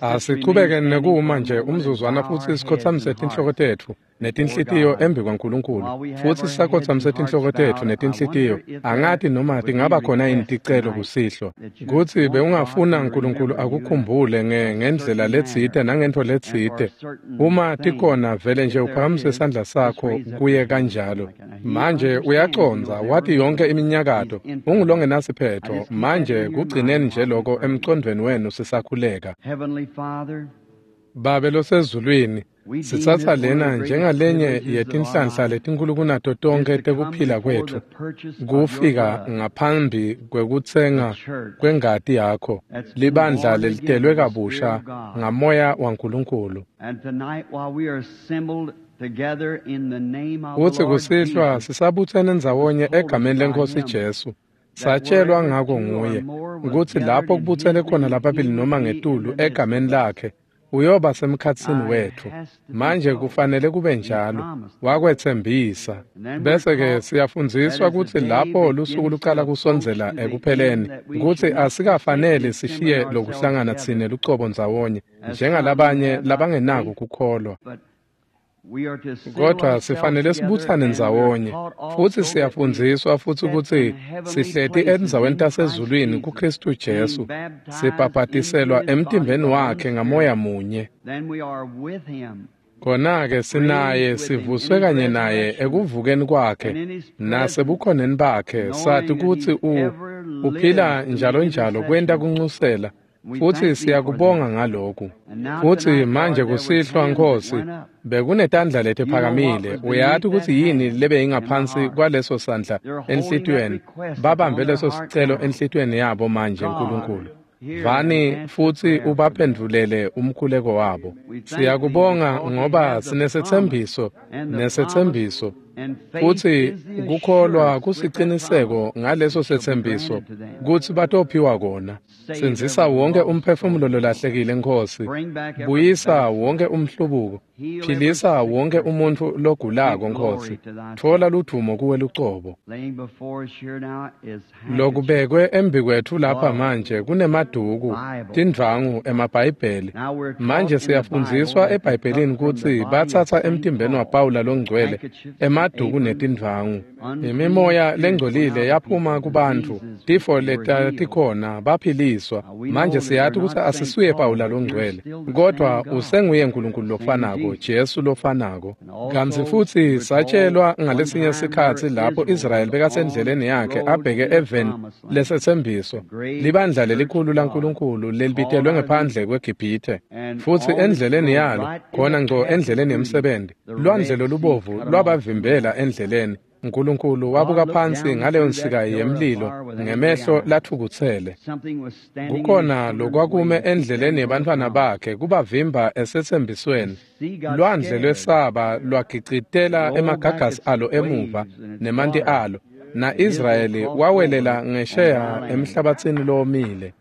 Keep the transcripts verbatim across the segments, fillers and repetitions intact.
Asichubeke nekuma nje umzuzwana futsi sikhotsamise tinhloko tetfu netinhlitiyo embi kwaNkulunkulu. Futsi sisakhotsamise tinhloko tetfu netinhlitiyo, angati noma tingaba khona yini ticelo kusihlwa kutsi bewungafuna Nkulunkulu akukhumbule ngendlela letsite nangentfo letsite. Uma tikhona, vele nje uphakamise sandla sakho kuye kanjalo. Manje uyacondza, wati yonke iminyakato, ungulongenasiphetho. Manje kugcineni nje lokho emcondvweni wenu sisakhuleka. Babe losezulwini, sitsatsa lena njengalenye yetinhlanhla letinkulu kunato tonkhe tekuphila kwetfu, kufika ngaphambi kwekutsenga kwengati yakho, libandla lelitelwe kabusha ngamoya waNkulunkulu. Kutsi kusihlwa sisabutsene ndzawonye egameni leNkhosi Jesu, satshelwa ngako nguye kutsi lapho kubutsene khona lababili noma ngetulu egameni lakhe, uyoba semkhatsini wetfu. Manje kufanele kube njalo, wakwetsembisa. Bese-ke siyafundziswa kutsi lapho lusuku lucala kusondzela ekupheleni, kutsi asikafanele sishiye lokuhlangana tsine lucobo ndzawonye njengalabanye labangenako kukholwa. Kodwa sifanele sibutsane ndzawonye, futsi siyafundziswa futsi kutsi sihleti endzaweni tasezulwini kuKhristu Jesu, sibhabhatiselwa emtimbeni wakhe ngamoya munye. Khona-ke sinaye, sivuswe kanye naye ekuvukeni kwakhe nasebukhoneni bakhe, sati kutsi u uphila njalo njalo kwenta kuncusela. Futsi siyakubonga ngaloku. Futsi manje kusihlwa, Nkhosi, bekunetandla letiphakamile. Uyati kutsi yini lebeyingaphansi kwaleso sandla enhlitiyweni. Babambe leso sicelo enhlitiyweni yabo manje, Nkulunkulu. Vani futsi ubaphendvulele umkhuleko wabo. Siyakubonga ngoba sinesetsembiso nesetsembiso, futsi kukholwa kusiciniseko ngaleso setsembiso kutsi batophiwa kona. Sindzisa wonke umphefumulo lolahlekile, Nkhosi. Buyisa wonke umhlubuko. Philisa wonke umuntfu logulako, Nkhosi. Tfola ludvumo kuwe lucobo. Lokubekwe embikwetfu lapha manje kunemaduku, tindvwangu, emaBhayibheli. Manje siyafundziswa eBhayibhelini kutsi batsatsa emtimbeni waPawula longcwele emaduku netindvwangu. Imimoya lengcolile yaphuma kubantfu, tifo letatikhona, baphiliswa. Manje siyati kutsi asisuye Pawula longcwele, kodwa usenguye Nkulunkulu lofanako, Jesu lofanako. Kantsi futsi satshelwa ngalesinye sikhatsi lapho Israyeli bekasendleleni yakhe abheke eveni lesetsembiso, libandla lelikhulu laNkulunkulu lelibitelwe ngephandle kweGibhithe. Futsi endleleni yalo, khona ngco endleleni yemsebenti, lwandle lolubovu lwabavimbela endleleni. Nkulunkulu wabuka phansi ngaleyo nsika yemlilo ngemehlo latfukutsele. Kukhona lokwakume endleleni yebantfwana bakhe kubavimba esetsembisweni. Lwandle lwesaba lwagicitela emagagasi alo emuva nemanti alo, na-Israyeli wawelela ngesheya emhlabatsini lowomile.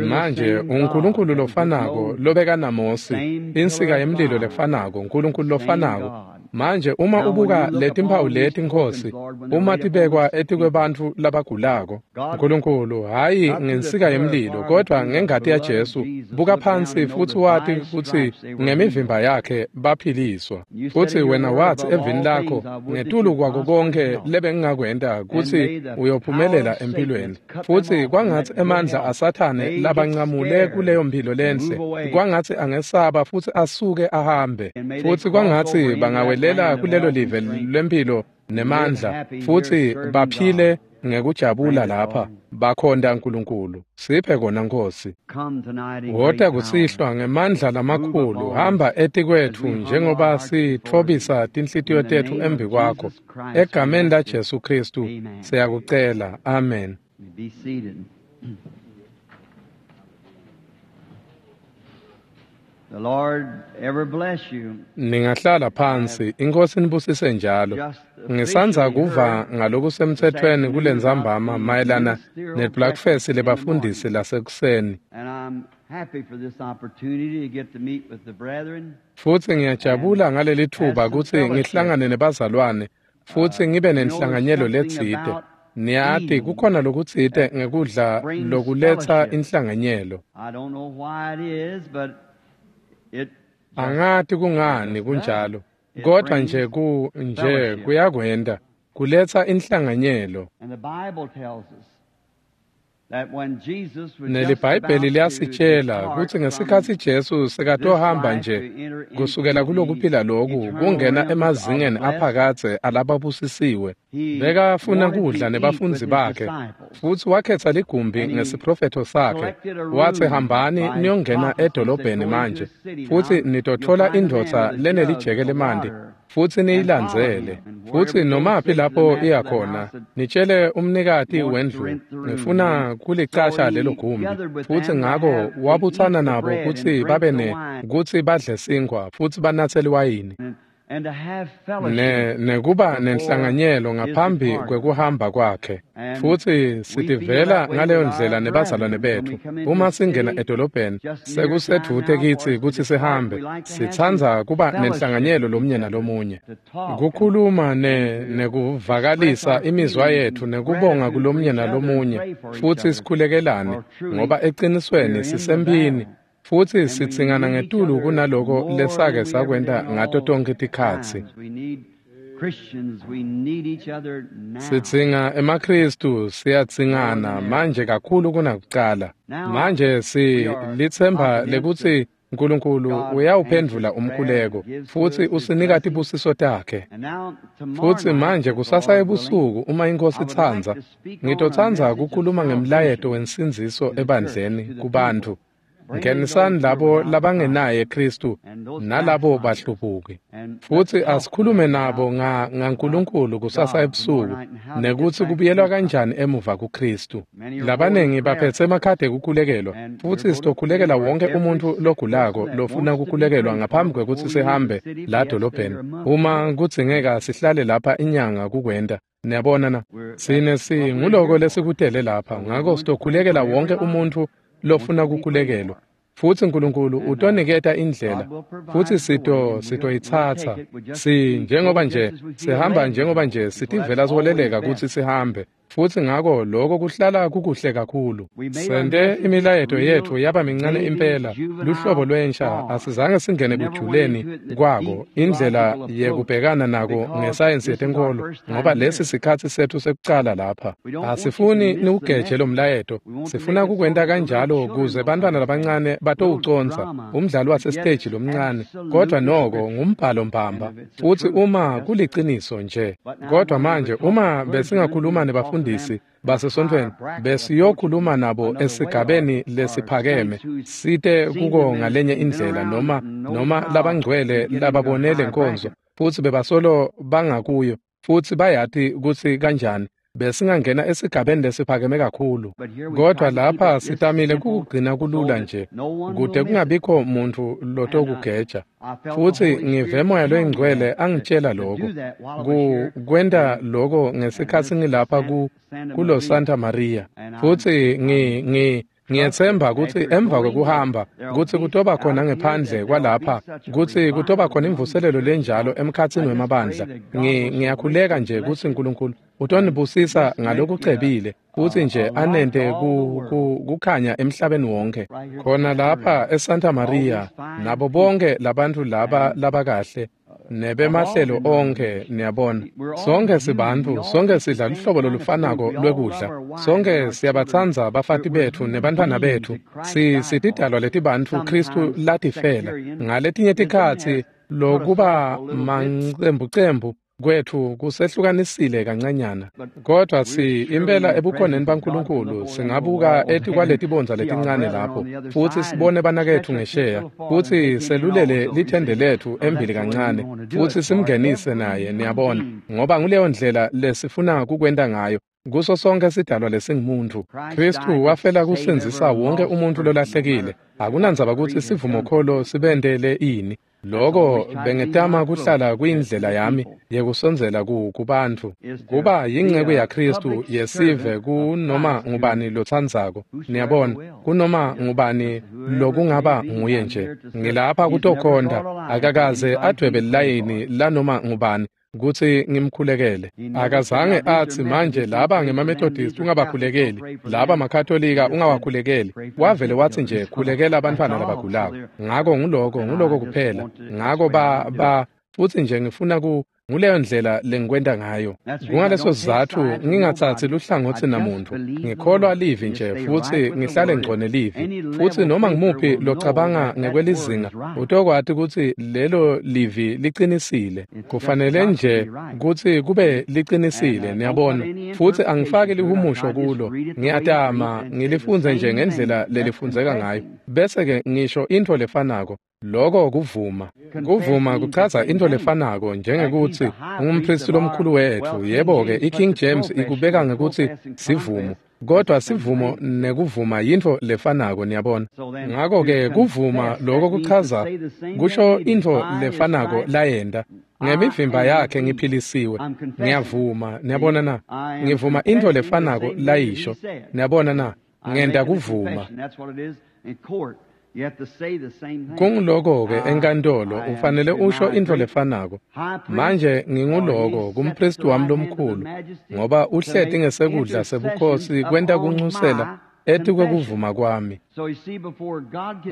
Manje uNkulunkulu lofanako lobeka naMosi, insika yemlilo lefanako, Nkulunkulu lofanako. Manje uma ubuka letimphawu leti, Nkhosi, uma tibekwa etikwebantfu labagulako, Nkulunkulu, hhayi ngensika yemlilo, kodwa ngengati yaJesu, buka phansi futsi wati kutsi ngemivimba yakhe baphiliswa. Futsi wena watsi evini lakho, ngetulu kwako konkhe lebengingakwenta kutsi uyophumelela empilweni. Futsi kwangatsi emandla aSathane labancamule kuleyo mphilo lenhle, kwangatsi angesaba futsi asuke ahambe. Futsi kwangatsi bangawelela kulelo live lwempilo nemandla, futsi baphile ngekujabula lapha, bakhonta Nkulunkulu. Siphe kona, Nkhosi. Wota kusihlwa ngemandla lamakhulu, hamba etikwetfu njengoba sitfobisa tinhlitiyo tetfu embi kwakho. Egameni laJesu Khristu siyakucela. Amen. The Lord ever bless you. Ningahlala phansi, iNkhosi nibusise njalo. Ngisandza kuva ngalokusemtsetfweni kulentsambama mayelana nebreakfast lebafundisi lasekuseni. And I'm happy for this opportunity to get to meet with the brethren. Futsi ngiyajabula ngaleli thuba kutsi ngihlangane nebazalwane futsi ngibe nenhlanganyelo letsite. Niyati kukhona lokutsite ngekudla lokuletsa inhlanganyelo. I don't know why it is, but Angati kungani kunjalo, kodwa nje ku nje kuyakwenta kuletsa inhlanganyelo. NeliBhayibheli liyasitshela kutsi ngesikhatsi Jesu sekatohamba nje kusukela kulokuphila loku kungena emazingeni aphakadze alababusisiwe, bekafuna kudla nebafundzi bakhe, futsi wakhetsa ligumbi ngesiprofetho sakhe, watsi hambani niyongena edolobheni manje, futsi nitotfola indvodza lenelijeke lemanti, futsi niyilandzele, futsi nomaphi lapho iyakhona, nitshele umnikati wendlu, ngifuna kulicasha lelo gumbi. Futsi ngako wabutsana nabo kutsi babe ne kutsi badle sinkhwa futsi banatse liwayini, ne nekuba nenhlanganyelo ngaphambi kwekuhamba kwakhe. Futsi sitivela ngaleyo ndlela nebazalwane betfu uma singena edolobheni, sekusedvute kitsi kutsi sihambe, sitsandza kuba nenhlanganyelo lomunye nalomunye, kukhuluma ne nekuvakalisa imizwa yetfu nekubonga kulomunye nalomunye, futsi sikhulekelane, ngoba eqinisweni sisempini, futsi sitsingana ngetulu kunaloko lesake sakwenta ngato tonkhe tikhatsi. Sidzinga emaKhristu, siyatsingana manje kakhulu kunakucala. Manje silitsemba lekutsi Nkulunkulu uyawuphendvula umkhuleko futsi usinika tibusiso takhe. Futsi manje kusasa ebusuku uma iNkosi itsandza, ngitotsandza kukhuluma ngemlayeto wensindziso ebandleni kubantfu. Ngenisani labo labangenaye Kristu nalabo bahlubuki, futsi asikhulume nabo nga ngaNkulunkulu kusasa ebusuku, nekutsi kubuyelwa kanjani emuva kuKristu. Labanengi baphetse emakhadi ekukhulekelwa, futsi sitokhulekela wonke umuntfu logulako lofuna kukhulekelwa ngaphambi kwekutsi sihambe la dolobheni, uma kudzingeka sihlale lapha inyanga kukwenta. Niyabona na, sine singuloko lesikutele lapha, ngako sitokhulekela wonke umuntfu lofuna kukhulekelwa, futsi Nkulunkulu utoniketa indlela, futsi sito sitoyitsatsa. Si njengoba nje sihamba, njengoba nje sitivela siholeleka kutsi sihambe, futsi ngako lokho kuhlala kukuhle kakhulu. Sente imilayeto yetfu yaba mincane impela, luhlobo lwensha, asizange singene kujuleni kwako, indlela yekubhekana nako ngesayensi yetenkolo, ngoba lesi sikhatsi setfu sekucala lapha. Asifuni niwugeje lo mlayeto, sifuna kukwenta kanjalo kuze bantwana labancane batowuconza umdlalo wasesiteji lomncane, kodwa noko ngumbhalo mbamba, futsi uma kuliciniso nje. Kodwa manje uma besingakhuluma nebafundisi basesontfweni, besiyokhuluma nabo esigabeni lesiphakeme, site kuko ngalenye indlela, noma noma labangcwele lababone lenkonzo, futsi bebasolo bangakuyo, futsi bayati kutsi kanjani, besingangena esigabeni lesiphakeme kakhulu. Kodwa lapha sitamile kukugcina kulula nje, kude kungabikho muntfu lotokugeja. Futsi ngive Moya loyiNgcwele angitshela lokho, ku kwenta lokho ngesikhatsi ngilapha ku kulo Santa Maria. Futsi ngi ngi ngiyetsemba kutsi emva kwekuhamba kutsi kutoba khona ngephandle kwalapha, kutsi kutoba khona imvuselelo lenjalo emkhatsini wemabandla. Ngi ngiyakhuleka nje kutsi Nkulunkulu utonibusisa ngalokucebile, kutsi nje anente ku, ku, kukhanya emhlabeni wonke. Khona lapha eSanta Maria, nabo bonke labantfu laba labakahle nebemahlelo onke, niyabona, sonke sibantfu, sonke sidla luhlobo lolufanako lwekudla, sonke siyabatsandza bafati betfu nebantfwana betfu, si sitidalwa letibantfu Kristu latifela. Ngaletinye tikhatsi lokuba mancembucembu kwetfu kusehlukanisile kancanyana, kodwa si impela ebukhoneni baNkulunkulu singabuka etikwaletibondza letincane lapho, futsi sibone banaketfu ngesheya, futsi selulele lithende letfu embili kancane, futsi simngenise naye, niyabona, ngoba nguleyo ndlela lesifuna kukwenta ngayo kuso sonke sidalwa lesingumuntu. Kristu wafela kusindzisa wonke umuntfu lolahlekile, akunandzaba kutsi sivumokholo sibentele ini. Loko bengetama kuhlala kuyindlela yami yekusondzela ku kubantfu, kuba yinceku yaKristu yesive kunoma ngubani lotsandzako, niyabona, kunoma ngubani lokungaba nguye nje. Ngilapha kutokhonta, akakaze advwebe lilayini lanoma ngubani kutsi ngimkhulekele. Akazange atsi manje laba ngemaMethodist ungabakhulekeli, laba maKatolika ungawakhulekeli. Wavele watsi nje khulekela abantfwana labagulako. Ngako nguloko nguloko kuphela. Ngako ba ba futsi nje ngifuna ku nguleyo ndlela lengikwenta ngayo. Kungaleso sizatfu ngingatsatsi luhlangotsi namuntu. Ngikholwa livi nje futsi ngihlale ngco nelivi. Futsi noma ngimuphi locabanga ngekwelizinga utokwati kutsi lelo livi liqinisile. Kufanele nje kutsi kube liqinisile, niyabona. Futsi angifaki lihumusho kulo. Ngiyatama ngilifundze nje ngendlela lelifundzeka ngayo. Bese-ke ngisho intfo lefanako. Loko kuvuma. Kuvuma kuchaza into lefanako njengekuthi ungumpristi lomkhulu wetfu. Yebo-ke iKing James ikubeka ngekuthi sivumo, kodwa sivumo nekuvuma yintfo lefanako, niyabona. Ngako-ke kuvuma loko kuchaza kusho intfo lefanako layenta. Ngemivimba yakhe ngiphilisiwe. Ngiyavuma, niyabona na? Ngivuma intfo lefanako layisho. Niyabona na? Ngenta kuvuma. Kunguloko-ke enkantolo ufanele usho intfo lefanako. Manje nginguloko kumpristi wami lomkhulu, ngoba uhleti ngesekudla sebukhosi kwenta kuncusela etikwekuvuma kwami.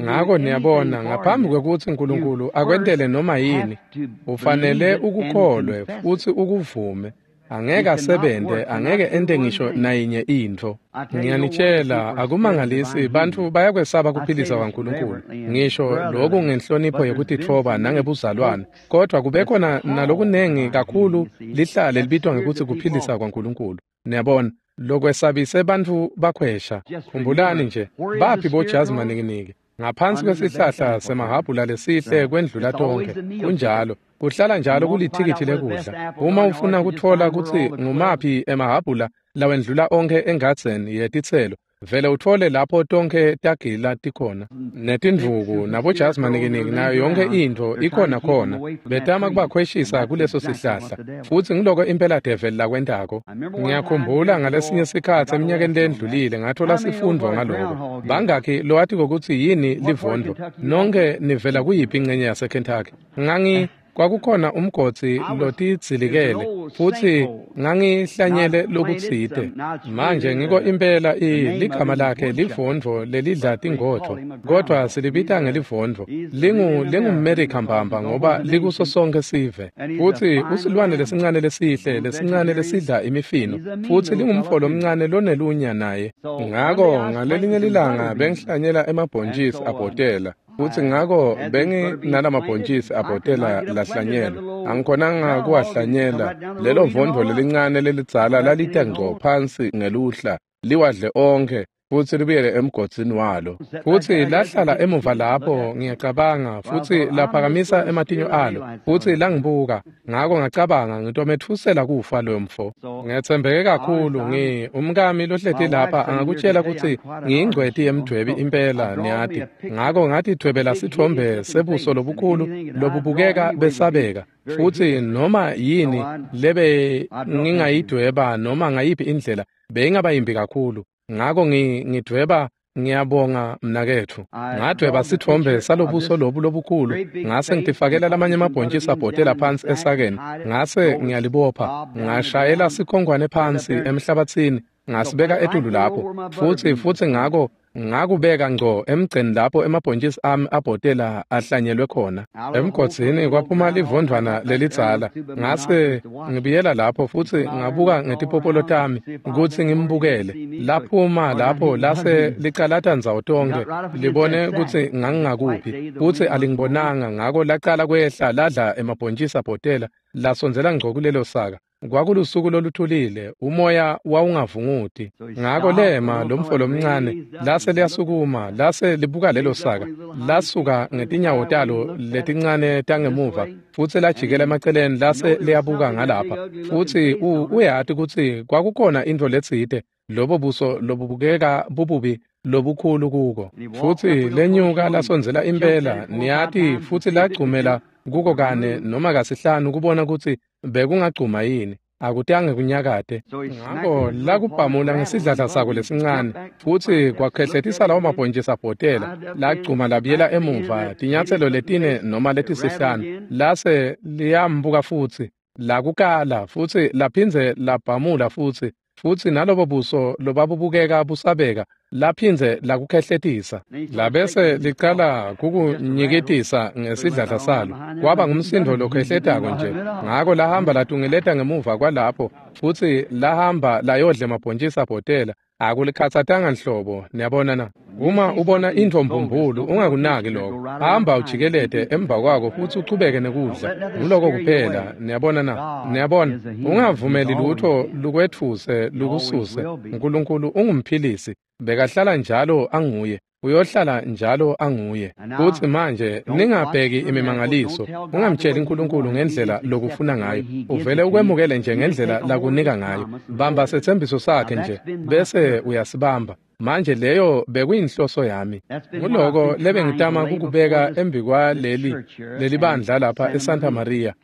Ngako niyabona, ngaphambi kwekutsi Nkulunkulu akwentele noma yini, ufanele ukukholwe futsi ukuvume. Angeke asebente, angeke ente ngisho nayinye intfo. Ngiyanitshela, akumangalisi bantfu bayakwesaba kuphilisa kwaNkulunkulu. Ngisho loku ngenhlonipho yekutitfoba nangebuzalwane, kodwa kube khona nalokunengi kakhulu lihlale libitwa ngekutsi kuphilisa kwaNkulunkulu. Niyabona, lokwesabise bantfu bakhwesha. Khumbulani nje, baphi bojazi manikiniki? Ngaphansi kwesihlahla semahabhula lesihle kwendlula tonkhe. Kunjalo. Kuhlala njalo kulithikithi lekudla. Uma ufuna kutfola kutsi ngumaphi emahabhula lawendlula onkhe engadzeni yetitselo, vele utfole lapho tonkhe tagila tikhona. Netindvuku nabojazi manikiniki nayo yonke intfo ikhona khona. Betama kubakhweshisa kuleso sihlahla. Futsi ngiloko impela develi lakwentako. Ngiyakhumbula ngalesinye sikhatsi eminyakeni lendlulile ngathola sifundvo ngaloko. Bangakhi lowatiko kutsi yini livondvo? Nonke nivela kuyiphi ingcenye yaseKentucky? Ngangi kwakukhona umgodzi lotidzilikele futsi ngangihlanyele lokutsite. Manje ngiko impela ligama lakhe livondvo lelidla tingodvo, kodwa silibita ngelivondvo. Lingu lingumMerica mbamba ngoba likuso sonke sive. Futsi usilwane lesincane lesihle lesincane lesidla imifino, futsi lingumfo lomncane lonelunya naye. Ngako ngalelinye lilanga bengihlanyela emabhontjisi abhotela. Futsi ngako benginalama-bhontjisi abhotela lahlanyelwa. Angikhonanga kuwahlanyela. Lelo vondvo lelincane lelidzala lalita ngco phansi ngeluhla, liwadle onkhe futsi libuyele emgodzini walo. Futsi lahlala emuva lapho, ngiyacabanga, futsi laphakamisa ematinyo alo, futsi langibuka. Ngako ngacabanga ngitometfusela kufa lo mfo. Ngetsembeke kakhulu. Ngi umkami lohleti lapha angakutshela kutsi ngiyingcweti yemdvwebi impela, niyati. Ngako ngatidvwebela sitfombe sebuso lobukhulu lobubukeka besabeka. Futsi noma yini lebe ngingayidweba noma ngayiphi indlela beyingaba yimbi kakhulu. Ngako ngidvweba, ngiyabonga mnaketfu. Ngadvweba sitfombe salobuso lobu lobukhulu, ngase ngitifakela lamanye amabhontjisi abhotela phansi esakeni, ngase ngiyalibopha, ngashayela sikhonkwane phansi emhlabatsini, ngasibeka etulu lapho. Futsi futsi ngako ngakubeka ngco emgceni lapho emabhontjisi ami abhotela ahlanyelwe khona. Emgodzini kwaphuma livondvwana lelidzala. Ngase ngibuyela lapho futsi ngabuka ngetipopolo tami kutsi ngimbukele. Laphuma lapho lase licalata ndzawo tonkhe libone kutsi ngangingakuphi, futsi alingibonanga. Ngako lacala kwehla ladla emabhontjisi abhotela, lasondzela ngco kulelo saka. Kwakulusuku loluthulile, umoya wawungavunguti. Ngako lema lomfo lomncane lase liyasukuma, lase libuka lelo saka, lasuka ngetinyawo talo letincane tangemuva, futsi lajikela emaceleni lase liyabuka ngalapha. Futsi uyati kutsi kwakukhona intfo letsite, lobo buso lobubukeka bububi lobukhulu kuko. Futsi lenyuka lasondzela impela, niyati, futsi lagcumela kuko kane noma kasihlanu kubona kutsi bekungagcuma yini. Akutange kunyakate. Ngako lakubhamula ngesidladla sako lesincane, futsi kwakhehletisa lawo mabhontjisi abhotela, lagcuma labuyela emuva tinyatselo letine noma letisihlanu, lase liyambuka futsi. Lakukala futsi laphindze labhamula futsi futsi nalobo buso lobabubukeka busabeka laphindze lakukhehletisa labese licala kukunyikitisa ngesidladla salo kwaba ngumsindo lokhehletako nje. Ngako lahamba latungeleta ngemuva kwalapho futsi lahamba layodla emabhontjisi abhotela akulikhatsatanga nhlobo. Niyabona na? Uma ubona intfo mbumbulu ungakunaki lokho, hamba ujikelete emva kwako futsi uchubeke nekudla. Nguloko kuphela. Niyabona na? Niyabona, ungavumeli lutho lukwetfuse lukususe. Nkulunkulu ungumphilisi, bekahlala njalo anguye, uyohlala njalo anguye. Futsi manje ningabheki imimangaliso, ungamtsheli uNkulunkulu ngendlela lokufuna ngayo, uvele ukwemukele nje ngendlela lakunika ngayo. Bamba setsembiso sakhe nje bese uyasibamba. Manje leyo bekuyinhloso yami. Nguloko lebengitama kukubeka embi kwaleli lelibandla lapha eSanta Maria,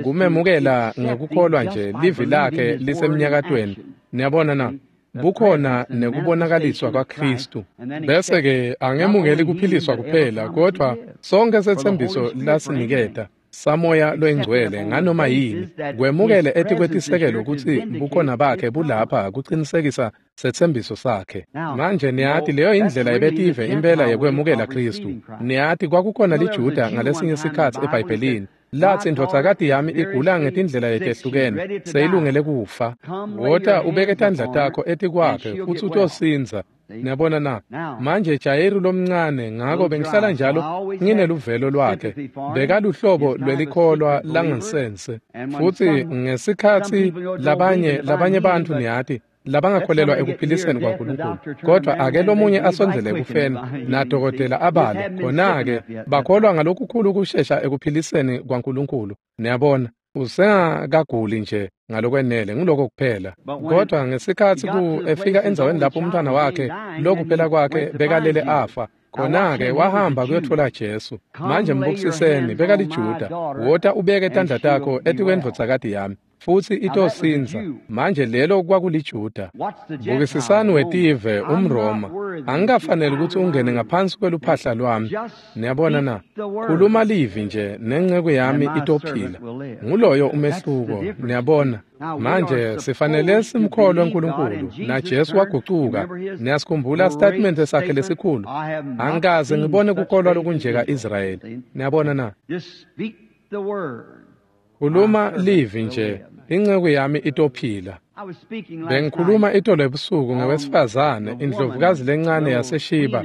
kumemukela ngekukholwa nje livi lakhe lisemnyakatweni. Niyabona na? Bukhona nekubonakaliswa kwaKristu. Bese-ke angemukeli kuphiliswa kuphela, kodvwa sonke setsembiso lasiniketa samoya loyingcwele nganoma yini kwemukele etikwetisekelo kutsi bukhona bakhe bulapha kucinisekisa setsembiso sakhe. Manje niyati leyo indlela yebetive impela yekwemukela Kristu. Niyati kwakukhona liJuda ngalesinye sikhatsi eBhayibhelini latsi indvodzakati yami igula ngetindlela letehlukene seyilungele kufa. Wota ubeke tandla takho etikwakhe futsi utosindza. Niyabona na? Manje Jayiru lomncane, ngako bengihlala njalo ngineluvelo lwakhe, bekaluhlobo lwelikholwa langansense. Futsi ngesikhatsi labanye labanye bantfu niyati labangakholelwa ekuphiliseni kwaNkulunkulu, kodwa ake lomunye asondzele ekufeni nadokotela abale, khona-ke bakholwa ngalokukhulu kushesha ekuphiliseni kwaNkulunkulu. Niyabona, usengakaguli nje ngalokwenele, nguloko kuphela. Kodwa ngesikhatsi ku efika endzaweni lapho umntwana wakhe lokuphela kwakhe bekalele afa, khona-ke wahamba kuyotfola Jesu. Manje mbukisiseni, bekaliJuda. Wota ubeke tandla takho etikwendvodzakati yami futsi itosindza. Manje lelo kwakuliJuda. Bukisisani wetive umRoma, angikafaneli kutsi ungene ngaphansi kweluphahla lwami. Niyabona na? Khuluma livi nje nenceku yami itophila. Nguloyo umehluko. Niyabona? Manje sifanele simkholwe uNkulunkulu, naJesu wagucuka. Niyasikhumbula statement sakhe lesikhulu, angikaze ngibone kukholwa lokunje ka-Israyeli. Niyabona na? Khuluma livi nje, inceku yami itophila. Bengikhuluma itolo ebusuku ngewesifazane, indlovukazi lencane yaseShiba,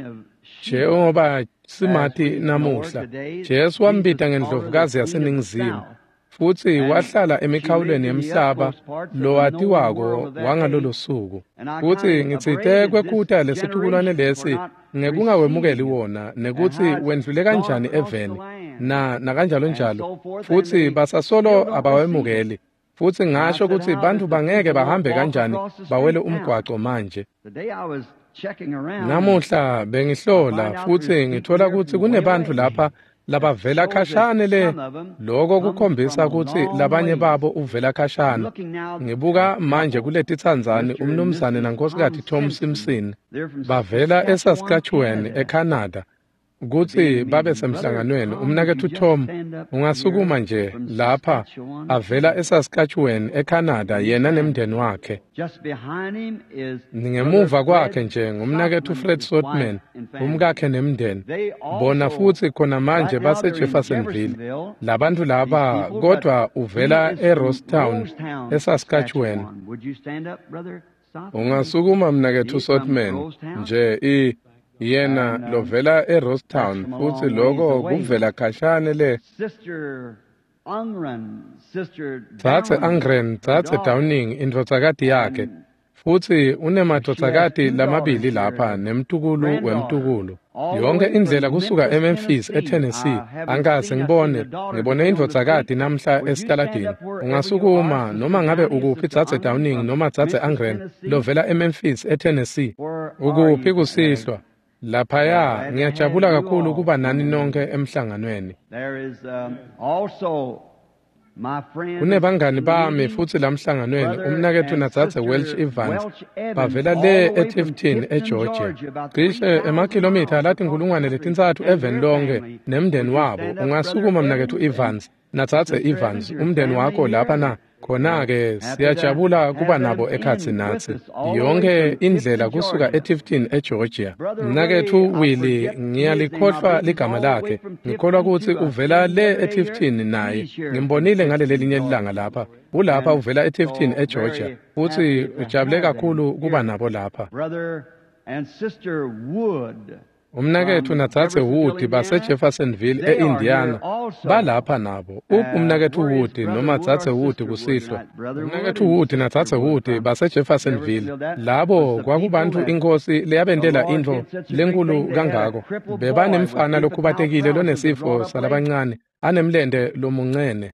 njengoba simati namuhla. Jesu wambita ngendlovukazi yaseNingizimu, futsi wahlala emikhawulweni yemhlaba lowatiwako wangalolo suku. Futsi ngitsite kwekhuta lesitukulwane lesi ngekungawemukeli wona, nekutsi wendlule kanjani eveni na nakanjalo njalo, futsi basasolo abawemukeli. Futsi ngasho kutsi bantfu bangeke bahambe kanjani bawele umgwaco manje. Namuhla bengihlola futsi ngithola kutsi kunebantfu lapha labavela khashane le. Loko kukhombisa kutsi labanye babo uvela khashane. Ngibuka manje kuletitsandzani umnumzane nankosikazi Tom Simpson bavela eSaskatchewan eCanada kutsi babe semhlanganweni. Umnaketfu Tom, ungasukuma nje lapha avela eSaskatchewan eCanada, yena nemndeni wakhe. Ngemuva kwakhe nje ngumnaketfu Fred Sotman, umkakhe nemndeni. Bona futsi khona manje base Jeffersonville. Labantu laba kodwa uvela eRostown eSaskatchewan. Ungasukuma mnaketfu Sotman nje i yena lovela eRostown, futsi loko kuvela khashane le. Dzadze Angren, Dzadze Downing, indvodzakati yakhe, futsi unemadvodzakati lamabili lapha nemtukulu wemtukulu. Yonke indlela kusuka eMemphis eTennessee. Angikaze ngibone, ngibone indvodzakati namhla esitaladini. Ungasukuma noma ngabe ukuphi Dzadze Downing noma Dzadze Angren lovela eMemphis eTennessee. Ukuphi kusihlwa? Laphaya ngiyajabula kakhulu kuba nani nonke emhlanganweni. There is um, also Kunebangani bami futsi lamhlanganweni umnaketfu nadzadze Welch Evans bavela le eTifton eGeorgia, cishe emakhilomitha latinkhulungwane letintsatfu eveni lonke nemndeni wabo. Ungasukuma mnaketfu Evans nadzadze Evans, umndeni wakho lapha na? Khona-ke siyajabula kuba nabo ekhatsi natsi yonke indlela kusuka eTifton eGeorgia. Mnaketfu Willie, ngiyalikhohlwa ligama lakhe, ngikholwa kutsi uvela le eTifton naye. Ngimbonile ngalelelinye lilanga lapha, ulapha uvela eTifton eGeorgia, futsi ujabule kakhulu kuba nabo lapha. Umnaketfu nadzadze Wood baseJeffersonville e-Indiana balapha nabo. Uphi umnaketfu Wood noma dzadze Wood kusihlwa? Umnaketfu Wood nadzadze Wood baseJeffersonville, labo kwakubantfu iNkhosi leyabentela intfo lenkulu kangako. Bebanemfana lokhubatekile lonesifo salabancane anemlente lomuncene.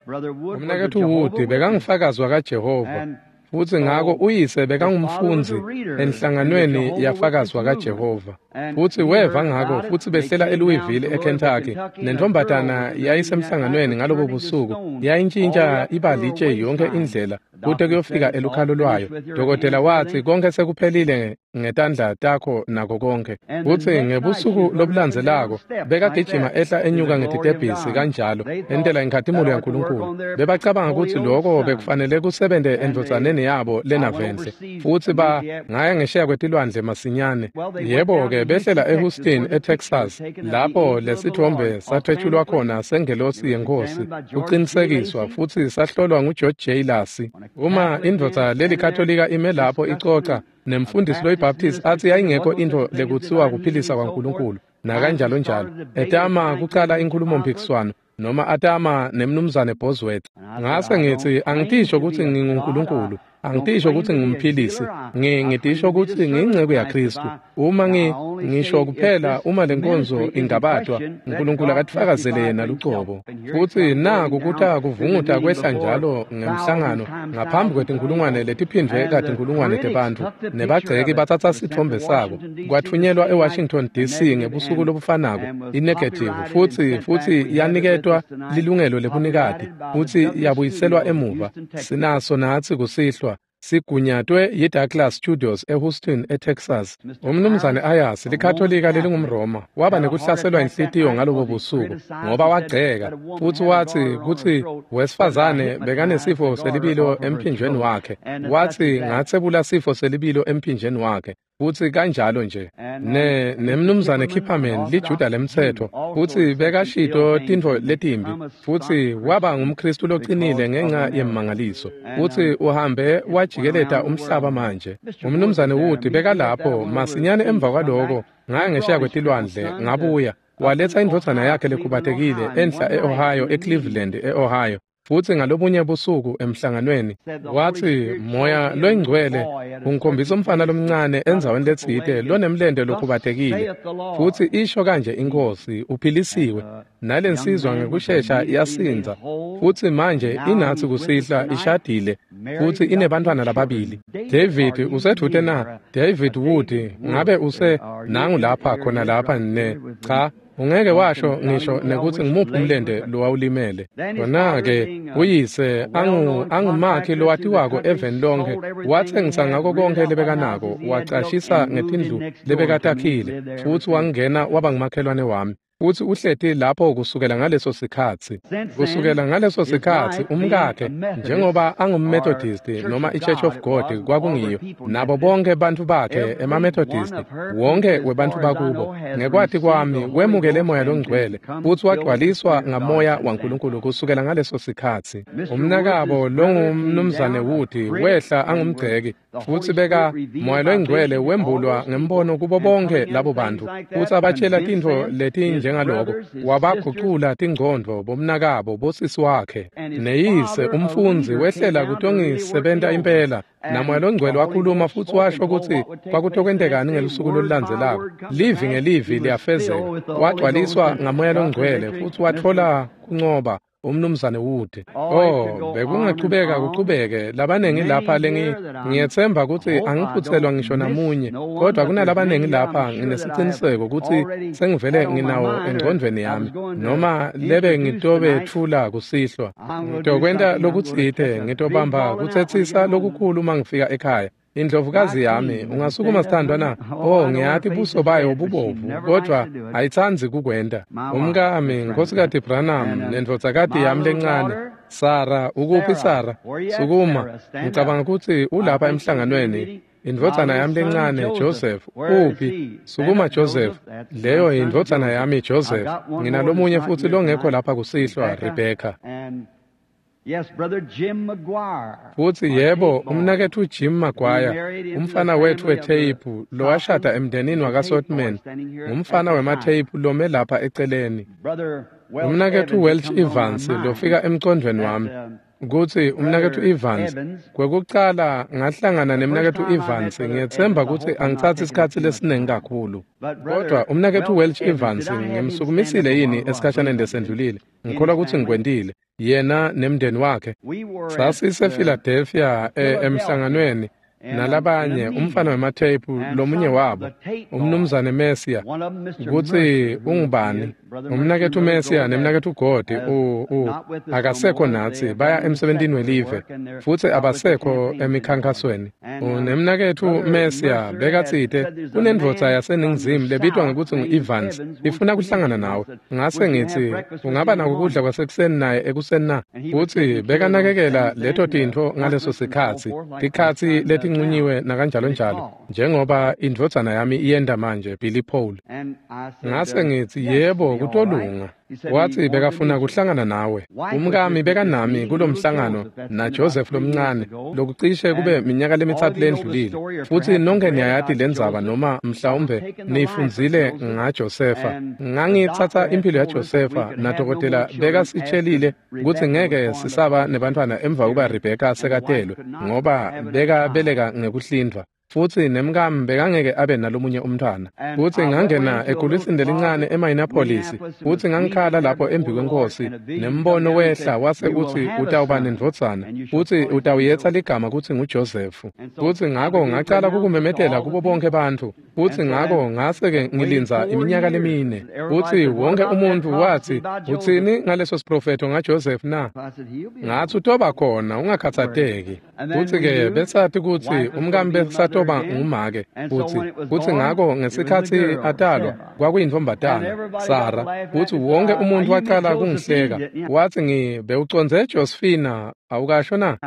Umnaketfu Wood bekangufakazi wakaJehova, futsi ngako uyise bekangumfundzi enhlanganweni yafakazi wakaJehova, futsi weva ngako futsi behlela eLouisville eKentucky. Nentombatana yayisemhlanganweni ngalobo busuku, yayintshintsha ibalitshe yonke indlela kute kuyofika elukhalo lwayo. Dokotela watsi konke sekuphelile ngetandla takho nako konke. Futsi ngebusuku lobulandzelako bekagijima ehla enyuka ngetitebhisi kanjalo entela inkhatimulo yaNkulunkulu. Bebacabanga kutsi loko bekufanele kusebente endvodzaneni yabo lenavenhle, futsi ba ngaya ngesheya kwetilwandle masinyane. Yebo-ke behlela eHouston eTexas, lapho lesithombe sathwetshulwa khona sengelosi yeNkhosi kucinisekiswa futsi sahlolwa nguGeorge J. Lasi. Uma indvodza lelikatolika ime lapho icoca nemfundisi loyiBaptist athi yayingekho intfo lekutsiwa kuphilisa kwaNkulunkulu nakanjalo njalo, etama kucala inkhulumomphikiswano noma atama nemnumzane Bosworth. Ngase ngithi angitisho kutsi nginguNkulunkulu, angitisho kutsi ngumphilisi, ngitisho kutsi ngiyinceku yaKhristu. Uma ngi ngisho kuphela uma lenkonzo ingabatwa, uNkulunkulu akatifakazele yena lucobo. Futsi naku kuta kuvunguta kwehla njalo ngemhlangano ngaphambi kwetinkhulungwane letiphindvwe katinkhulungwane tebantfu, nebagceki batsatsa sitfombe sabo. Kwatfunyelwa eWashington D C ngebusuku lobufanako inegative, futsi futsi yaniketwa lilungelo lebunikati futsi yabuyiselwa emuva. Sinaso natsi kusihlwa sigunyatwe yiDouglas Studios eHouston eTexas. Umnumzane Ayers, likatolika lelingumRoma, waba nekuhlaselwa inhlitiyo ngalobo busuku ngoba wagceka futsi watsi kutsi wesifazane bekanesifo selibilo emphinjweni wakhe. Watsi ngatsebula sifo selibilo emphinjeni wakhe, futsi kanjalo nje. Ne nemnumzane Kipperman, liJuda lemtsetfo, futsi bekashito tintfo letimbi, futsi waba ngumKhristu loqinile ngenxa yemmangaliso, futsi uhambe wajikeleta umhlaba manje. Umnumzane Wood bekalapho masinyane emva kwaloko ngaya ngesheya kwetilwandle ngabuya, waletsa indvodzana yakhe lekhubatekile enhla e-Ohio, eCleveland e-Ohio. Futsi ngalobunye busuku emhlanganweni watsi Moya loyingcwele ungikhombisa umfana lomncane endzaweni letsite lonemlente lokhubatekile, futsi isho kanje iNkhosi, uphilisiwe. Nalensizwa ngekushesha yasindza, futsi manje inatsi kusihlwa ishadile futsi inebantfwana lababili. David usedvute na? David Wood, ngabe use nangu lapha khona lapha ne? Cha, ungeke washo ngisho nekutsi ngimuphi umlente lowawulimele. Kona-ke uyise angu angumakhi lowatiwako eveni lonke, watsengisa ngako konke lebekanako, wacashisa ngetindlu lebekatakhile, futsi wangena waba ngumakhelwane wami. Futsi uhleti lapho kusukela ngaleso sikhatsi. Kusukela ngaleso sikhatsi umkakhe, njengoba angumMethodist noma iChurch of God kwakungiyo, nabo bonke bantfu bakhe emaMethodist, wonke webantfu bakubo, ngekwati kwami wemukele Moya loNgcwele futsi wagcwaliswa ngaMoya waNkulunkulu kusukela ngaleso sikhatsi. Umnakabo longumnumzane Wood wehla angumgceki, futsi beka Moya loNgcwele wembulwa ngembono kubo bonke labo bantfu, futsi abatshela tintfo letinjengaloko, wabagucula tingcondvo bomnakabo bosisi wakhe. Neyise umfundzi wehlela kutongisebenta impela, naMoya loNgcwele wakhuluma futsi washo kutsi kwakutokwentekani ngelusuku lolulandzelako. Livi ngelivi liyafezeka. Wagcwaliswa ngaMoya loNgcwele futsi watfola kuncoba. umnumzane Wood. Oh, bekungachubeka kuchubeke labanengi lapha lengi ngiyetsemba kutsi angiphutselwa ngisho namunye, kodwa kunalabanengi lapha nginesiciniseko kutsi sengivele nginawo engcondvweni yami noma lebe ngitobetfula kusihlwa. Ngitokwenta lokutsite, ngitobamba kutsetsisa lokukhulu uma ngifika ekhaya. Indlovukazi yami, ungasukuma sithandwa na? Oh, ngiyati buso bayo bubovu, kodwa ayitsandzi kukwenta. Umkami, Nkhosikati Branham, nendvodzakati yami lencane, Sara, ukuphi Sara? Sukuma, ngicabanga kutsi ulapha emhlanganweni. Indvodzana yami lencane, Joseph, uphi? Sukuma Joseph. Leyo indvodzana yami Joseph. Nginalomunye futsi longekho lapha kusihlwa, Rebecca. Yes, Brother Jim McGuire. Futsi yebo, umnaketfu Jim McGuire, umfana wetfu wetheyiphu lowashada emndenini wakaSotman, ngumfana wematheyiphu lome lapha eceleni. Umnaketfu Welch Evans lofika emcondvweni wami kutsi umnaketfu Evans, kwekucala ngahlangana nemnaketfu Evans, ngiyetsemba kutsi angitsatsi isikhatsi lesiningi kakhulu. Kodwa umnaketfu Welch Evans ngimsukumisile yini esikhashaneni lesendlulile? Ngikholwa kutsi ngikwentile. Yena nemndeni wakhe. Sasise Philadelphia emhlanganweni nalabanye, umfana wematheyiphu lomunye wabo, umnumzane Mesiya, kutsi ungubani? Umnaketfu Mesiya nemnaketfu Godi u u akasekho natsi, baya emsebentini welive futsi abasekho emikhankasweni. Unemnaketfu Mesiya bekatsite kunendvodza yaseNingizimu lebitwa ngekutsi ngu-Evans, ifuna kuhlangana nawe. Ngase ngitsi ungaba nako kudla kwasekuseni naye ekuseni na? Futsi bekanakekela leto tintfo ngaleso sikhatsi, tikhatsi letincunyiwe nakanjalo njalo, njengoba indvodzana yami iyenda manje, Billy Paul. Ngase ngitsi yebo, kutolunga. Watsi bekafuna kuhlangana nawe. Umkami bekanami kulomhlangano na Joseph lomncane, lokucishe kube minyaka lemitsatfu lendlulile. Futsi nonke niyayati lendzaba noma mhlawumbe niyifundzile ngaJosefa. Ngangitsatsa impilo yaJosefa na dokotela bekasitshelile kutsi ngeke sisaba nebantfwana emva kuba Rebecca sekatelwe, ngoba bekabeleka ngekuhlindvwa. Futsi nemkami bekangeke abe nalomunye umntfwana. Futsi ngangena egulisini lelincane eMinneapolis, futsi ngangikhala lapho embi kwenkosi, nembono wehla wase utsi utawuba nendvodzana, futsi utawuyetsa ligama kutsi nguJoseph. Futsi ngako ngacala kukumemetela kubo bonke bantfu, futsi ngako ngase-ke ngilindza iminyaka lemine. Futsi wonke umuntfu watsi, utsini ngaleso siprofetho ngaJoseph na? Ngatsi utoba khona, ungakhatsateki. Futsi-ke besati kutsi umkami besatoba ngumake, futsi futsi ngako ngesikhatsi atalwa kwakuyintfombatana Sara. Futsi wonke umuntfu wacala kungihleka, watsi ngi bewucondze Josephina awukasho na?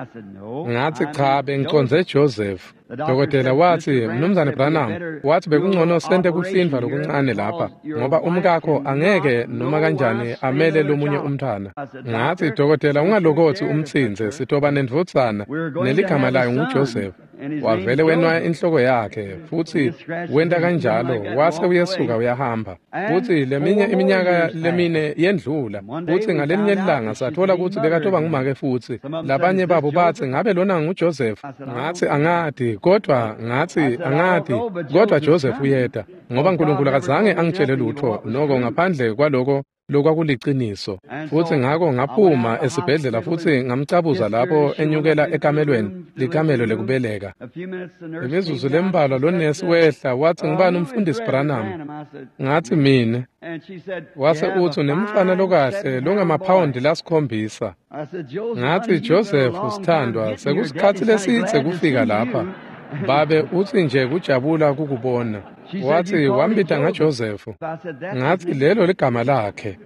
Ngatsi cha, bengicondze Joseph. Dokotela watsi, Mnumzane Branham, watsi bekungcono sente kuhlindvwa lokuncane lapha, ngoba umkakho angeke noma kanjani amele lomunye umntfwana. Ngatsi, dokotela, ungalokotsi umtsintse, sitoba nendvodzana neligama layo nguJoseph. Wavele wenwaya inhloko yakhe, futsi wenta kanjalo, wase uyasuka uyahamba. Futsi leminye iminyaka lemine yendlula, futsi ngalelinye ilanga sathola kutsi bekatoba ngumake futsi. Labanye babo batsi, ngabe lona nguJoseph? Ngatsi angati, kodwa ngatsi angati, kodwa Joseph uyeta, ngoba uNkulunkulu akazange angitshele lutho noko ngaphandle kwaloko lokwakuliciniso. Futsi ngako ngaphuma esibhedlela futsi ngamcabuza lapho enyukela ekamelweni, likamelo lekubeleka. Imizuzu lembalwa lonesi wehla watsi, ngibani umfundisi Branham? Ngatsi mine. Wase utsi unemfana lokahle longemaphawundi lasikhombisa. Ngatsi Joseph sithandwa, sekusikhatsi lesidze kufika lapha. Babe utsi nje kujabula kukubona. Watsi wambita ngaJoseph. Ngatsi lelo ligama lakhe.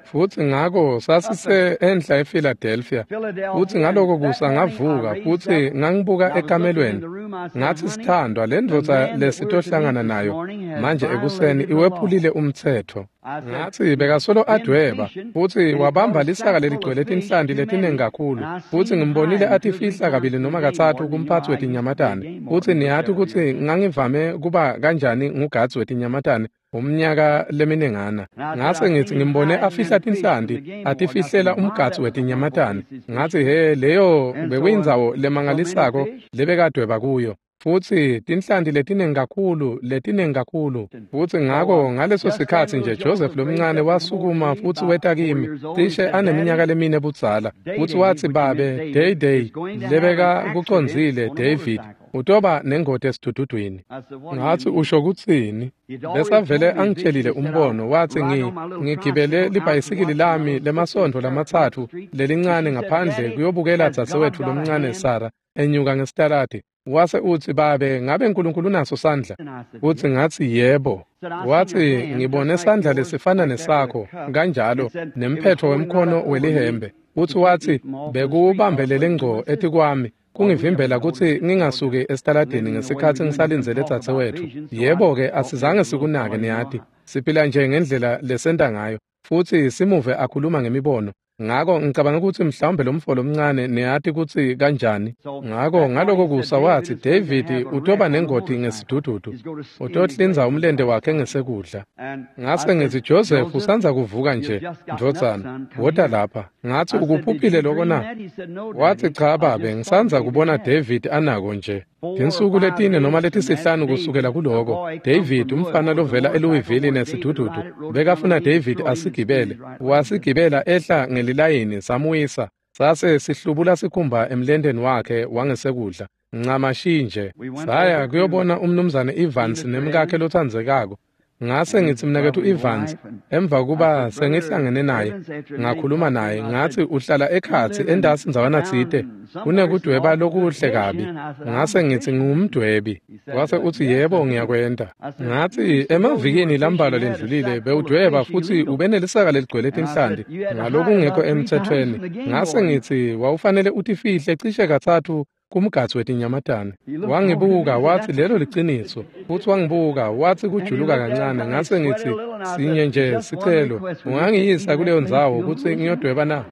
Futsi ngako sasise enhla ePhiladelphia. Futsi ngaloko kusa ngavuka futsi ngangibuka ekamelweni. Ngatsi sithandwa, lendvodza lesitohlangana nayo manje ekuseni iwephulile umtsetfo. Ngatsi bekasolo adweba, futsi wabamba lisaka leligcwele tinhlanti letiningi kakhulu, futsi ngimbonile atifihla kabili noma katsatfu kumphatsi wetinyamatane. Futsi niyati kutsi ngangivame kuba kanjani ngugadzi wetinyamatane umnyaka leminengana. Ngase ngitsi ngimbone afihla tinhlanti, atifihlela umgadzi wetinyamatane. Ngatsi he, leyo bekuyindzawo lemangalisako lebekadweba kuyo. Futsi tinhlanti letiningi kakhulu letiningi kakhulu. Futsi ngako ngaleso sikhatsi nje Joseph lomncane wasukuma futsi weta kimi cishe aneminyaka lemine budzala. Futsi watsi, "Babe, Day Day lebeka kucondzile David utoba nengoti esidududwini." Ngathi, "Usho kutsini?" Besavele angitshelile umbono. Watsi, ngi ngigibele libhayisikili lami lemasontfo lamatsatfu lelincane ngaphandle kuyobukela dzadzewetfu lomncane Sarah enyuka ngesitaladi. Wase utsi, "Babe, ngabe Nkulunkulu unaso sandla?" Futsi ngatsi, "Yebo." Watsi, "Ngibone sandla lesifana nesakho kanjalo nemphetfo wemkhono welihembe." Futsi watsi, "Bekuwubambelele ngco etikwami kungivimbela kutsi ngingasuki esitaladini ngesikhatsi ngisalindzele dzadzewetfu." Yebo-ke, asizange sikunake, niyati. Siphila nje ngendlela lesenta ngayo, futsi simuve akhuluma ngemibono. Ngako ngicabanga kutsi mhlawumbe lomfo lomncane niyati kutsi kanjani. Ngako ngaloko kusa watsi, "David utoba nengoti ngesidududu. Utohlinza umlente wakhe ngesekudla." Ngase ngithi, "Joseph usandza kuvuka nje, ndvodzana, wota lapha." Ngathi, "Ukuphuphile loko na?" Watsi, "Cha babe, ngisandza kubona David anako nje." Tinsuku letine noma letisihlanu kusukela kuloko, David umfana lovela eLouisville nesidududu bekafuna David asigibele. Wasigibela ehla ngelilayini samuyisa. Sase sihlubula sikhumba emlenteni wakhe wangesekudla. Ncamashi nje. Saya kuyobona umnumzane Evans nemkakhe lotsandzekako. Ngase ngithi, "Mnaketfu Evans," emva kuba sengihlangene naye, ngakhuluma naye, ngathi, "Uhlala ekhatsi entasi ndzawana tsite, kunekudweba lokuhle kabi." Ngase ngithi, "Ngingumdwebi." Wase utsi, "Yebo, ngiyakwenta." Ngathi, "Emavikini lambalwa lendlulile bewudweba futsi ubenelisaka leligcwele tinhlanti ngalokungekho emtsetfweni." Ngase ngithi, "Wawufanele utifihle cishe katsatfu kumgadzi wetinyamatane." Wangibuka watsi, "Lelo liciniso." Futsi wangibuka watsi kujuluka kancane. Ngase ngithi, "Sinye nje sicelo, ungangiyisa kuleyo ndzawo kutsi ngiyodweba na?"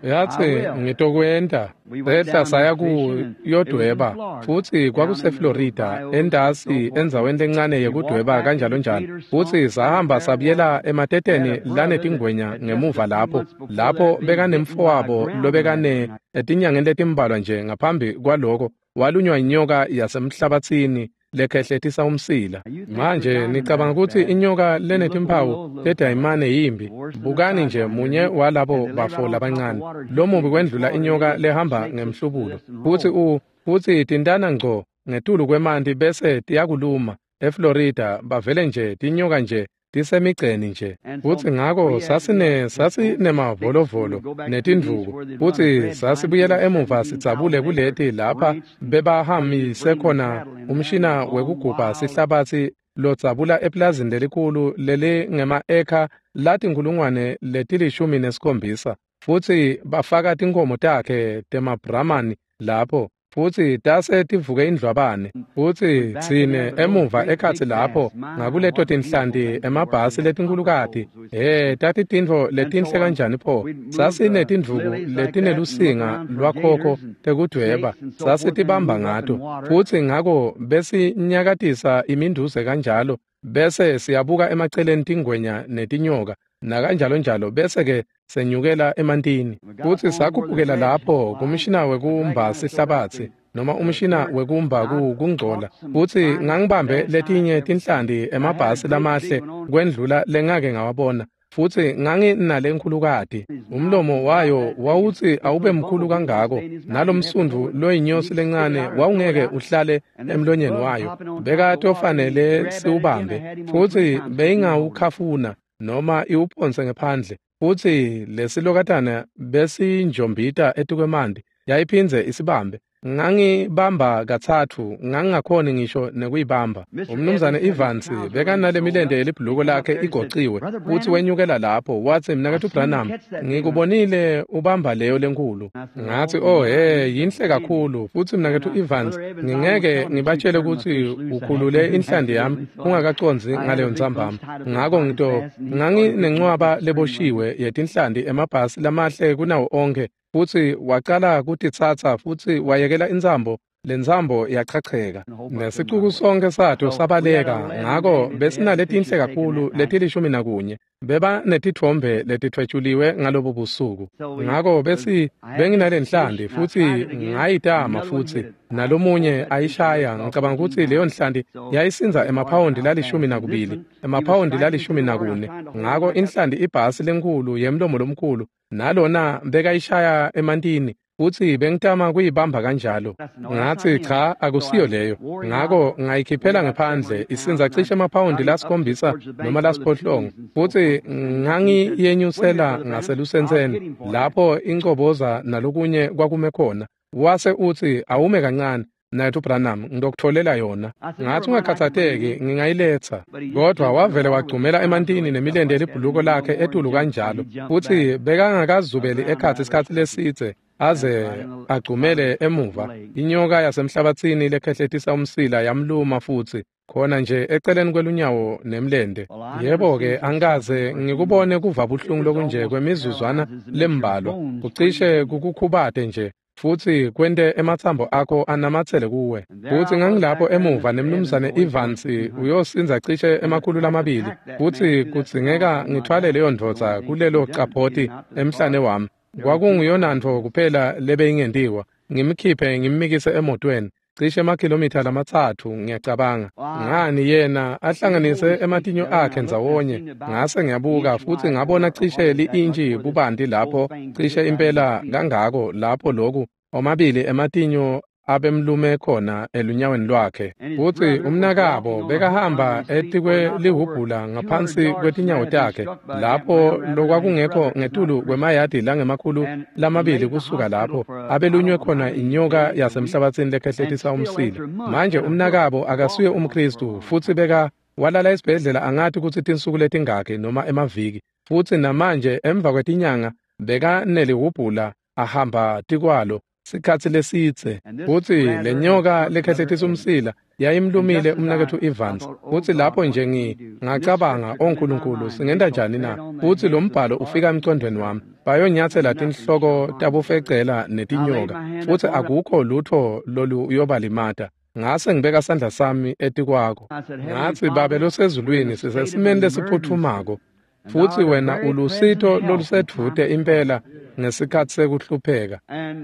Yathi, "Ngitokwenta." Sehla saya kuyodweba, futsi kwakuseFlorida, entasi endzaweni lencane yekudweba kanjalo njalo. Futsi sahamba sabuyela emateteni lanetingwenya ngemuva lapho, lapho bekanemfowabo lobekane etinyangeni letimbalwa nje ngaphambi kwaloko walunywa inyoka yasemhlabatsini lekhehletisa umsila. Manje nicabanga kutsi inyoka lenetimpawu tedayimane yimbi? Bukani nje munye walabo bafo labancane, lomubi kwendlula inyoka lehamba ngemhlubulo. Futsi u futsi tintana ngco ngetulu kwemanti bese tiyakuluma. eFlorida bavele nje tinyoka nje tisemigceni nje. Futsi ngako sasine sasinемavolovolo netindvuku, futsi sasibuyela emuva sidzabule kuleti lapha bebahamise khona umshina wekugubha sihlabatsi lodzabula eplazini lelikhulu lelingema-ekha latinkhulungwane letilishumi nesikhombisa. Futsi bafaka tinkhomo takhe temabramani lapho, futsi tase tivuke indlwabane. Futsi tsine emuva ekhatsi lapho ngakuleto tinhlanti emabhasi letinkhulukati, he, tatitintfo letinhle kanjani pho. Sasinetindvuku letinelusinga lwakhokho tekudweba, sasitibamba ngato. Futsi ngako besinyakatisa iminduze kanjalo, bese siyabuka emaceleni tingwenya netinyoka nakanjalo njalo, bese ke senyukela emantini. Futsi sakhuphukela lapho kumshina wekumba sihlabatsi noma umshina wekumba kungcola. Futsi ngangibambe letinye tinhlanti emabhasi lamahle kwendlula lengake ngawabona. Futsi nganginale nkhulukati, umlomo wayo wawutsi awube mkhulu kangako, nalomsundvu loyinyosi lencane wawungeke uhlale emlonyeni wayo, bekatofanele siwubambe. Futsi beyingawukhafuna noma iwuphonse ngephandle. Futsi lesilokatana besinjombita etikwemanti, yayiphindze isibambe. Ngangibamba katsatfu, ngangingakhoni ngisho nekuyibamba. Umnumzane Evans bekanale milente yelibhuluko lakhe igociwe, futsi wenyukela lapho watsi, "Mnaketfu Branham, ngikubonile ubamba leyo lenkulu." Ngathi, "Oh he, yinhle kakhulu." Futsi mnaketfu Evans, ngingeke ngibatshele kutsi ukhulule inhlanti yami ungakacondzi ngaleyo ntsambama. Ngako ngito nganginencwaba leboshiwe yetinhlanti emabhasi lamahle kunawo onkhe, futsi wacala kutitsatsa futsi wayekela intsambo Lentsambo yachacheka nesicuku sonke sato sabaleka. Ngako besinaletinhle kakhulu letilishumi nakunye, beba netitfombe letithwetshuliwe ngalobo busuku. Ngako besi benginale nhlanti futsi ngayitama futsi nalomunye ayishaya. Ngicabanga kutsi leyo nhlanti yayisindza emaphawondi lalishumi nakubili, emaphawondi lalishumi nakune. Ngako inhlanti ibhasi lenkhulu yemlomo lomkhulu, nalona bekayishaya emantini futsi bengitama kuyibamba kanjalo. Ngatsi cha, akusiyo leyo. Ngako ngayikhiphela ngephandle, isindza cishe emaphawondi lasikhombisa noma lasiphohlongo, futsi ngangiyenyusela ngaselusentseni lapho incoboza nalokunye kwakume khona. Wase utsi, awume kancane Mnaketfu Branham, ngitokutfolela yona. Ngatsi ungakhatsateki, ngingayiletsa. Kodwa wavele wagcumela emantini nemilente yelibhuluko lakhe etulu kanjalo, futsi bekangakazubeli ekhatsi isikhatsi lesidze aze agcumele emuva. Inyoka yasemhlabatsini lekhehletisa umsila yamluma futsi khona nje eceleni kwelunyawo nemlente. Yebo-ke, angikaze ngikubone kuva buhlungu lokunje kwemizuzwana lembalwa, kucishe kukukhubate nje futsi kwente ematsambo akho anamatsele kuwe. Futsi ngangilapho emuva nemnumzane Evans uyosindza cishe emakhulu lamabili, futsi kudzingeka ngithwale leyo ndvodza kulelo capoti emhlane wami. Kwakunguyonantfo kuphela lebeyingentiwa, ngimkhiphe ngimmikise emotweni cishe emakhilomitha lamatsatfu ngiyacabanga. Ngani yena ahlanganise ematinyo akhe ndzawonye. Ngase ngiyabuka futsi ngabona cishe li-intshi bubanti lapho, cishe impela kangako lapho loku omabili ematinyo abemlume khona elunyaweni lwakhe. Futsi umnakabo bekahamba etikwelihubhula ngaphansi kwetinyawo takhe lapho lokwakungekho ngetulu kwemayadi langemakhulu lamabili kusuka lapho abelunywe khona inyoka yasemhlabatsini lekhehletisa umsila. Manje umnakabo akasuye umKhristu futsi beka walala esibhedlela angathi kutsi tinsuku letingakhi noma emaviki, futsi namanje emva kwetinyanga bekanelihubhula ahamba tikwalo sikhatsi lesidze. Futsi lenyoka lekhehletisa umsila yayimlumile umnaketfu Evans. Futsi lapho nje ngi ngacabanga, o Nkulunkulu, singenta njani na? Futsi lo mbhalo ufika emcondvweni wami, bayonyatsela tinhloko tabofecela netinyoka, futsi akukho lutho loluyobalimata. Ngase ngibeka sandla sami etikwako. Ngatsi, Babe losezulwini, sisesimeni lesiphutfumako, futsi wena ulusito lolusedvute impela ngesikhatsi sekuhlupheka.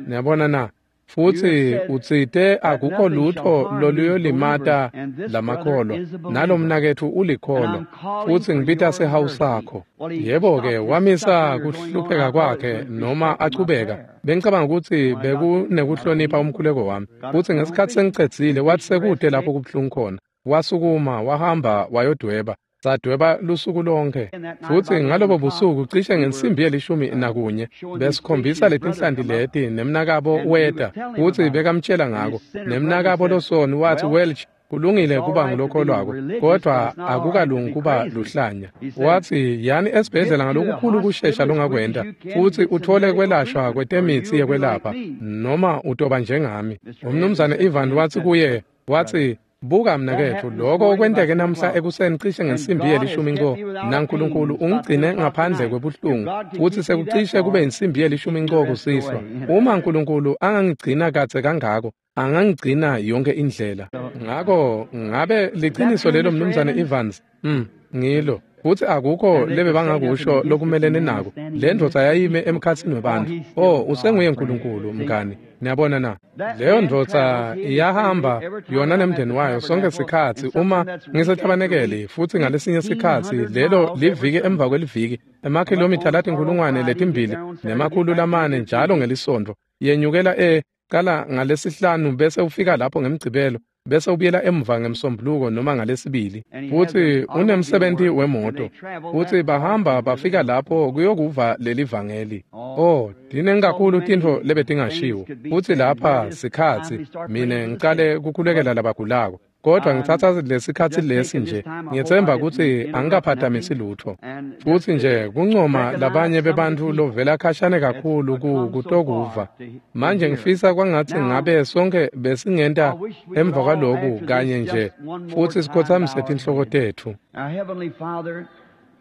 Niyabona na? Futsi utsite akukho lutho loluyolimata lamakholwa, nalomnaketfu ulikholwa, futsi ngibita sihawu sakho. Yebo-ke, wamisa kuhlupheka kwakhe noma achubeka. Bengicabanga kutsi bekunekuhlonipha umkhuleko wami. Futsi ngesikhatsi sengicedzile, wathi sekude lapho kubuhlungu khona. Wasukuma wahamba wayodweba. Sadweba lusuku lonke. Futsi ngalobo busuku cishe ngensimbi yelishumi nakunye besikhombisa letinhlanti leti, nemnakabo weta futsi bekamtshela ngako. Nemnakabo losoni wathi, Welch, kulungile kuba ngulokholwako, kodwa akukalungi kuba luhlanya. Wathi, yani esibhedlela ngalokukhulu kushesha longakwenta futsi uthole kwelashwa kwetemitsi yekwelapha, noma utoba njengami. Umnumzane Ivan wathi kuye, wathi, buka mnaketfu, lokho kwenteke namhla ekuseni cishe ngensimbi yelishumi nco, naNkulunkulu ungigcine ngaphandle kwebuhlungu, futsi sekucishe kube insimbi yelishumi nco kusihlwa. Uma Nkulunkulu angangigcina kadze kangako, angangigcina yonke indlela. Ngako ngabe liciniso lelo, mnumzane Evans? Mm, ngilo. Futsi akukho lebe bangakusho lokumelene nako. Le ndvodza yayime emkhatsini webantfu. Oh, usenguye Nkulunkulu, mngani. Niyabona na? Leyo ndvodza iyahamba yona nemndeni wayo sonke sikhatsi uma ngisetabanekeli, futsi ngalesinye sikhatsi lelo liviki emva kweliviki, emakhilomitha latinkhulungwane letimbili nemakhulu lamane njalo ngelisonto. Yenyukela e qala ngalesihlanu bese ufika lapho ngemgcibelo, bese ubuyela emuva ngemsombuluko noma ngalesibili. Futsi unemsebenti wemoto, futsi bahamba bafika lapho kuyokuva leli vangeli. Oh, tinengi kakhulu tintfo lebetingashiwo. Futsi lapha sikhatsi mine ngicale kukhulekela labagulako, kodwa ngitsatsa lesikhatsi lesi nje, ngiyetsemba kutsi angikaphatamisi lutfo. Futsi nje kuncoma labanye bebantfu lovela khashane kakhulu kutokuva. Manje ngifisa kwangatsi ngabe sonke besingenta emva kwaloku kanye nje, futsi sikhotsamise tinhloko tetfu. Our Heavenly Father,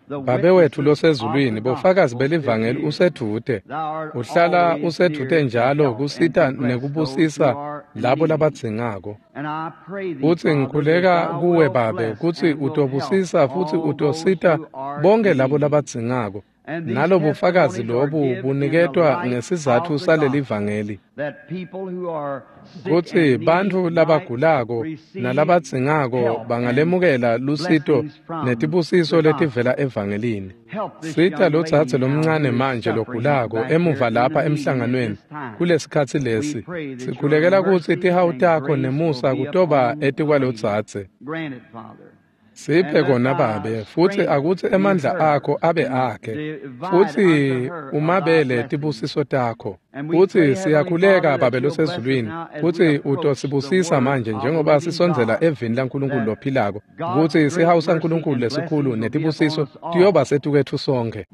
Babe wethu losezulwini, bofakazi belivangeli usedvute. Uhlala usedvute njalo kusita nekubusisa labo labadzingako. Futsi ngikhuleka kuwe Babe kutsi utobusisa futsi utosita bonke labo labadzingako. Nalobufakazi lobu buniketwa ngesizatfu salelivangeli kutsi bantfu labagulako nalabadzingako bangalemukela lusito netibusiso letivela evangelini. Sita lodzadze lomncane manje logulako emuva lapha emhlanganweni kulesikhatsi lesi. Sikhulekela kutsi tihawu takho nemusa kutoba etikwalodzadze. Siphe kona Babe, futsi akutsi emandla akho abe akhe, futsi umabele tibusiso takho. Futsi siyakhuleka Babe losezulwini, futsi utosibusisa manje njengoba sisondzela evini laNkulunkulu lophilako, kutsi sihawu saNkulunkulu lesikhulu netibusiso tiyoba setukwetfu sonkhe.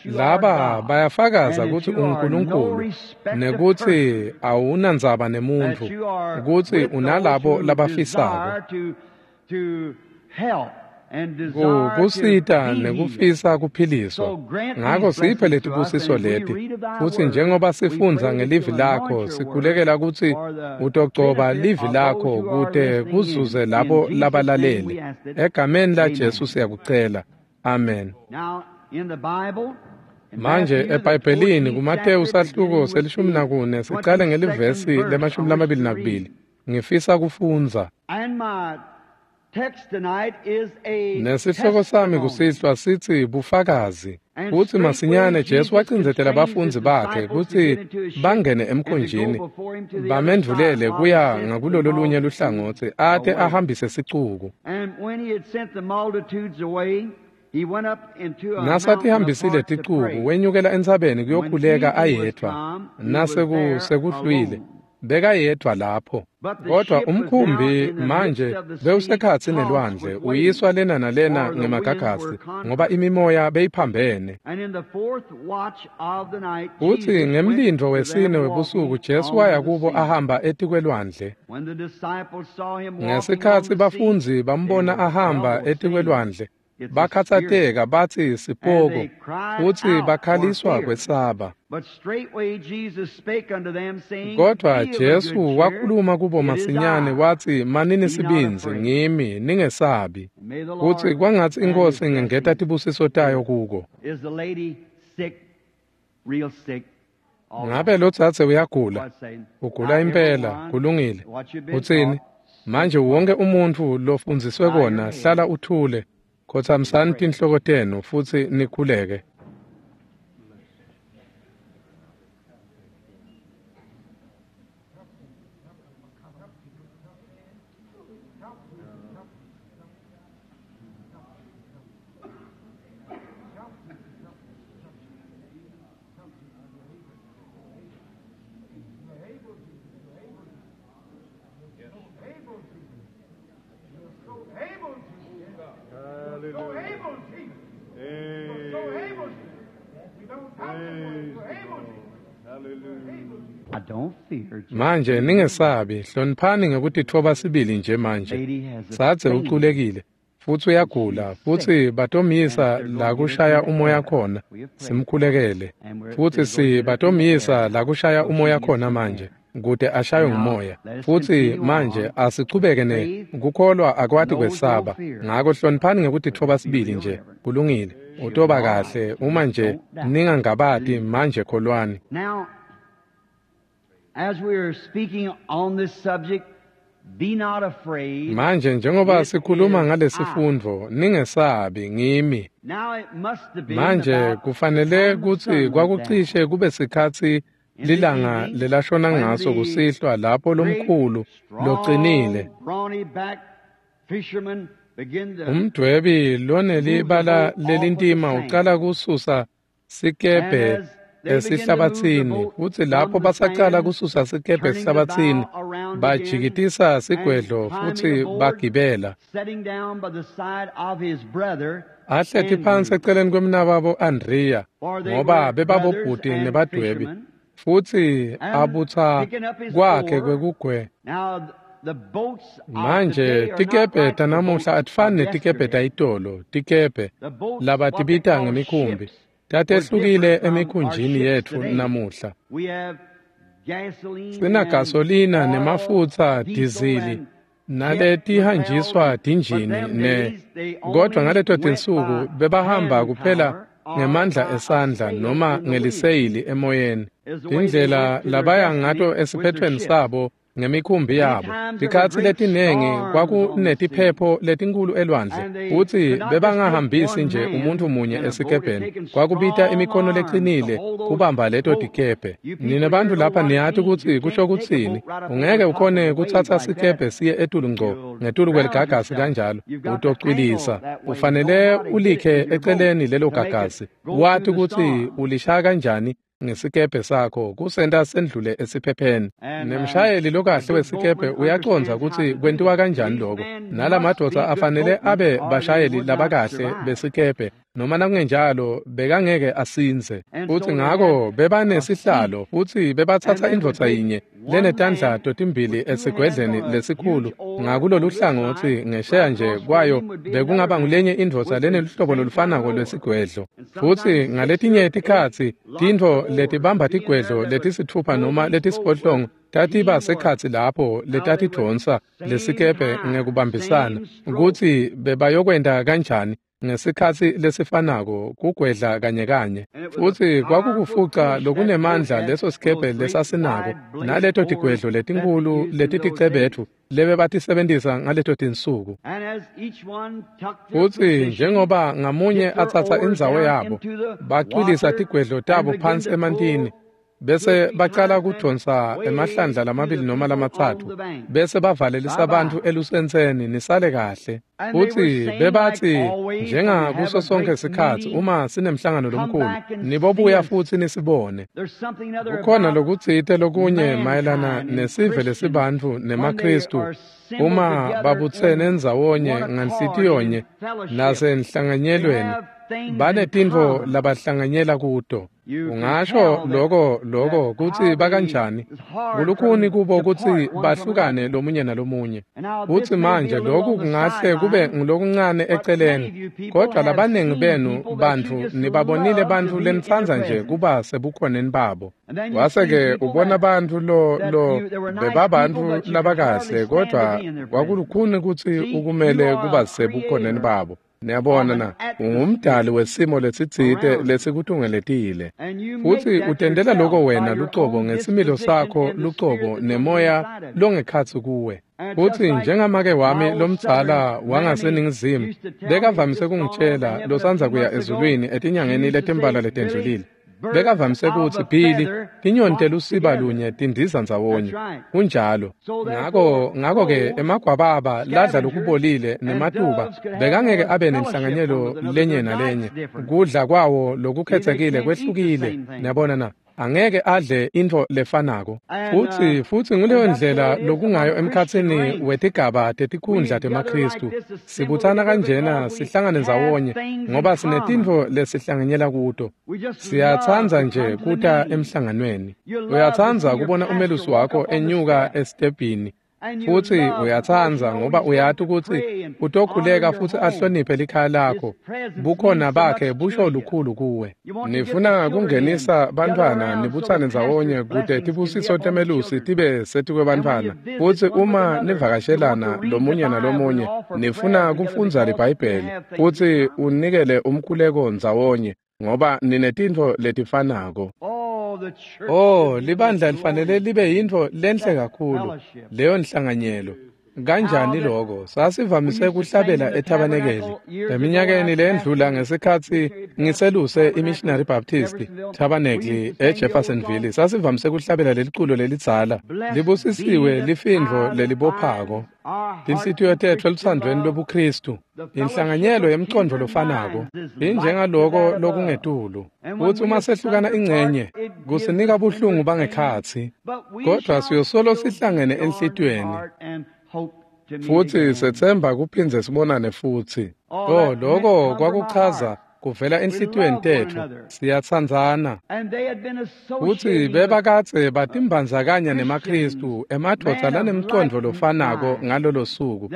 Laba bayafakaza kutsi unguNkulunkulu nekutsi awunandzaba nemuntfu, kutsi unalabo labafisako kusita nekufisa kuphiliswa. Ngako siphe letibusiso leti, futsi njengoba sifundza ngelivi lakho, sikhulekela kutsi utogcoba livi lakho kute kuzuze labo labalalele. Egameni laJesu siyakucela, amen. Manje eBhayibhelini kuMateyu sahluko selishumi nakune sicale ngelivesi lemashumi lamabili nakubili. Ngifisa kufundza. Nesihloko sami kusihlwa sitsi bufakazi. Futsi masinyane Jesu wacindzetela bafundzi bakhe kutsi bangene emkhunjini bamendvulele kuya ngakulolo lunye luhlangotsi ate ahambise sicuku. Nasatihambisile ticuku wenyukela entsabeni kuyokhuleka ayedvwa. Nasekuhlwile bekayedvwa lapho. Kodwa umkhumbi manje bewusekhatsi nelwandle uyiswa lena nalena ngemagagasi ngoba imimoya beyiphambene. Futsi ngemlindvo wesine webusuku Jesu waya kubo ahamba etikwelwandle. Ngesikhatsi bafundzi bambona ahamba etikwelwandle bakhatsateka batsi sipoko, futsi bakhaliswa kwesaba. Kodwa Jesu wakhuluma kubo masinyane watsi, manini sibindzi, ngimi, ningesabi. Kutsi kwangatsi iNkhosi ingengeta tibusiso tayo kuko. Ngabe lodzadze uyagula? Ugula impela, kulungile. Utsini? Manje wonke umuntfu lofundziswe kona hlala uthule. Khotsamisani tinhloko tenu futsi nikhuleke. Manje ningesabi, hloniphani ngekutitfoba sibili nje manje. Dzadze uculekile futsi uyagula, futsi batomyisa la kushaya umoya khona, simkhulekele. Futsi si batomyisa la kushaya umoya khona manje, kute ashaywe ngumoya. Futsi manje asichubeke ne kukholwa akwati kwesaba. Ngako hloniphani ngekutitfoba sibili nje, kulungile. Utoba kahle uma nje ningangabati manje kholwani. As we are speaking on this subject, be not afraid. Manje njengoba sikhuluma ngalesifundvo, ningesabi, ngimi. Manje kufanele kutsi kwakucishe kube sikhatsi lilanga lelashona ngaso kusihlwa lapho lomkhulu locinile umdwebi lonelibala lelintima ucala kususa sikebhe esihlabatsini, futsi lapho basacala kususa sikebhe esihlabatsini bajikitisa sigwedlo futsi bagibela. Ahleti phansi eceleni kwemnakabo Andrea, ngoba bebabobhuti nebadwebi, futsi abutsa kwakhe kwekugwe. Manje tikebhe tanamuhla atifani netikebhe tayitolo, tikebhe labatibita ngemikhumbi tatehlukile emikhunjini yetfu namuhla. Sinagasolina nemafutsa, dizili naletihanjiswa tinjini ne kodwa ngaleto tinsuku bebahamba kuphela ngemandla esandla noma ngeliseyili emoyeni. Tindlela labaya ngato esiphethweni sabo ngemikhumbi yabo. Tikhatsi letinengi kwakunetiphepho letinkulu elwandle, futsi bebangahambisi nje umuntfu munye esikebheni. Kwakubita imikhono lecinile kubamba leto tikebhe. Nine bantfu lapha niyati kutsi kusho kutsini. Ungeke ukhone kutsatsa sikebhe siye etulu ngco ngetulu kweligagasi kanjalo, utocwilisa. Ufanele ulikhe eceleni lelo gagasi, wati kutsi ulishaya kanjani ngesikebhe sakho kusenta sendlule esiphepheni. Nemshayeli lokahle wesikebhe uyacondza kutsi kwentiwa kanjani lokho. Nalamadvodza afanele abe bashayeli labakahle besikebhe, noma nakungenjalo bekangeke asinze. Futsi ngako bebanesihlalo, futsi bebatsatsa indvodza yinye lenetandla totimbili esigwedleni lesikhulu ngakulolu hlangotsi ngesheya nje kwayo bekungaba ngulenye indvodza leneluhlobo lolufanako lwesigwedlo. Futsi ngaletinye tikhatsi tintfo letibamba tigwedlo letisitfupha noma letisiphohlongo tatiba sekhatsi lapho letatidvonsa lesikebhe ngekubambisana kutsi bebayokwenta kanjani ngesikhatsi lesifanako kugwedla kanye kanye. Futsi kwakukufuca lokunemandla leso sikebhe lesasinako naleto tigwedlo letinkhulu letiticebetfu lebebatisebentisa ngaleto tinsuku. Futsi njengoba ngamunye atsatsa indzawo yabo, bacwilisa tigwedlo tabo phansi emantini, bese bacala kudonsa emahlandla lamabili noma lamatsatfu, bese bavalelisa bantfu elusentseni nisale kahle. Futsi bebatsi njengakuso sonke sikhatsi uma sinemhlangano lomkhulu, nibobuya futsi nisibone. Kukhona lokutsite lokunye mayelana nesive lesibantfu nemaKhristu uma babutsene ndzawonye nganhlitiyonye nasenhlanganyelweni, banetintfo labahlanganyela kuto. Ungasho loko loko kutsi bakanjani kulukhuni kubo kutsi bahlukane lomunye nalomunye. Futsi manje lokhu kungahle kube ngulokuncane eceleni, kodwa labaningi benu bantfu nibabonile bantfu lenitsandza nje kuba sebukhoneni babo. Wase-ke ubona bantfu lo lo bebabantfu labakahle, kodwa kwakulukhuni kutsi ukumele kuba sebukhoneni babo. Niyabona na, ungumdali wesimo lesitsite lesikutungeletile, futsi utendela loko wena lucobo ngesimilo sakho lucobo nemoya longekhatsi kuwe. Futsi njengamake wami lomdzala wangaseNingizimu bekavamise kungitshela losandza kuya ezulwini etinyangeni letimbalwa letendlulile, bekavamise kutsi Billy, tinyoni telusiba lunye tindiza ndzawonye. Kunjalo. Ngako ngako-ke emagwababa ladla lokubolile nematuba bekangeke abe nenhlanganyelo lenye nalenye. Kudla kwawo lokukhetsekile kwehlukile. Niyabona na, angeke adle intfo lefanako. Futsi futsi nguleyo ndlela lokungayo emkhatsini wetigaba tetikhundla temaKhristu. Sibutsana kanjena sihlangane ndzawonye ngoba sinetintfo lesihlanganyela kuto. Siyatsandza nje kuta emhlanganweni. Uyatsandza kubona umelusi wakho enyuka esitebhini. Futsi uyatsandza ngoba uyati kutsi utokhuleka futsi ahloniphe likhaya lakho. Bukhona bakhe busho lukhulu kuwe. Nifuna kungenisa bantfwana nibutsane ndzawonye kute tibusiso temelusi tibe setikwebantfwana. Futsi uma nivakashelana lomunye nalomunye, nifuna kufundza liBhayibheli futsi unikele umkhuleko ndzawonye ngoba ninetintfo letifanako. Oh, libandla lifanele libe yintfo lenhle kakhulu leyo nhlanganyelo. Kanjani lokho? Sasivamise kuhlabela ethabanekeli eminyakeni lendlula ngesikhatsi ngiseluse iMissionary Baptist Tabernacle eJeffersonville. Sasivamise kuhlabela leliculo lelidzala, libusisiwe lifindvo lelibophako tinhlitiyo tetfu elutsandvweni lobuKhristu, inhlanganyelo yemcondvo lofanako injengaloko lokungetulu. Futsi uma sehlukana ingcenye kusinika buhlungu bangekhatsi, kodwa siyosolo sihlangene enhlitiyweni futsi setsemba kuphindze sibonane futsi. Oh, loko kwakuchaza kuvela enhlitiyweni tetfu siyatsandzana. Futsi bebakadze batimbandzakanya nemaKhristu, emadvodza lanemcondvo lofanako ngalolo suku,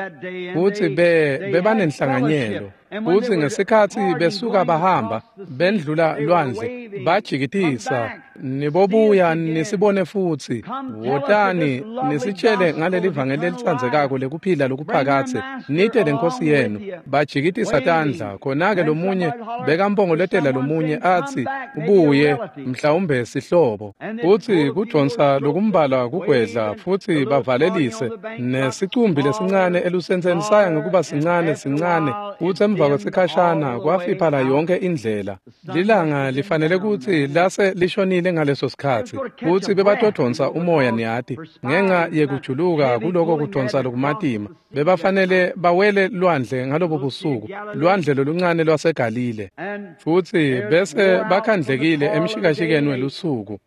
futsi be bebanenhlanganyelo. Futsi ngesikhatsi besuka bahamba bendlula lwandle bajikitisa, nibobuya nisibone futsi, wotani nisitshele ngaleli vangeli lelitsandzekako lekuphila lokuphakadze, nite lenkosi yenu. Bajikitisa tandla, khona-ke lomunye bekampongolotela lomunye atsi, ubuye mhlawumbe sihlobo. Futsi kudonsa lokumbalwa kugwedla futsi bavalelise, nesicumbi lesincane elusentseni saya ngekuba sincane sincane, futsi emva kwesikhashana kwafiphala yonke indlela. Lilanga lifanele kutsi lase lishonile ngaleso sikhatsi, futsi bebatodonsa umoya niyati, ngenxa yekujuluka kuloko kudonsa lokumatima. Bebafanele bawele lwandle ngalobo busuku, lwandle loluncane lwaseGalile. Futsi bese bakhandlekile emshikashikeni welusuku,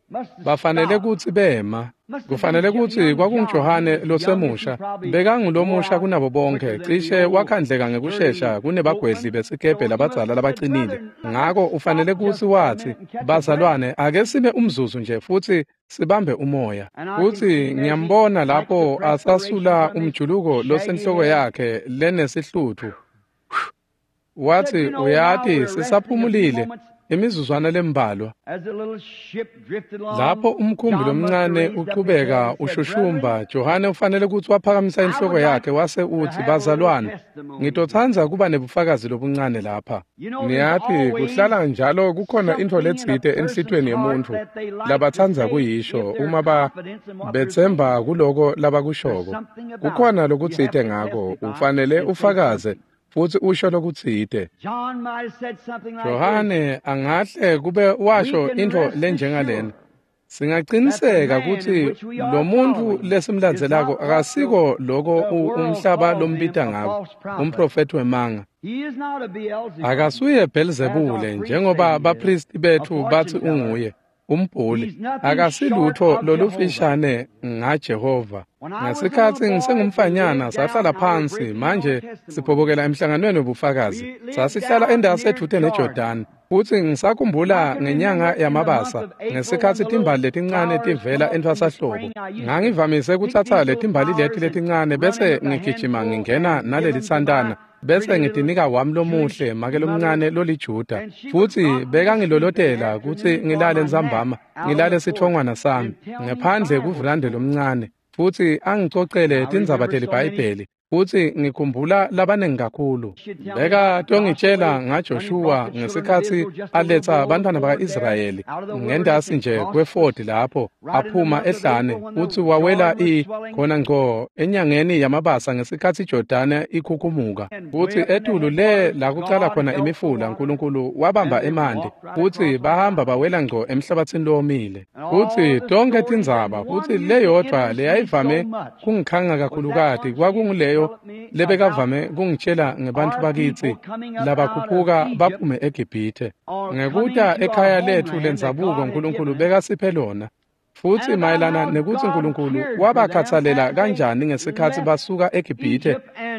bafanele kutsi bema. Kufanele kutsi kwakunguJohane losemusha, bekangulomusha kunabo bonke, cishe wakhandleka ngekushesha kunebagwedli besikebhe labadzala labacinile. Ngako ufanele kutsi watsi, bazalwane, ake sime umzuzu nje futsi sibambe umoya. Futsi ngiyambona lapho asasula umjuluko losenhloko yakhe lenesihlutfu. Watsi, uyati, sisaphumulile imizuzwana lembalwa. Lapho umkhumbi lomncane uchubeka ushushumba, Johane ufanele kutsi waphakamisa inhloko yakhe wase utsi, bazalwane, ngitotsandza kuba nebufakazi lobuncane lapha. Niyati, kuhlala njalo kukhona intfo letsite enhlitiyweni yemuntfu labatsandza kuyisho uma ba betsemba kuloko labakushoko. Kukhona lokutsite ngako, ufanele ufakaze futsi usho lokutsite. Johane angahle kube washo intfo lenjengalena, singaqiniseka kutsi lo muntfu lesimlandzelako akasiko loko umhlaba lombita ngako, umprofethi wemanga. Akasuye Bhelzebule njengoba baphristi betfu batsi unguye, umbhuli. Akasilutho lolufishane ngaJehova. Ngesikhatsi ngisengumfanyana sahlala phansi, manje siphobokela emhlanganweni wobufakazi. Sasihlala endasi edvute neJordani, futsi ngisakhumbula ngenyanga yamabasa ngesikhatsi timbali letincane tivela entfwasahlobo. Ngangivamise kutsatsa letimbali leti letincane bese ngigijima ngingena nalelitsantana, bese ngitinika wami lomuhle make lomncane loliJuda, futsi bekangilolotela kutsi ngilale ntsambama, ngilale sitfongwana sami ngephandle kuvulande lomncane, futsi angicocele tindzaba teliBhayibheli. Futsi ngikhumbula labanengi kakhulu. Bekatongitshela ngaJoshua ngesikhatsi aletsa bantfwana baka-Israyeli ngendasi nje kwefodi lapho aphuma ehlane, futsi wawela i khona ngco enyangeni yamabasa ngesikhatsi iJordani ikhukhumuka. Futsi etulu le la kucala khona imifula, Nkulunkulu wabamba emanti, futsi bahamba bawela ngco emhlabatsini lowomile. Futsi tonke tindzaba, futsi leyodvwa leyayivame kungikhanga kakhulukati kwakunguleyo lebekavame kungitshela ngebantfu bakitsi labakhuphuka baphume eGibhithe ngekuta ekhaya letfu lendzabuko Nkulunkulu bekasiphe lona. Futsi mayelana nekutsi Nkulunkulu wabakhatsalela kanjani ngesikhatsi basuka eGibhithe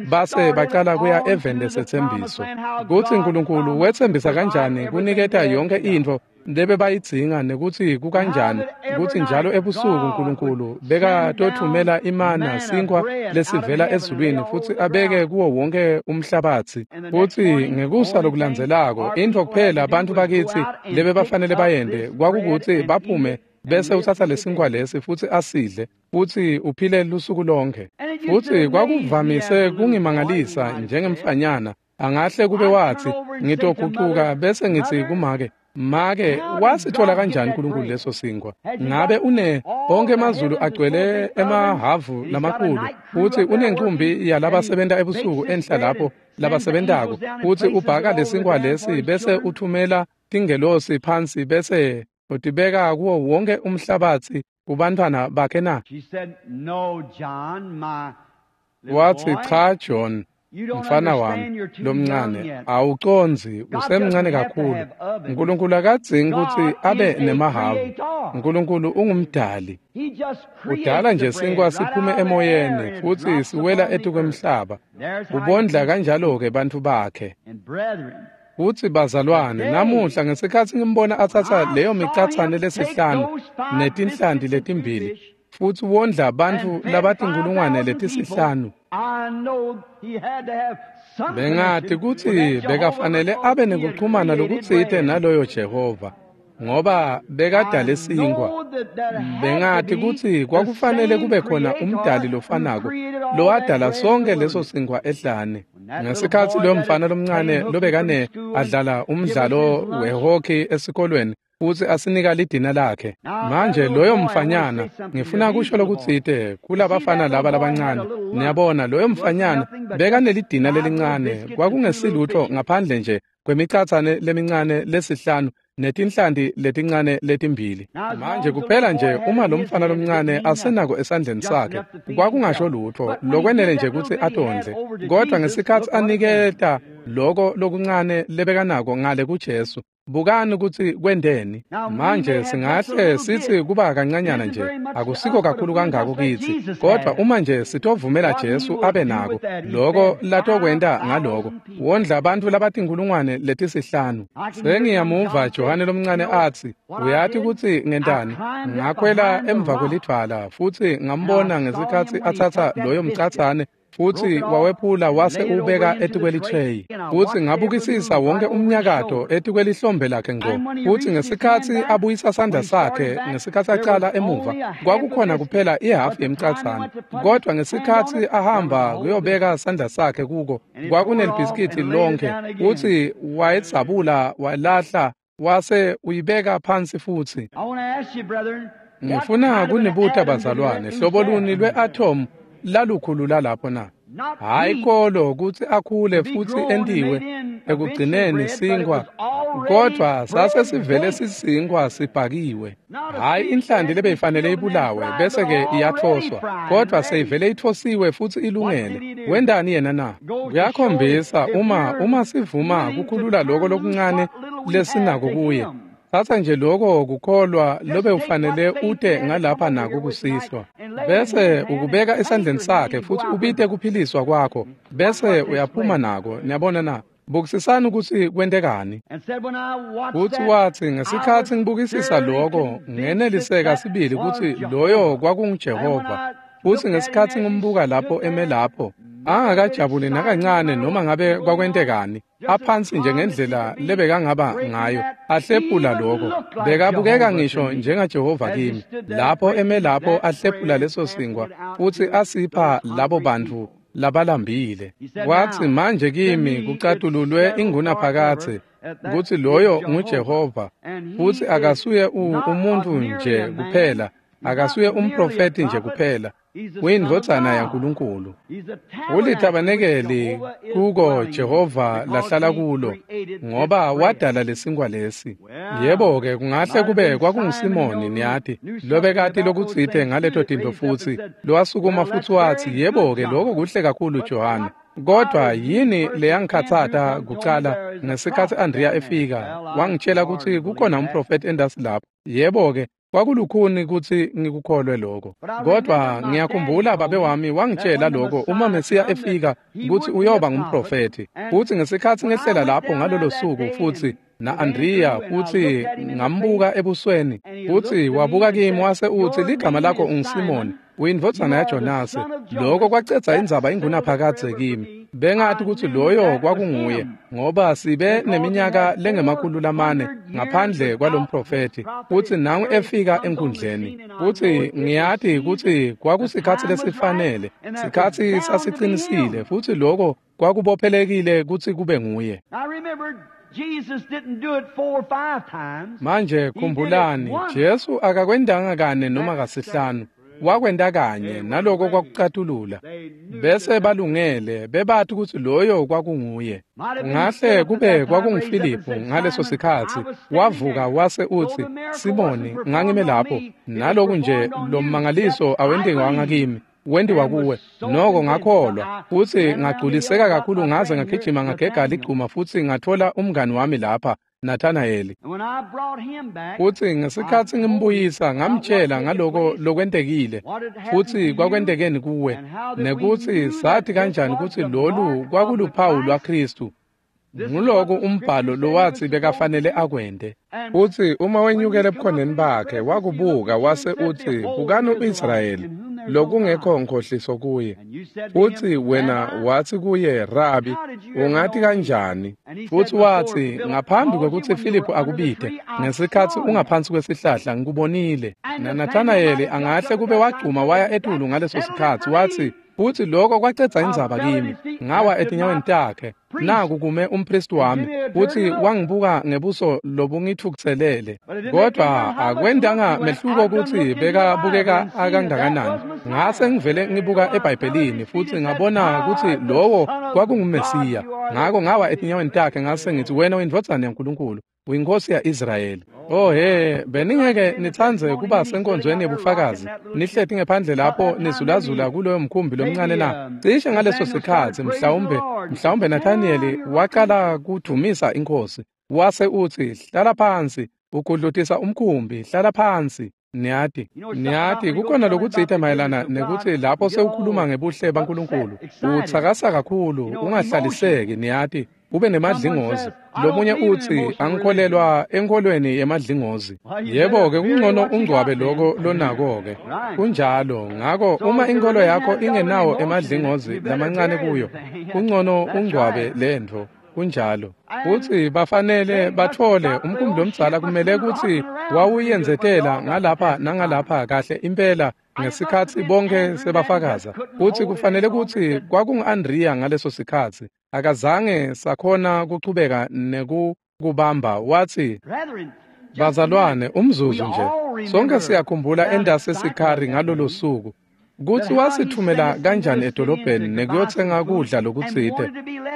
base bacala kuya eveni lesetsembiso, kutsi Nkulunkulu wetsembisa kanjani kuniketa yonke intfo lebebayidzinga, nekutsi kukanjani kutsi njalo ebusuku Nkulunkulu bekatotfumela imana, sinkhwa lesivela ezulwini, futsi abeke kuwo wonke umhlabatsi. Futsi ngekusa lokulandzelako, intfo kuphela bantfu bakitsi lebebafanele bayente kwakukutsi baphume bese utsatsa lesinkhwa lesi futsi asidle, futsi uphile lusuku lonke. Futsi kwakuvamise kungimangalisa njengemfanyana, angahle kube watsi, ngitogucuka bese ngitsi kumake, make, wasithola kanjani Nkulunkulu leso sinkhwa? Ngabe une bonke emazulu agcwele emahavu lamakhulu, futsi unencumbi yalabasebenta ebusuku enhla lapho labasebentako, futsi ubhaka lesinkhwa lesi bese uthumela tingelosi phansi bese utibeka kuwo wonke umhlabatsi kubantfwana bakhe na? Watsi, cha John, mfana wami lomncane, awucondzi, usemncane kakhulu. Nkulunkulu akadzingi kutsi abe nemahavu. Nkulunkulu ungumdali. Udala nje sinkwa siphume emoyeni futsi siwela etukwemhlaba. Ubondla kanjalo-ke bantfu bakhe. Futsi bazalwane, namuhla ngesikhatsi ngimbona atsatsa leyo micatsane lesihlanu netinhlanti letimbili futsi wondla bantfu labatinkhulungwane letisihlanu, bengati kutsi bekafanele abe nekuchumana lokutsite naloyo Jehova, ngoba bekadale sinkhwa. Bengati kutsi kwakufanele kube khona umdali lofanako lowadala sonke leso sinkhwa ehlane. Ngesikhatsi loyo mfana lomncane lobekane adlala umdlalo wehockey esikolweni futsi asinika lidina lakhe. Manje loyo mfanyana, ngifuna kusho lokutsite kulabafana laba labancane. Niyabona, loyo mfanyana bekanelidina lelincane, kwakungesilutho ngaphandle nje kwemicatsane lemincane lesihlanu netinhlanti letincane letimbili. Manje kuphela nje uma lo mfana lomncane asenako esandleni sakhe, kwakungasho lutho lokwenele nje kutsi atondle. Kodwa ngesikhatsi aniketa loko lokuncane lebekanako ngale kuJesu, bukani kutsi kwenteni. Manje singahle sitsi kuba kancanyana nje, akusiko kakhulu kangako kitsi, kodwa uma nje sitovumela Jesu abe nako loko latokwenta ngaloko, wondla bantfu labatinkhulungwane letisihlanu. Sengiyamuva Johane lomncane atsi, uyati kutsi ngentani? Ngakhwela emva kwelidvwala futsi ngambona ngesikhatsi atsatsa loyo mcatsane futsi wawephula wase ubeka etikwelitreyi. Futsi ngabukisisa wonke umnyakato etikwelihlombe lakhe ngco. Futsi ngesikhatsi abuyisa sandla sakhe ngesikhatsi acala emuva, kwakukhona kuphela ihhafu yemcatsane. Kodwa ngesikhatsi ahamba kuyobeka sandla sakhe kuko, kwakunelibhiskidi lonke. Futsi wayedzabula walahla wase uyibeka phansi futsi. Ngifuna kunibuta bazalwane, hlobo luni lwe-atom lalukhulu lalapho na? Hayi kolo kutsi akhule futsi entiwe ekugcineni sinkhwa, kodwa sase sivele sisinkhwa sibhakiwe. Hayi inhlanti lebeyifanele ibulawe bese-ke iyathoswa, kodwa seyivele ithosiwe futsi ilungele. Wentani yena na? Kuyakhombisa uma uma sivuma kukhulula loko lokuncane lesinako kuye. Tsatsa nje loko kukholwa lobe ufanele ute ngalapha nako kusihlwa, bese ukubeka esandleni sakhe futsi ubite kuphiliswa kwakho, bese uyaphuma nako. Niyabona na? Bukisisani kutsi kwentekani. Futsi watsi, ngesikhatsi ngibukisisa loko, ngeneliseka sibili kutsi loyo kwakunguJehova. Futsi ngesikhatsi ngimbuka lapho eme lapho, angakajabuli nakancane noma ngabe kwakwentekani, aphansi nje ngendlela lebekangaba ngayo, ahlephula loko. Bekabukeka ngisho njengaJehova kimi, lapho eme lapho ahlephula leso sinkhwa futsi asipha labo bantfu labalambile. Watsi, manje kimi kucatululwe ingunaphakadze kutsi loyo nguJehova, futsi akasuye umuntu nje kuphela, akasuye umprofeti nje kuphela, uyindvodzana yaNkulunkulu. Ulitabanekeli kuko Jehova lahlala kulo, ngoba wadala lesinkhwa lesi. Yebo-ke, kungahle kube kwakunguSimoni, niyati, lobekati lokutsite ngaleto tintfo futsi lowasukuma futsi watsi, yebo-ke, loko kuhle kakhulu Johane. Kodwa yini leyangikhatsata kucala ngesikhatsi Andrea efika, wangitshela kutsi kukhona umprofeti endasi lapho. Yebo-ke, kwakulukhuni kutsi ngikukholwe lokho. Kodwa ngiyakhumbula babe wami wangitshela lokho uma Mesiya efika kutsi uyoba ngumprofeti. Futsi ngesikhatsi ngehlela lapho ngalolo suku futsi na-Andrea futsi ngambuka ebusweni, futsi wabuka kimi wase utsi, ligama lakho unguSimoni, uyindvodzana yaJonase. Lokho kwacedza indzaba ingunaphakadze kimi. Bengati kutsi loyo kwakunguye, ngoba sibe neminyaka lengemakhulu lamane ngaphandle kwalomprofeti, futsi nangu efika enkundleni. Futsi ngiyati kutsi kwakusikhatsi lesifanele, sikhatsi sasicinisile, futsi lokho kwakubophelekile kutsi kube nguye. Manje khumbulani, Jesu akakwendanga kane noma kasihlanu, wakwenta kanye, naloko kwakucatulula. Bese balungele, bebati kutsi loyo kwakunguye. Ngahle kube kwakunguFiliphu ngaleso sikhatsi, wavuka wase utsi, Simoni, ngangime lapho, naloku nje lo mmangaliso awentiwanga kimi, wentiwa kuwe. Noko ngakholwa, futsi ngagculiseka kakhulu ngaze ngagijima ngagega ligcuma futsi ngathola umngani wami lapha, Nathanayeli. Futsi ngesikhatsi ngimbuyisa ngamtshela ngaloko lokwentekile, futsi kwakwentekeni kuwe, nekutsi sathi kanjani kutsi lolu kwakuluphawu lwaKhristu. Nguloku umbhalo lowathi bekafanele akwente. Futsi uma wenyukela ebukhoneni bakhe wakubuka wase utsi, bukani u-Israyeli, lokungekho nkhohliso kuye. Futsi wena wathi kuye, Rabi, ungati kanjani? Futsi wathi, ngaphambi kwekutsi Filiphu akubite, ngesikhatsi ungaphansi kwesihlahla ngikubonile. NaNathanayeli angahle kube wagcuma waya etulu ngaleso sikhatsi, wathi, futsi lokho kwacedza indzaba kimi. Ngawa etinyaweni takhe. Naku kume umpristi wami, futsi wangibuka ngebuso lobungitfukutselele. Kodwa akwentanga mehluko kutsi bekabukeka akangakanani. Ngase ngivele ngibuka eBhayibhelini futsi ngabona kutsi lowo kwakunguMesiya. Ngako ngawa etinyaweni takhe ngase ngithi, wena uyindvodzana yaNkulunkulu, uyinkosi ya-Israyeli. Oh he, beningeke nitsandze kuba senkonzweni yebufakazi, nihleti ngephandle lapho nizulazula kuloyo mkhumbi lomncane na? Cishe ngaleso sikhatsi mhlawumbe mhlawumbe Nathaniyeli waqala kudumisa inkosi, wase utsi, hlala phansi, ugudlutisa umkhumbi, hlala phansi. Niyati, niyati kukhona lokutsite mayelana nekutsi lapho sewukhuluma ngebuhle baNkulunkulu, utsakasa kakhulu, ungahlaliseki, niyati, ube nemadlingozi. Lomunye utsi, angikholelwa enkholweni yemadlingozi. Yebo-ke, kungcono ungcwabe loko lonako-ke. Kunjalo, ngako uma inkholo yakho ingenawo emadlingozi lamancane kuyo, kungcono ungcwabe lentfo. Kunjalo. Futsi bafanele batfole umkhumbi lomdzala kumele kutsi wawuyenzetela ngalapha nangalapha kahle impela ngesikhatsi bonke sebafakaza. Futsi kufanele kutsi kwakungu-Andriya ngaleso sikhatsi. Akazange sakhona kuchubeka nekukubamba. Watsi, bazalwane, umzuzu nje. Sonke siyakhumbula endase Sikhari ngalolo suku, kutsi wasithumela kanjani edolobheni nekuyotsenga kudla lokutsite,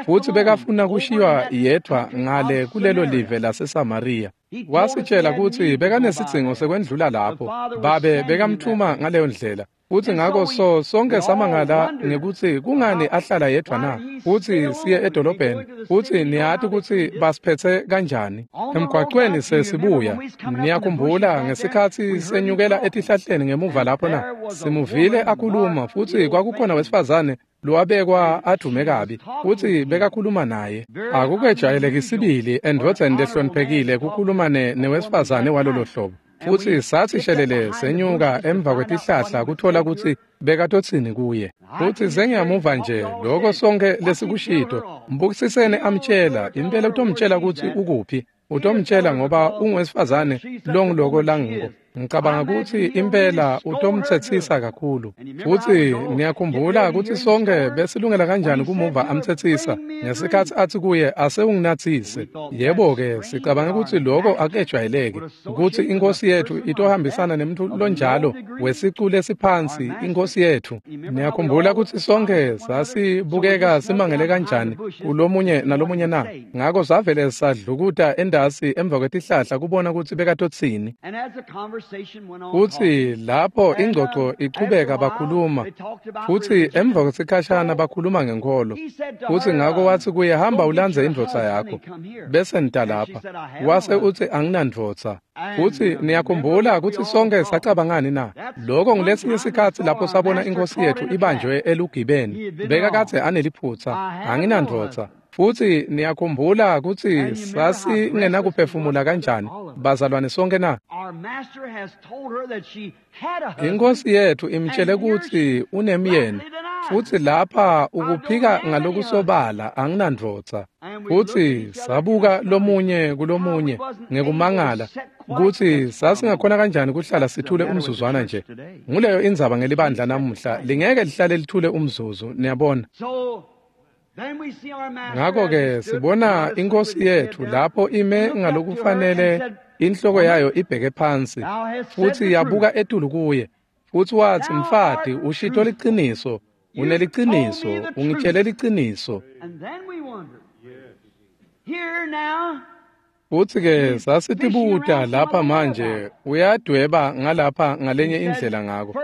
futsi bekafuna kushiywa yedvwa ngale kulelo live laseSamariya. Wasitshela kutsi bekanesidzingo sekwendlula lapho, babe bekamthuma ngaleyo ndlela. Futsi ngako so sonke samangala ngekutsi kungani ahlala yedvwa na, futsi siye edolobheni, futsi niyati kutsi basiphetse kanjani. Emgwacweni sesibuya, niyakhumbula ngesikhatsi senyukela etihlahleni ngemuva lapho na, simuvile akhuluma, futsi kwakukhona wesifazane lowabekwa adume kabi, futsi bekakhuluma naye. Akukejwayeleki sibili endvodzeni lehloniphekile kukhuluma newesifazane walolo hlobo. Futsi sathi shelele senyuka emva kwetihlahla kuthola kutsi bekatotsini kuye. Futsi sengiyamuva nje lokho sonke lesikushito. Mbukisiseni amtshela, impela utomtshela kutsi ukuphi. Utomtshela ngoba unguwesifazane longuloko langiko. Ngicabanga kutsi impela utomtsetsisa kakhulu. Futsi niyakhumbula kutsi sonke besilungela kanjani kumuva amtsetsisa ngesikhatsi atsi kuye ase unginatsise. Yebo-ke, sicabanga kutsi lokho akejwayeleki, kutsi inkosi yethu itohambisana nemntfu lonjalo wesicu lesiphansi, inkosi yethu. Niyakhumbula kutsi sonke sasibukeka simangele kanjani kulomunye nalomunye na? Ngako savele sadlukuta endasi emva kwetihlahla kubona kutsi bekatotsini. Futsi lapho ingcoco ichubeka bakhuluma, futsi emva kwesikhashana bakhuluma ngenkholo. Futsi ngako watsi kuye, hamba ulandze indvodza yakho, bese nita lapha. Wase utsi, anginandvodza. Futsi niyakhumbula kutsi sonke sacabangani na? Lokho ngulesinye isikhatsi lapho sabona inkosi yethu ibanjwe elugibeni. Bekakadze aneliphutsa, anginandvodza. Futsi niyakhumbula kutsi sasingenakuphefumula kanjani, bazalwane sonke na? Inkosi yethu imtshele kutsi unemyeni, futsi lapha ukuphika ngalokusobala, anginandvodza. Futsi sabuka lomunye kulomunye ngekumangala kutsi sasingakhona kanjani kuhlala sithule umzuzwana nje. Nguleyo indzaba ngelibandla namuhla, lingeke lihlale lithule umzuzu, niyabona. Ngako-ke sibona inkosi yethu lapho ime ngalokufanele inhloko yayo ibheke phansi, futsi yabuka etulu kuye, futsi watsi, mfati, ushito liciniso, uneliciniso, ungitshele liciniso. Futsi-ke sasitibuta lapha manje, uyadweba ngalapha ngalenye indlela ngako.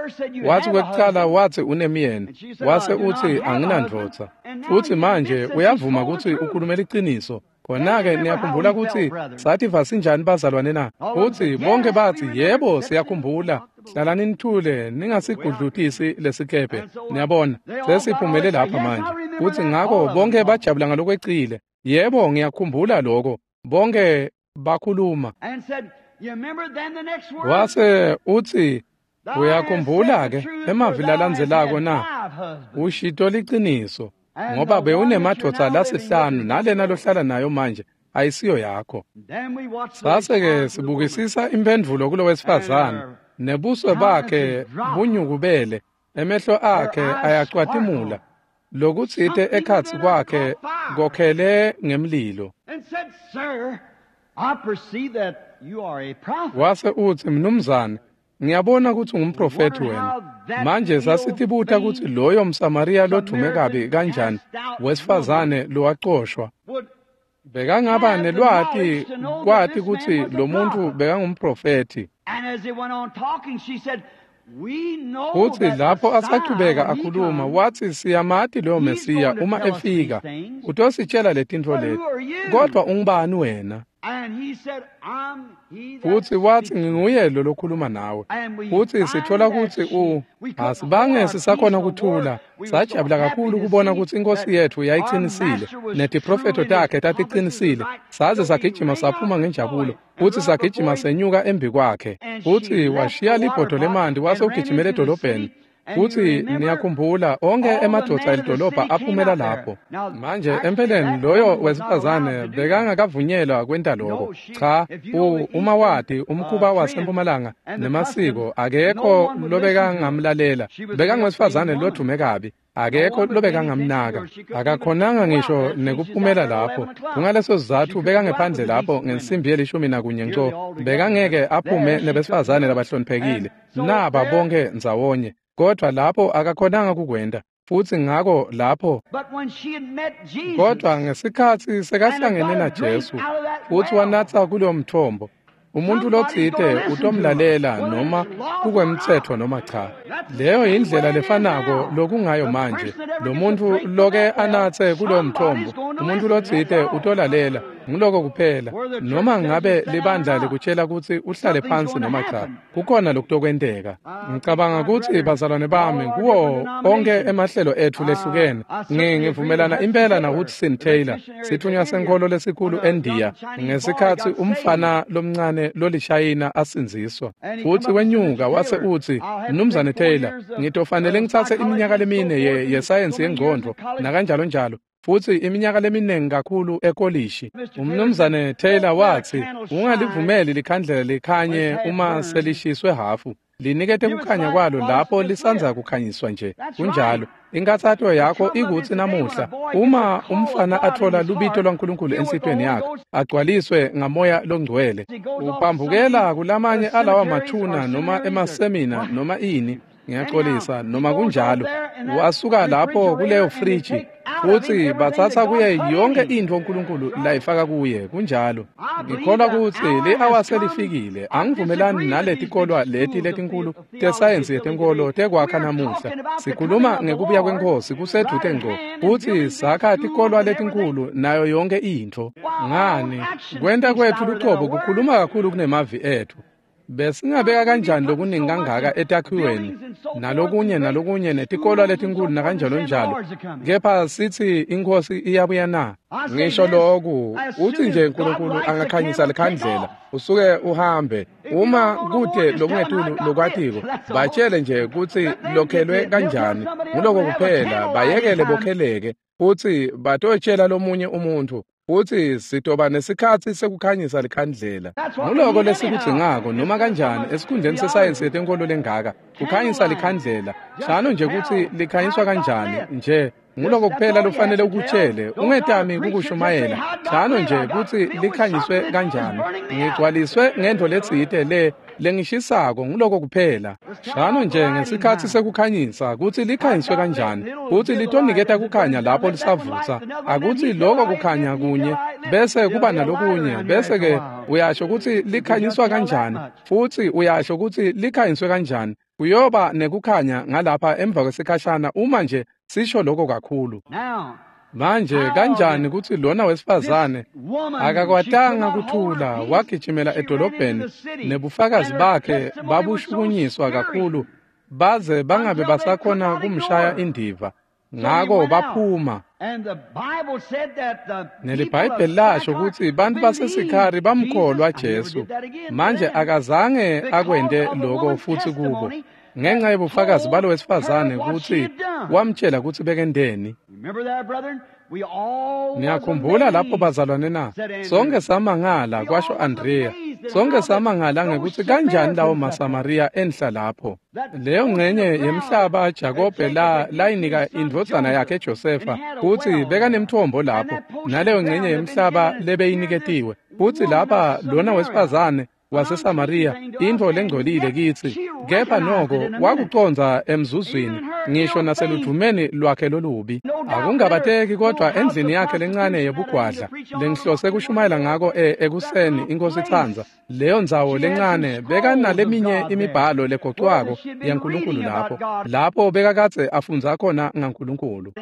Watsi kwekucala watsi unemyeni, wase utsi anginandvodza. Futsi manje uyavuma kutsi ukhulume liciniso. Khona-ke niyakhumbula kutsi sativa sinjani bazalwane na? Futsi bonke batsi, yebo, siyakhumbula. Hlalani nithule, ningasigudlutisi lesikebhe. Niyabona, sesiphumele lapha manje. Futsi ngako bonke bajabula ngalokwecile. Yebo, ngiyakhumbula lokho. Bonke bakhuluma. Wase uthi, uyakhumbula ke emavi lalandzelako na? Ushito liciniso, ngoba bewunemadvodza lasihlanu nalena lohlala nayo manje ayisiyo yakho. Sase-ke sibukisisa imphendvulo kulo wesifazane, nebuso bakhe bunyukubele, emehlo akhe ayacwatimula, lokutsite ekhatsi kwakhe kokhele ngemlilo. Wase utsi, mnumzane, ngiyabona kutsi ungumprofethi wena. Manje sasitibuta kutsi loyo mSamariya lodvume kabi kanjani wesifazane lowacoshwa bekangaba nelwati kwati kutsi lo muntu bekangumprofethi. Futsi lapho asachubeka akhuluma, watsi, siyamati loyo Mesiya uma efika utositshela letintfo leti, kodwa ungubani wena? Futsi watsi, nginguye lo lokhuluma nawe. Futsi sithola kutsi u asibange sisakhona kuthula. Sajabula kakhulu kubona kutsi inkosi yetfu yayicinisile netiprofetho takhe taticinisile. Saze sagijima saphuma ngenjabulo, futsi sagijima senyuka embi kwakhe. Futsi washiya libhodo lemanti wase ugijimela edolobheni. Futsi niyakhumbula onke emadvodza elidolobha aphumela lapho. Manje empeleni loyo wesifazane bekangakavunyelwa kwenta lokho. Cha, uma wati umkhuba wasempumalanga nemasiko, akekho lobekangamlalela. Bekangowesifazane lodvume kabi, akekho lobekangamnaka. Akakhonanga ngisho nekuphumela lapho. Kungaleso sizatfu bekangephandle lapho ngensimbi yelishumi nakunye nco. Bekangeke aphume nebesifazane labahloniphekile. Naba bonke ndzawonye. Kodwa lapho akakhonanga kukwenta, futsi ngako lapho. Kodwa ngesikhatsi sekahlangene naJesu futsi wanatsa kulowo mthombo, umuntu lotsite utomlalela noma kukwemtsetfo noma cha. Leyo yindlela lefanako lokungayo manje. Lo muntu loke anatse kulowo mthombo, umuntu lotsite utolalela, nguloko kuphela. Noma ngabe libandla likutshela kutsi uhlale phansi noma cha, kukhona lokutokwenteka. Ngicabanga kutsi bazalwane bami kuwo onke emahlelo etfu lehlukene, ngivumelana impela na Hudson Taylor, sitfunywa senkholo lesikhulu eNdiya, ngesikhatsi umfana lomncane lolishayina asindziswa. Futsi wenyuka wase utsi, Mnumzane Taylor, ngitofanele ngitsatse iminyaka lemine yesayensi yengcondvo nakanjalo njalo, futsi iminyaka leminingi kakhulu ekolishi. Umnumzane Taylor watsi, ungalivumeli likhandlela likhanye uma selishiswe hafu, linikete kukhanya kwalo lapho lisanza kukhanyiswa nje. Kunjalo. Inkathato yakho ikutsi namuhla uma umfana athola lubito lwaNkulunkulu enhlitiyweni yakhe, agcwaliswe ngamoya longcwele, uphambukela kulamanye alawa mathuna noma emasemina noma ini, ngiyaxolisa, noma kunjalo, wasuka lapho kuleyo friji futsi batsatsa kuye yonke intfo uNkulunkulu layifaka kuye. Kunjalo. Ngikholwa kutsi li-awa selifikile. Angivumelani naletikolwa leti letinkulu tesayensi yetenkolo tekwakha namuhla. Sikhuluma ngekubuya kweNkhosi kusedvute ngco, futsi sakha tikolwa letinkulu nayo yonke intfo. Ngani? Kwenta kwetfu lucobo kukhuluma kakhulu kunemavi etfu. Besingabeka kanjani lokuningi kangaka etakhiweni nalokunye nalokunye netikolwa letinkulu nakanjalo njalo, kepha sithi iNkhosi iyabuya na? Ngisho loku, uthi nje uNkulunkulu angakhanyisa likhandlela usuke uhambe. Uma kute lokungetulu lokwatiko, batshele nje kutsi lokhelwe kanjani, nguloko kuphela. Bayekele bokheleke, futsi batotshela lomunye umuntfu, futsi sitoba nesikhatsi sekukhanyisa likhandlela. Nguloko lesikudzingako noma kanjani esikhundleni sesayensi yetenkolo lengaka, kukhanyisa likhandlela. Shano nje kutsi likhanyiswa kanjani nje, nguloko kuphela lofanele ukutshele. Ungetami kukushumayela, shano nje kutsi likhanyiswe kanjani. Ngigcwaliswe ngentfo letsite le lengishisako, nguloko kuphela. Shano nje ngesikhatsi sekukhanyisa kutsi likhanyiswe kanjani, kutsi litoniketa kukhanya lapho lisavutsa. Akutsi loko kukhanya kunye bese kuba nalokunye, bese ke uyasho kutsi likhanyiswa kanjani, futsi uyasho kutsi likhanyiswe kanjani. Kuyoba nekukhanya ngalapha emva kwesikhashana uma nje sisho lokho kakhulu. Manje kanjani kutsi lona wesifazane akakwatanga kuthula, wagijimela edolobheni, nebufakazi bakhe babushukunyiswa kakhulu baze bangabe basakhona kumshaya indiva. Ngako baphuma. NeliBhayibheli lasho kutsi bantfu baseSikhari bamkholwa Jesu. Manje akazange akwente loko futsi kubo, ngenxa yebufakazi balo wesifazane kutsi wamtshela kutsi bekenteni. Niyakhumbula lapho bazalwane na? Sonke samangala, kwasho Andrea. Sonke samangala ngekutsi kanjani lawo maSamariya enhla lapho. Leyo ngcenye yemhlaba Jakobe la layinika indvodzana yakhe Josefa kutsi bekanemthombo lapho, naleyo ngcenye yemhlaba lebeyiniketiwe. Futsi lapha lona wesifazane waseSamariya, intfo lengcolile kitsi, kepha noko wakucondza emzuzwini, ngisho naseludvumeni lwakhe lolubi. Akungabateki kodwa endlini yakhe lencane yebugwadla lengihlose kushumayela ngako ekuseni inkosi itsandza, leyo ndzawo lencane bekanaleminye imibhalo legocwako yaNkulunkulu lapho, lapho bekakadze afundza khona ngaNkulunkulu.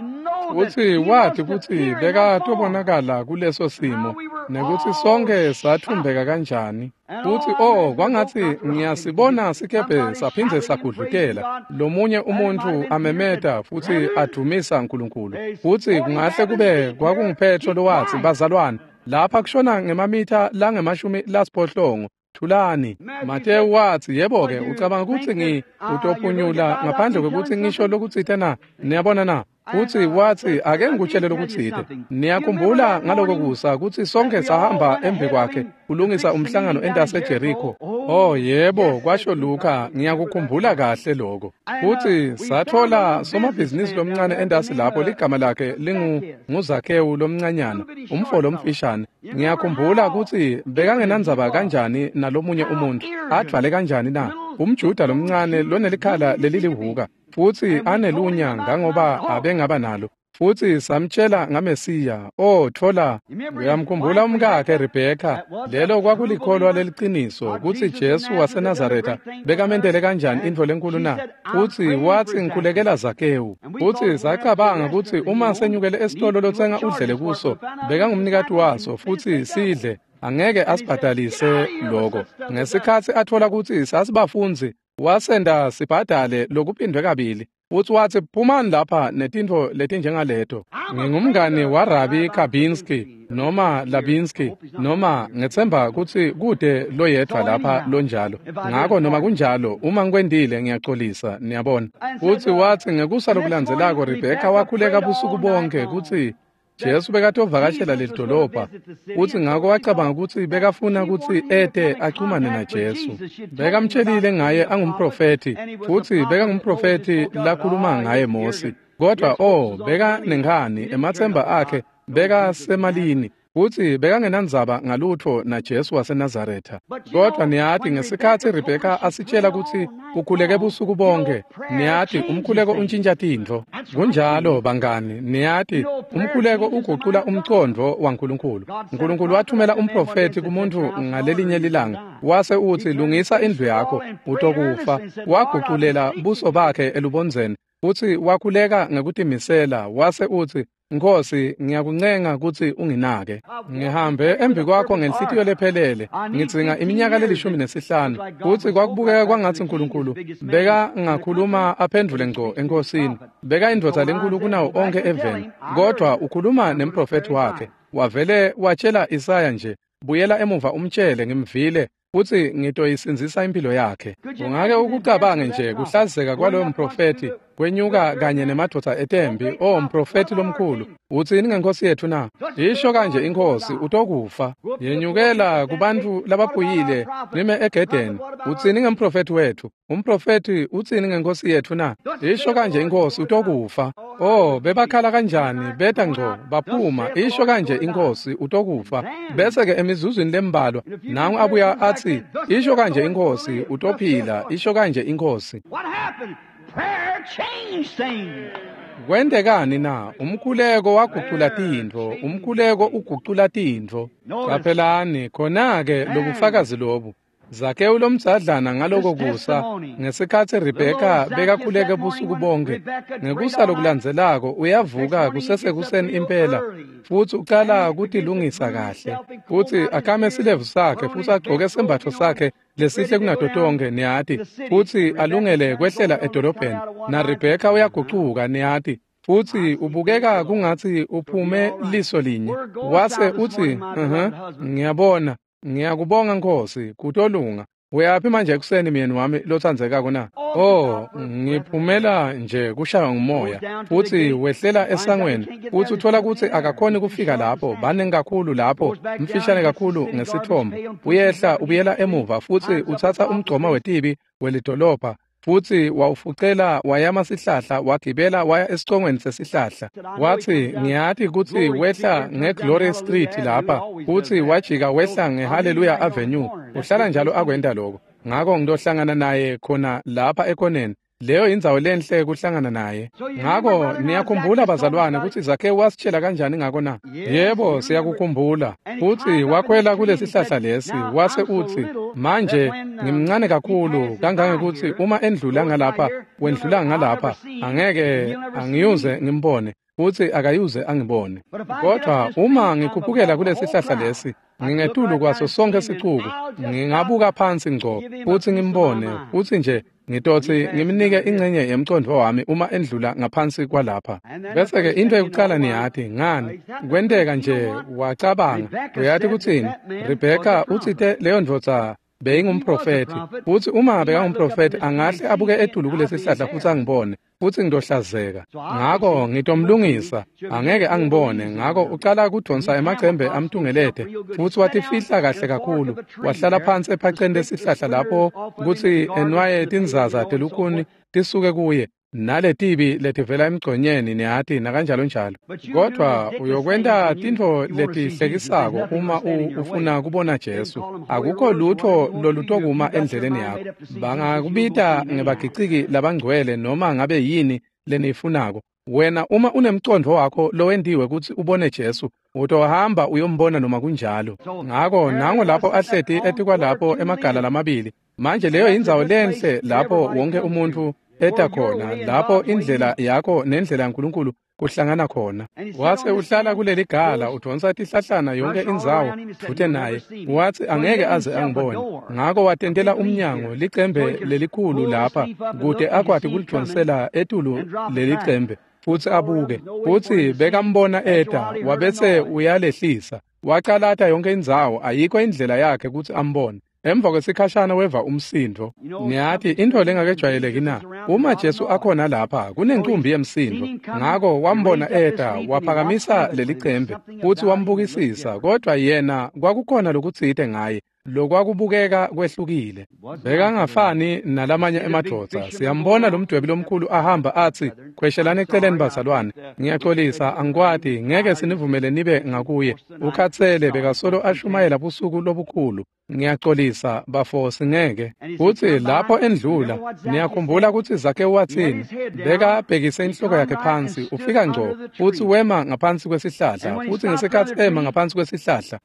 Futsi wathi kutsi bekatobonakala kuleso simo, nekutsi sonke sathumbeka kanjani. Futsi oh, kwangatsi ngiyasibona sikebhe saphindze sagudlutela, lomunye umuntfu amemeta futsi advumisa Nkulunkulu. Futsi kungahle kube kwakunguPetro lowatsi, bazalwane, lapha kushona ngemamitha langemashumi lasiphohlongo, thulani. Matewu watsi, yebo-ke, ucabanga kutsi ngi utophunyula ngaphandle kwekutsi ngisho lokutsite na? Niyabona na? Futsi watsi, ake ngikutshele lokutsite. Niyakhumbula ngaloko kusa kutsi sonke sahamba embi kwakhe kulungisa umhlangano entase Jericho. Oh yebo, kwasho Luka, ngiyakukhumbula kahle lokho. Futsi sathola somabhizinisi lomncane entasi lapho ligama lakhe lingu nguZakewu lomncanyana, umfo lomfishane. Ngiyakhumbula kutsi bekangenandzaba kanjani nalomunye umuntfu, advale kanjani na? UmJuda lomncane lonelikhala lelilihuka, futsi anelunya ngangoba abengaba nalo. Futsi samtshela ngaMesiya. Oh, thola, uyamkhumbula umkakhe Rebheka, lelo kwakulikholwa leliciniso kutsi Jesu waseNazaretha bekamentele kanjani intfo lenkulu na? Futsi watsi, ngikhulekela Zakewu. Futsi sacabanga kutsi uma senyukele esitolo lotsenga udlele kuso, bekangumnikati waso futsi sidle, angeke asibhadalise loko. Ngesikhatsi athola kutsi sasibafundzi, wasenda sibhadale lokuphindwe kabili. Futsi watsi, phumani lapha netintfo letinjengaleto. Ngingumngani waRabi Kabinski noma Labinski, noma ngetsemba kutsi kude loyedvwa lapha lonjalo. Ngako noma kunjalo, uma ngikwentile ngiyaxolisa, niyabona. Futsi watsi ngekusa lokulandzelako Rebheka wakhuleka busuku bonke kutsi Jesu bekatovakashela lelidolobha, futsi ngako wacabanga kutsi bekafuna kutsi ete achumane naJesu. Bekamtshelile ngaye angumprofethi, futsi bekangumprofethi lakhuluma ngaye Mosi. Kodwa oh, bekanenkhani, ematsemba akhe bekasemalini, futsi bekangenandzaba ngalutfo naJesu waseNazaretha. Kodwa niyati, ngesikhatsi Rebheka asitshela kutsi ukhuleke busuku bonke, niyati umkhuleko untshintsha tintfo. Kunjalo bangani, niyati umkhuleko ugucula umcondvo waNkulunkulu. Nkulunkulu wathumela umprofethi kumuntfu ngalelinye lilanga, wase utsi, lungisa indlu yakho, utokufa. Waguculela buso bakhe elubondzeni, futsi wakhuleka ngekutimisela, wase utsi, Nkosi, ngiyakuncenga kutsi unginake. Ngihambe embi kwakho ngenhlitiyo lephelele, ngidzinga iminyaka lelishumi nesihlanu. Futsi kwakubukeka kwangatsi Nkulunkulu bekangakhuluma aphendvule ngco enkosini. Beka indvodza lenkulu kunawo onke eveni, kodwa ukhuluma nemprofethi wakhe. Wavele watshela Isaya nje, buyela emuva umtshele ngimvile, futsi ngitoyisindzisa impilo yakhe. Ungake ukucabange nje kuhlazeka kwaloyo mprofethi kwenyuka kanye nemadvodza etembi. Oh, mprofethi lomkhulu, utsini ngenkosi yethu na? Isho kanje inkosi, utokufa. Yenyukela kubantu labaphuyile nime egedeni. Utsini ngemprofethi wethu? Umprofethi utsini ngenkosi yethu na? Isho kanje inkosi, utokufa. Oh, bebakhala kanjani, beta ngco baphuma. Isho kanje inkosi, utokufa. Bese ke emizuzwini lembalwa nangu abuya athi, isho kanje inkosi, utophila. Isho kanje inkosi. Kwentekani na? Umkhuleko wagucula tintfo. Umkhuleko ugucula tintfo. Qaphelani khona-ke lobufakazi lobu. Zakewu lomdzadlana ngaloko kusa, ngesikhatsi Rebheka bekakhuleke busuku bonke, ngekusa lokulandzelako uyavuka kusesekuseni impela, futsi ucala kutilungisa kahle, futsi akame silevu sakhe, futsi agcoke sembatfo sakhe lesihle kunato tonkhe, niyati, futsi alungele kwehlela edolobheni. Na Rebheka uyagucuka, niyati, Futsi ubukeka kungatsi uphume liso linye. Wase utsi, "Uh-huh, ngiyabona, ngiyakubonga Nkosi, kutolunga. Uyaphi manje ekuseni myeni wami lotsandzekako na?" Oh, ngiphumela nje kushaywa ngumoya. Futsi wehlela esangweni, futsi uthola kutsi akakhoni kufika lapho, baningi kakhulu lapho, mfishane kakhulu ngesithombo. Uyehla ubuyela emuva futsi utsatsa umgcoma wetibi welidolobha, futsi wawufucela wayama sihlahla, wagibela waya esicongweni sesihlahla. Watsi, "Ngiyati kutsi wehla ngeGlory Street lapha, futsi wajika wehla ngeHallelujah Avenue. Uhlala njalo akwenta lokho. Ngako ngitohlangana naye khona lapha ekoneni. Leyo indzawo lenhle kuhlangana naye." Ngako niyakhumbula bazalwane kutsi Zakhewu wasitshela kanjani ngako na? Yebo, siyakukhumbula. Futsi wakhwela kulesihlahla lesi, wase utsi, "Manje ngimncane kakhulu kangangekutsi uma endlula ngalapha, wendlula ngalapha, angeke angiyuze ngimbone, futsi akayuze angibone. Kodvwa uma ngikhuphukela kulesihlahla lesi, ngingetulu kwaso sonke sicuku, ngingabuka phansi ngco futsi ngimbone, futsi nje ngitotsi ngimnike ingcenye yemcondvo wami uma endlula ngaphansi kwalapha." Bese-ke into yokucala niyati ngani, kwenteka nje wacabanga, uyati kutsini, Rebheka utsite leyo ndvodza beyingumprofethi, futsi uma bekangumprofethi angahle abuke etulu kulesihlahla futsi angibone, futsi ngitohlazeka. Ngako ngitomlungisa, angeke angibone. Ngako ucala kudonsa emacembe amtungelete, futsi watifihla kahle kakhulu, wahlala phansi ephaceni lesihlahla lapho kutsi enwaye tinzaza telukhuni tisuke kuye, naletibi letivela emgconyeni niyati nakanjalo njalo. Kodwa uyokwenta tintfo letihlekisako uma ufuna kubona Jesu. Akukho lutho lolutokuma endleleni yakho. Bangakubita ngebagiciki labangcwele noma ngabe yini leniyifunako. Wena uma unemcondvo wakho lowentiwe kutsi ubone Jesu, utohamba uyombona noma kunjalo. Ngako nango lapho ahleti etikwalapho emagala lamabili. Manje leyo indzawo lenhle lapho wonke umuntfu eta khona, lapho indlela yakho nendlela yaNkulunkulu kuhlangana khona. Wase uhlala kuleli gala udonsa tihlahlana yonke indzawo dvute naye. Watsi angeke aze angibone. Ngako watentela umnyango licembe lelikhulu lapha kute akwati kulidonsela etulu lelicembe futsi abuke. Futsi bekambona eta, wabese uyalehlisa. Wacalata yonke indzawo, ayikho indlela yakhe kutsi ambone. Emva kwesikhashana weva umsindo. Niyati intfo lengakejwayeleki na? Uma Jesu akhona lapha, kunencumbi yemsindo. Ngako wambona eta, waphakamisa lelicembe, futsi wambukisisa, kodvwa yena kwakukhona lokutsite ngaye, lokwakubukeka kwehlukile. Bekangafani nalamanye emadvodza. Siyambona lo mdwebi lomkhulu ahamba atsi, "Khweshelani eceleni bazalwane, ngiyaxolisa, angikwati, ngeke sinivumele nibe ngakuye. Ukhatsele, bekasolo ashumayela busuku lobukhulu. Ngiyaxolisa bafo, singeke." Futsi lapho endlula, niyakhumbula kutsi Zakhewu watsini? Bekabhekise inhloko yakhe phansi, ufika ngco, futsi wema ngaphansi kwesihlahla. Futsi ngesikhatsi ema ngaphansi kwesihlahla,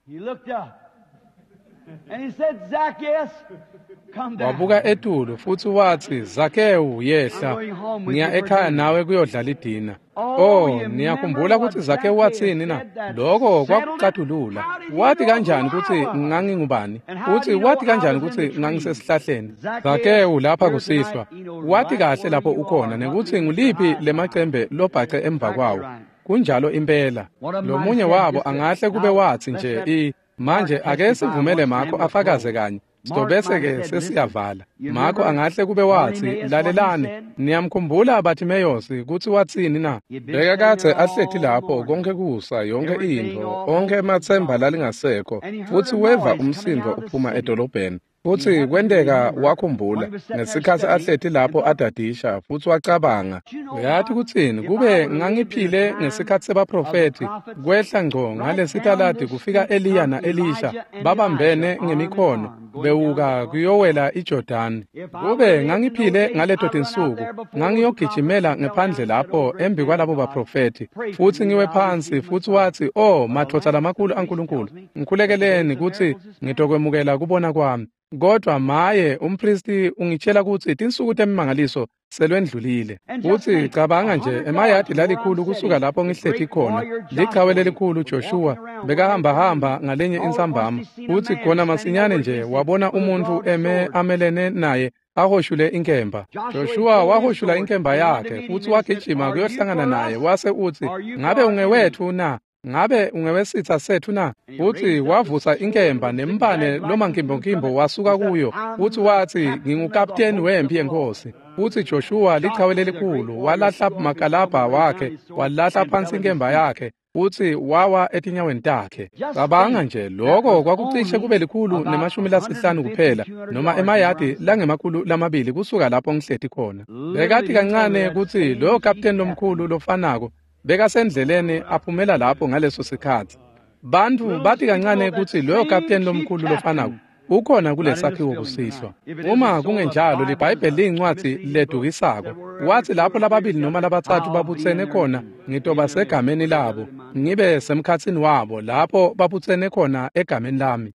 wabuka etulu futsi watsi, "Zakhewu, yehla, ngiya ekhaya nawe kuyodlala idina." Oh, niyakhumbula kutsi Zakhewu watsini na? Lokho kwakucatulula. Wati kanjani kutsi ngangingubani? Futsi wati kanjani kutsi ngangisesihlahleni? Zakhewu lapha kusihlwa, wati kahle lapho ukhona nekutsi nguliphi lemacembe lobhace emva kwawo. Kunjalo impela. Lomunye wabo angahle kube watsi nje i manje ake sivumele Marko afakaze kanye, sitobese-ke sesiyavala. Marko angahle kube watsi, "Lalelani, niyamkhumbula Bartimeyosi kutsi watsini na? Bekakadze ahleti lapho konke kusa, yonke intfo, onkhe ematsemba lalingasekho, futsi weva umsindo uphuma edolobheni. Futsi kwenteka wakhumbula ngesikhatsi ahleti lapho adadisha, futsi wacabanga, uyati kutsini, kube ngangiphile ngesikhatsi sebaprofethi, kwehla ngco ngalesitaladi kufika Eliya na-Elisha babambene ngemikhono bewuka kuyowela iJordani. Kube ngangiphile ngaleto tinsuku, ngangiyogijimela ngephandle lapho embi kwalabo baprofethi, futsi ngiwe phansi." Futsi watsi, "Oh, madvodza lamakhulu aNkulunkulu, ngikhulekeleni kutsi ngitokwemukela kubona kwami." Kodwa maye umpristi ungitshela kutsi tinsuku temimangaliso selwendlulile. Futsi cabanga nje emayadi lalikhulu kusuka lapho ngihleti khona, lichawe lelikhulu Joshua bekahambahamba ngalenye insambama, futsi khona masinyane nje wabona umuntfu eme amelene naye ahoshule inkemba. Joshua wahoshula inkemba yakhe futsi wagijima kuyohlangana naye, wase utsi, ngabe ungewetfu na? Ngabe ungewesitsa setfu na? Futsi wavusa inkemba nembane lomankimbonkimbo wasuka kuyo, futsi watsi, ngingukapteni wemphi yenkosi. Futsi Joshua lichawe lelikhulu walahla makalabha wakhe, walahla phansi inkemba yakhe, futsi wawa etinyaweni takhe. Cabanga nje, lokho kwakucishe kube likhulu nemashumi lasihlanu kuphela, noma emayadi langemakhulu lamabili kusuka lapho ngihleti khona. Bekati kancane kutsi loyo kapteni lomkhulu lofanako bekasendleleni aphumela lapho ngaleso sikhatsi. Bantfu bati kancane kutsi loyo kapteni lomkhulu lofanako ukhona kulesakhiwo kusihlwa. Uma kungenjalo, liBhayibheli liyincwadzi ledukisako. Watsi lapho lababili noma labatsatfu babutsene khona, ngitoba segameni labo, ngibe semkhatsini wabo lapho babutsene khona egameni lami.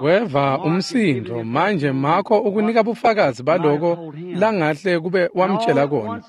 Weva umsindo. Manje Makho ukunika bufakazi baloko langahle kube wamtshela kona.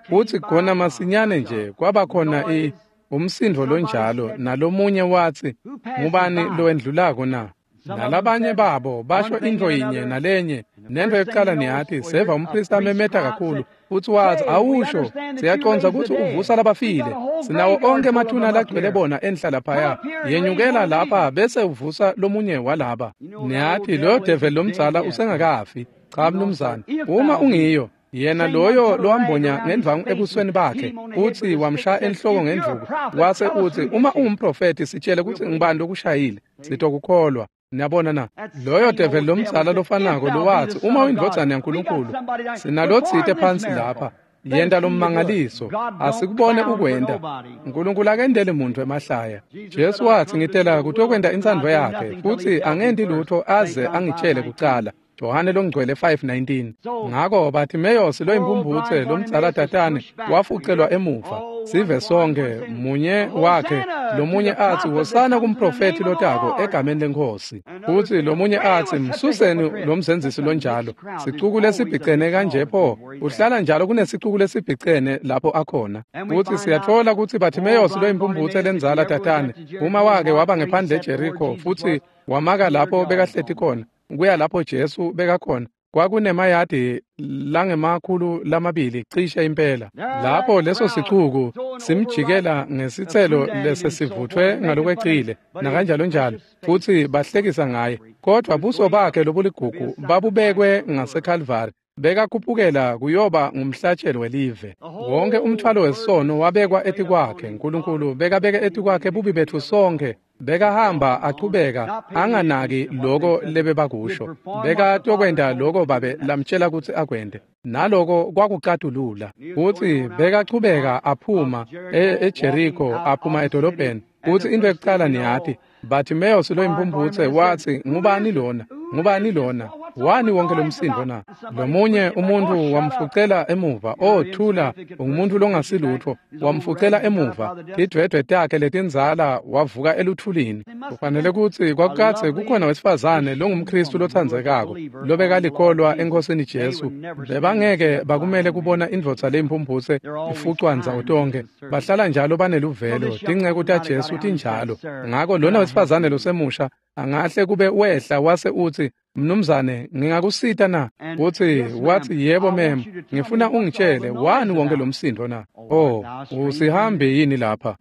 Futsi khona masinyane nje kwaba khona i umsindo lonjalo, nalomunye watsi, ngubani lowendlulako na? Nalabanye babo basho intfo yinye nalenye, nento yokucala niyati, seva umpristi amemeta kakhulu, futsi watsi, awusho, siyacondza kutsi uvusa labafile, sinawo onkhe emathuna lagcwele bona enhla laphaya, yenyukela lapha bese uvusa lomunye walaba. Niyati loyo develi lomdzala usengakafi. Cha mnumzane, uma ungiyo yena loyo lowambonya ngendvangu ebusweni bakhe, utsi wamshaya enhloko ngendvuku, wase utsi, uma ungumprofethi sitshele kutsi ngubani lokushayile, sitokukholwa. Niyabona na? Loyo develi lomdzala lofanako lowatsi, uma uyindvodzana yaNkulunkulu, sinalotsite phansi lapha, yenta lommangaliso, asikubone ukwenta. Nkulunkulu akendeli muntfu emahlaya. Jesu watsi, ngitela kutokwenta intsandvo yakhe, futsi angenti lutfo aze angitshele kucala. Johane longcwele five nineteen. Ngako Bartimeyosi loyimpumphutse lomdzala tatane wafucelwa emuva. Sive sonke munye wakhe, lomunye atsi, wosana kumprofethi lotako egameni leNkhosi. Futsi lomunye atsi, msuseni lomzenzisi lonjalo. Sicuku lesibhicene kanje pho, uhlala njalo kunesicuku lesibhicene lapho akhona. Futsi siyatfola kutsi Bartimeyosi loyimpumphutse lendzala tatane, uma wake waba ngephandle eJeriko futsi wamaka lapho bekahleti khona, kuya lapho Jesu bekakhona, kwakunemayadi langemakhulu lamabili cishe impela. Lapho leso sicuku simjikela ngesitselo lesesivuthwe ngalokwecile nakanjalo njalo, futsi bahlekisa ngaye. Kodwa buso bakhe lobuligugu babubekwe ngaseKalvari, bekakhuphukela kuyoba ngumhlatshelo welive. Wonke umthwalo wesono wabekwa etikwakhe. Nkulunkulu bekabeke etikwakhe bubi betfu sonke. Bekahamba achubeka anganaki loko lebebakusho. Bekatokwenta loko babe lamtshela kutsi akwente, naloko kwakucatulula. Futsi bekachubeka aphuma eJeriko, aphuma edolobheni. Futsi into yokucala niyati, Bartimeyosi loyimpumphutse watsi, ngubani lona? Ngubani lona? Wani wonke lomsindo na? Lomunye umuntu wamfucela emuva. Oh, thula, ungumuntu longasilutfo. Wamfucela emuva. Tidwedwe takhe letindzala wavuka eluthulini. Kufanele kutsi kwakukadze kukhona wesifazane longumKhristu lotsandzekako, lobekalikholwa eNkhosini Jesu. Bebangeke bakumele kubona indvodza leyimphumphutse ifucwa ndzawo tonkhe. Bahlala njalo baneluvelo. Tinceku taJesu tinjalo. Ngako lona wesifazane losemusha angahle kube wehla wase utsi, mnumzane, ngingakusita na? Utsi watsi, yebo mem, ngifuna ungitshele wani wonke lomsindo na? Oh, usihambi yini lapha?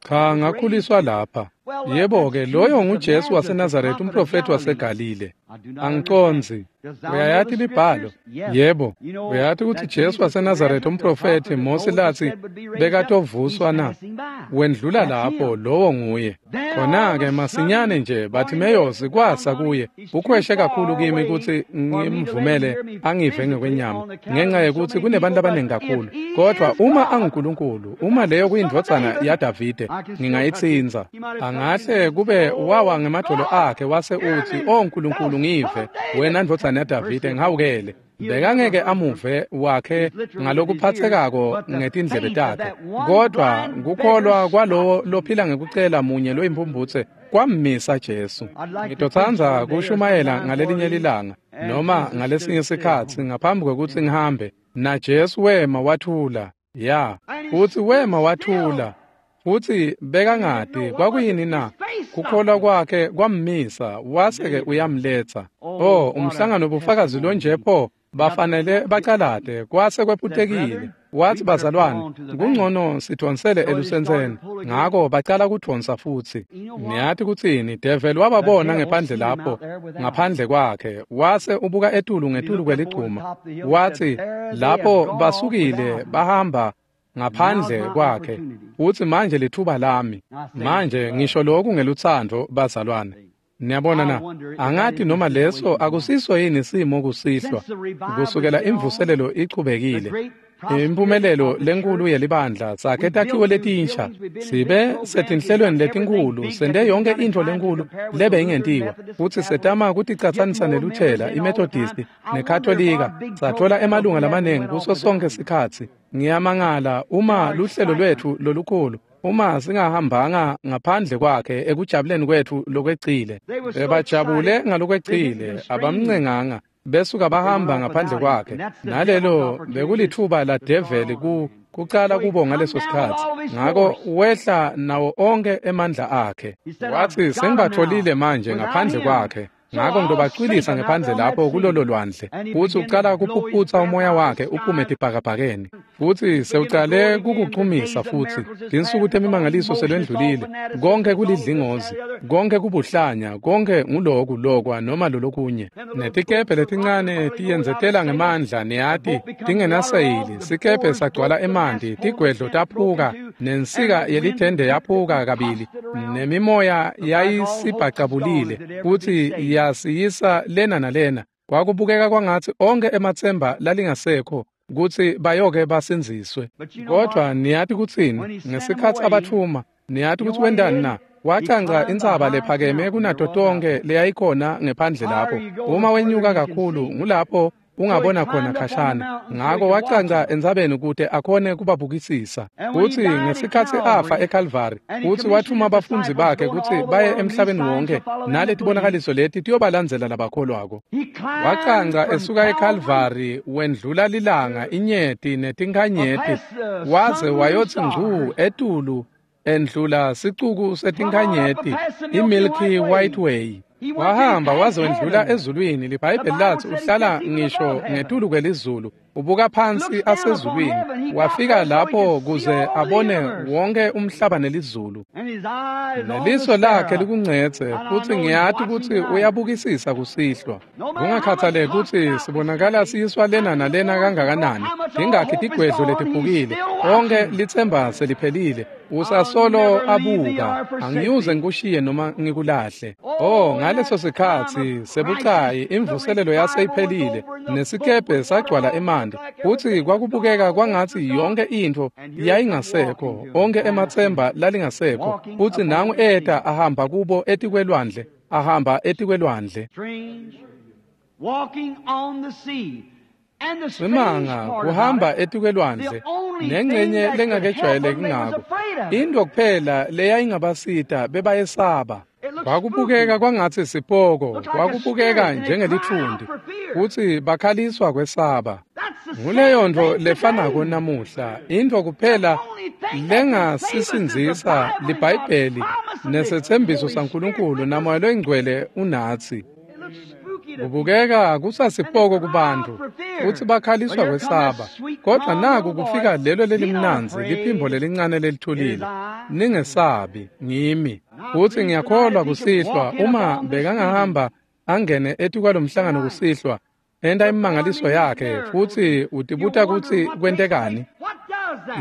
Cha, ngakhuliswa lapha. Yebo-ke, loyo nguJesu waseNazaretha, umprofethi waseGalile. Angicondzi. Uyayati imibhalo? Yebo. Uyati kutsi Jesu waseNazaretha, umprofethi Mose latsi bekatovuswa na? Wendlula lapho, lowo nguye. Khona-ke masinyane nje Bartimeyosi kwasa kuye, ukhweshe kakhulu kimi kutsi ngimvumele angive ngekwenyama, ngenxa yekutsi kunebantu abaningi kakhulu. Kodwa uma anguNkulunkulu, uma leyo kuyindvodzana yaDavide, ngingayitsintsa. Angahle kube wawa ngemadvolo akhe wase utsi, "O Nkulunkulu, ngive, wena ndvodzana yaDavide, ngihawukele." Bekangeke amuve wakhe ngalokuphatsekako ngetindlebe takhe, kodwa kukholwa kwalowo lophila ngekucela munye loyimpumphutse kwammisa Jesu. Ngitotsandza kushumayela ngalelinye lilanga noma ngalesinye sikhatsi ngaphambi kwekutsi ngihambe. Na Jesu wema wathula. Ya, futsi wema wathula. Futsi bekangati kwakuyini na? Kukholwa kwakhe kwammisa, wase-ke uyamletsa. Oh, umhlangano bufakazi lonje pho, bafanele bacalate, kwase kwephutekile. Wathi, bazalwane, kungcono sidvonsele elusentseni. Ngako bacala kudvonsa futsi. Niyati kutsini? Devil wababona ngephandle lapho, ngaphandle kwakhe. Wase ubuka etulu ngetulu kweligcuma. Wathi, lapho basukile bahamba ngaphandle kwakhe. Uthi, manje lithuba lami. Manje ngisho lokhu ngelutsandvo, bazalwane. Niyabona na? Angati noma leso akusiso yini simo kusihlwa. Kusukela imvuselelo ichubekile, impumelelo lenkulu yelibandla, sakhe takhiwo letinsha, sibe setinhlelweni letinkhulu, sente yonke intfo lenkulu lebe ingentiwa, futsi setama kuticatsanisa neLuthela, iMethodist neKatolika, sathola emalunga lamanengi kuso sonke sikhatsi. Ngiyamangala uma luhlelo lwetfu lolukhulu, uma singahambanga ngaphandle kwakhe ekujabuleni kwetfu lokwecile. Bebajabule ngalokwecile, abamncenganga, besuka bahamba ngaphandle kwakhe. Nalelo bekulithuba la develi ku kucala kubo ngaleso sikhatsi. Ngako wehla nawo onke emandla akhe. Wathi, sengibatholile manje ngaphandle kwakhe. Ngako ngitobacwilisa ngephandle lapho kulolo lwandle. Futsi ucala kuphuphutsa umoya wakhe uphume etibhakabhakeni. Futsi sewucale kukuchumisa futsi. Tinsuku temimangaliso selwendlulile. Konke kulidlingozi, konke kubuhlanya, konke nguloku lokwa noma lolokunye. Netikebhe letincane tiyendzetela ngemandla, niyati, tingenaseyili. Sikebhe sagcwala emanti, tigwedlo taphuka, nensika yelithende yaphuka kabili, nemimoya yayisibhacabulile, futsi yasiyisa lena nalena. Kwakubukeka kwangatsi onke ematsemba lalingasekho kutsi bayoke basindziswe. Kodwa niyati kutsini? Ngesikhatsi abathuma, niyati kutsi wentani na? Wacanca intsaba lephakeme kunato tonke leyayikhona ngephandle lapho. Uma wenyuka kakhulu, ngulapho ungabona khona khashana. Ngako wacanca entsabeni kute akhone kubabukisisa. Futsi ngesikhatsi afa eKalvari, futsi wathuma abafundzi bakhe kutsi baye emhlabeni wonke, naletibonakaliso leti tiyobalandzela labakholwako. Wacanca esuka eKalvari, wendlula lilanga, inyeti netinkhanyeti, waze wayotsi ngcu etulu endlula sicuku setinkhanyeti, iMilky White Way. Wahamba waze wendlula ezulwini. LiBhayibheli lathi uhlala ngisho ngetulu kwelizulu, ubuka phansi asezulwini. Wafika lapho kuze abone wonke umhlaba nelizulu. Neliso lakhe likuncedze, futsi ngiyati kutsi uyabukisisa kusihlwa. Kungakhathaleki kutsi sibonakala siyiswa lena nalena kangakanani, tingakhi tigwedlo letiphukile, onke litsemba seliphelile, usasolo abuka. Angiyuze ngikushiye noma ngikulahle. Oh, ngaleso sikhatsi sebucayi, imvuselelo yaseyiphelile, nesikebhe sagcwala emanti, futsi kwakubukeka kwangatsi yonke intfo yayingasekho, onke ematsemba lalingasekho, futsi nangu eta ahamba kubo etikwelwandle, ahamba etikwelwandle. Simanga kuhamba etikwelwandle, nengcenye lengakejwayeleki ngako. Into kuphela leyayingabasita bebayesaba. Kwakubukeka kwangatsi sipoko, kwakubukeka njengelitfundi, futsi bakhaliswa kwesaba. Nguleyo ntfo lefanako namuhla. Intfo kuphela lengasisindzisa liBhayibheli nesetsembiso saNkulunkulu naMoya loyiNgcwele unatsi. Kubukeka kusasipoko kubantu, futsi bakhaliswa kwesaba. Kodwa naku kufika lelo lelimnandzi, liphimbo lelincane lelithulile. Ningesabi, ngimi. Futsi ngiyakholwa kusihlwa, uma bekangahamba angene etikwalomhlangano kusihlwa, enta imimangaliso yakhe, futsi utibuta kutsi kwentekani.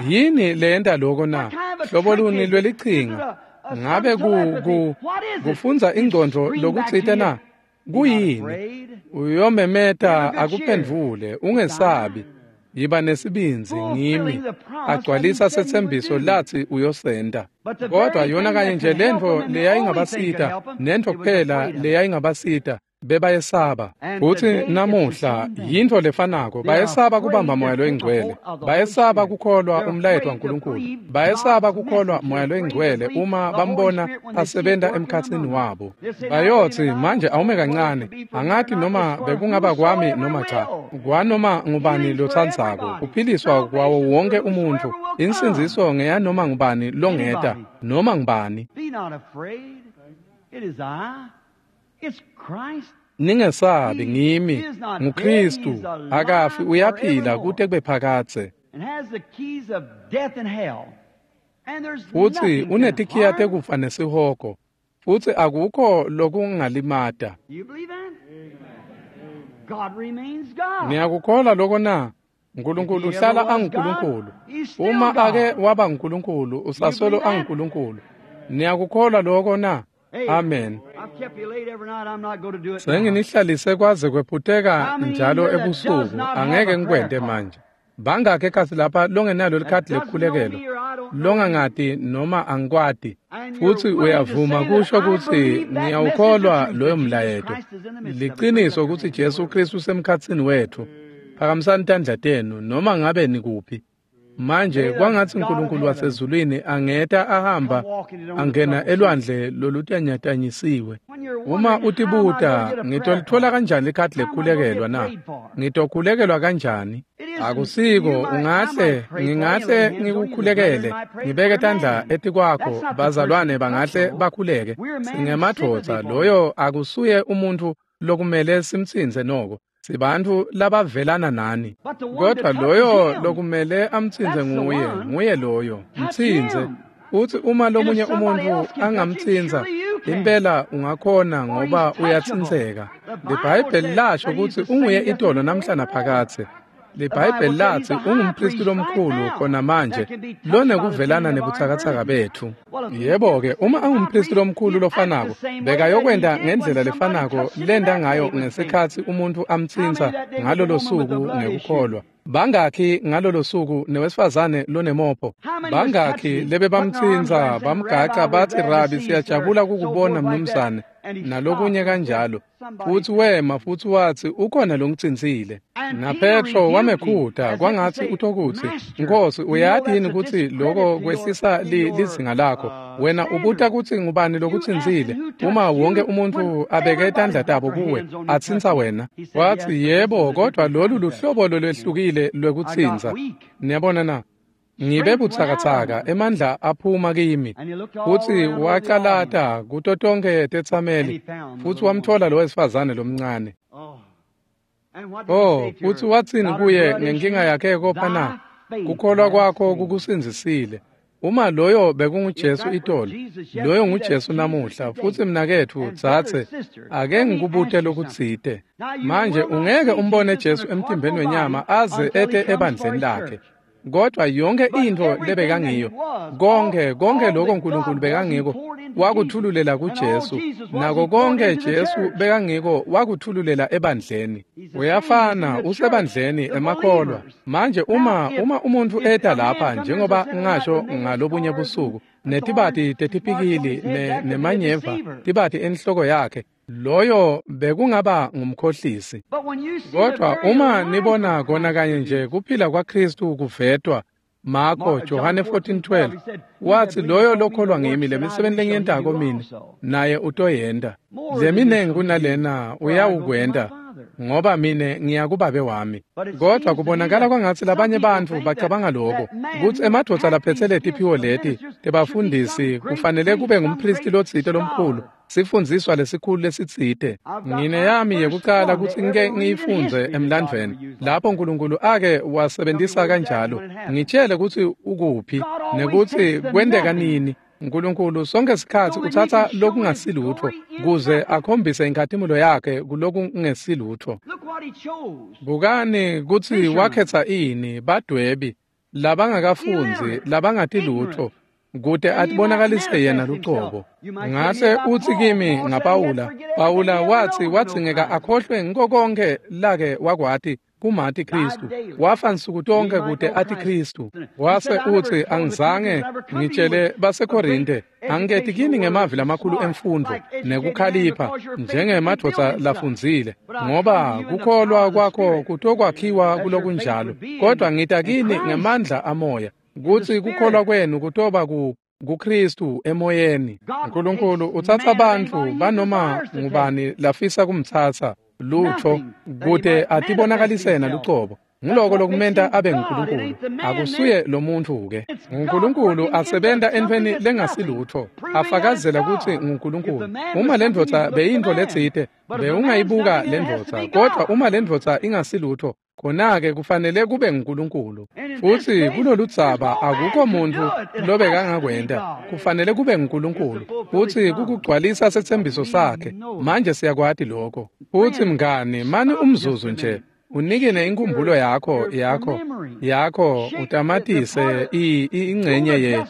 Yini leyenta loko na? Hlobo luni lwelichinga? Ngabe ku, ku, kufundza ingcondvo lokutsite na? Kuyini? Uyomemeta akuphendvule, ungesabi. Yiba nesibindzi, ngimi. Agcwalisa setsembiso latsi uyosenta. Kodwa yona kanye nje lentfo leyayingabasita, nentfo kuphela leyayingabasita, Bebayesaba. Futsi namuhla yintfo lefanako, bayesaba kubamba Moya loyiNgcwele, bayesaba kukholwa umlayeto waNkulunkulu, bayesaba kukholwa Moya loyiNgcwele uma bambona asebenta emkhatsini wabo. Bayotsi manje awume kancane, angati noma bekungaba kwami noma cha, kwanoma ngubani lotsandzako, kuphiliswa kwawo wonke umuntfu, insindziso ngeyanoma ngubani longeta, noma ngubani. Be not afraid. It is I. It's Christ. Ningesabi, ngimi, nguKristu, akafi, uyaphila kute kube phakadze. And has the keys of death and hell. And there's Futsi nothing can unetikhiya harm. tekufa nesihogo, futsi akukho lokungalimata. You believe that? God remains God. Niyakukholwa loko na? uNkulunkulu uhlala anguNkulunkulu. Uma ake waba nguNkulunkulu, usasolo anguNkulunkulu. Niyakukholwa loko na? Amen. I've kept you late every night. I'm not going to do it now. Senginihlalise kwaze kwephuteka njalo ebusuku, angeke ngikwente manje. Bangakhi ekhatsi lapha longenalo likhadi lekukhulekelwa, longangati noma angikwati, futsi uyavuma kusho kutsi ngiyawukholwa loyo mlayeto. Liciniso kutsi Jesu Kristu usemkhatsini wetfu. Phakamisani tandla tenu noma ngabe nikuphi. Manje kwangatsi uNkulunkulu wasezulwini angeta ahamba angena elwandle lolutanyatanyisiwe. Uma utibuta, ngitolitfola kanjani likhadi lekukhulekelwa na? Ngitokhulekelwa kanjani? Akusiko, ungahle, ngingahle ngikukhulekele, ngibeke tandla etikwakho, bazalwane bangahle bakhuleke. Singemadvodza, loyo akusuye umuntfu lokumele simtsintse noko. Sibantfu labavelana nani. Kodwa loyo lokumele amtsintse nguye, nguye loyo. Mtsintse. Utsi uma lomunye umuntfu angamtsintsa, impela ungakhona ngoba uyatsintseka. LiBhayibheli lasho kutsi unguye itolo namhla naphakadze. LiBhayibheli latsi ungumphristi lomkhulu khona manje lonekuvelana nebutsakatsaka betfu. Yebo-ke, uma angumphristi lomkhulu lofanako, bekayokwenta ngendlela lefanako lenta ngayo ngesikhatsi umuntfu amtsintsa ngalolo suku ngekukholwa. Bangakhi ngalolo suku newesifazane lonemopho? Bangakhi lebebamtsintsa bamgaca batsi, Rabi, siyajabula kukubona mnumzane, nalokunye kanjalo. Futsi wema futsi watsi, ukhona longitsintsile. NaPetro wamekhuta kwangatsi utokutsi, Nkosi, uyati yini kutsi loko kwehlisa li, lizinga lakho? Wena ubuta kutsi ngubani lokutsintsile, uma wonke umuntfu abeke tandla tabo kuwe, atsintsa wena. Watsi, yebo, kodvwa lolu luhlobo lolwehlukile lwekutsintsa. Niyabona na? Ngibe butsakatsaka, emandla aphuma kimi. Futsi wacalata kuto tonkhe tetsameli, futsi wamtfola lo wesifazane lomncane. Oh. And what did he Oh, say to futsi her? watsini Daughter, kuye blood ngenkinga issue, yakhe kopha na? thy faith Kukholwa hath kwakho saved thee. kukusindzisile. Uma loyo If bekunguJesu that was itolo, Jesus loyo yesterday, that's nguJesu Jesus namuhla. today. Futsi mnaketfu, And brother, dzadze, sister, ake let me ngikubute ask you something. lokutsite. Now you Manje will not ungeke see umbone Jesus in Jesu a emtimbeni carnal wenyama body aze until he ete comes for ebandleni his lakhe. church. Kodwa yonke But intfo everything that he lebekangiyo, was, all, konke konke all lokho that uNkulunkulu God was, he bekangiko, poured into Jesus. wakuthululela And all kuJesu. Jesus was, he Nako poured konke into the Jesu church. bekangiko wakuthululela ebandleni. He's the same. He's in Uyafana the church, usebandleni the emakholwa. believers. Manje Now, uma if uma umuntfu if eta a man lapha come here as I njengoba said tonight ngasho with nails, ngalobunye scars, and busuku, thorns, netibati marks on tetipikili his head, ne, that could be a nemanyeva, deceiver. tibati enhloko yakhe, loyo bekungaba ngumkhohlisi. But when you see the Kodwa very uma life nibona of kona Christ kanye nje produced, kuphila kwaKristu kuvetwa, Marko Mark, John Johane fourteen fourteen twelve, twelve he said, He that watsi believeth loyo on me, the lokholwa ngimi works that I lemisebenti do shall he lengiyentako do mine also. naye utoyenta. More than this Leminengi shall he do, kunalena for I go to my uyawukwenta Father. ngoba mine ngiya kubabe wami. But it Kodwa seems to me kubonakala that kwangatsi some labanye people bantfu think that bacabanga loko that man kutsi who emadvodza hath laphetse these gifts letiphiwo of leti ministers should be some tebafundisi great kufanele priest, kube some ngumphristi great lotsite lomkhulu, scholar. sifundziswa lesikhulu lesitsite. I've got Ngine my yami first yekucala one to kutsi ngike ever read in ngiyifundze history that God ever emlandvweni used like lapho that. uNkulunkulu ake Tell me wasebentisa where it's at and kanjalo. when it happened. Ngitshele kutsi ukuphi God always nekutsi takes the kwenteka nothing nini. uNkulunkulu sonke sikhatsi so that he utsatsa can show his lokungasilutfo glory in kuze nothing. akhombise inkhatimulo yakhe kulokungesilutfo. Look what he chose. Bukani kutsi Fishermen, wakhetsa ini badwebi labangakafundzi illiterate, labangati lutfo ignorant, kute that he might atibonakalise yena manifest himself. lucobo. You might say to me Ngase about utsi Paul. kimi Paul said he had to ngaPawula, forget everything Pawula he ever watsi known to know wadzingeka Christ. akhohlwe ngiko konkhe lake wakwati kumati Kristu. Wafa nsuku tonke kute ati Kristu. Wase utsi angizange ngitshele baseKorinte angiketi kini ngemavi lamakhulu emfundvo nekukhalipha njengemadvodza lafundzile, ngoba kukholwa kwakho kutokwakhiwa kulokunjalo, kodwa ngita kini ngemandla amoya, kutsi kukholwa kwenu kutoba ku kuKristu emoyeni. Nkulunkulu utsatsa bantfu banoma ngubani lafisa kumtsatsa lutfo kute atibonakalisena lucobo. Nguloko lokumenta abe nguNkulunkulu. Akusuye lo muntu-ke. NguNkulunkulu asebenta entfweni lengasilutfo, afakazela kutsi nguNkulunkulu. Uma lendvodza beyintfo letsite, bewungayibuka lendvodza, kodwa uma lendvodza ingasilutfo, khona-ke kufanele kube nguNkulunkulu. Futsi kuloludzaba akukho muntfu lobekangakwenta, kufanele kube nguNkulunkulu. Futsi kukugcwalisa setsembiso sakhe. Manje siyakwati lokho. Futsi mngani, mani umzuzu nje. Unikene inkumbulo yakho yakho yakho utamatise ingcenye ye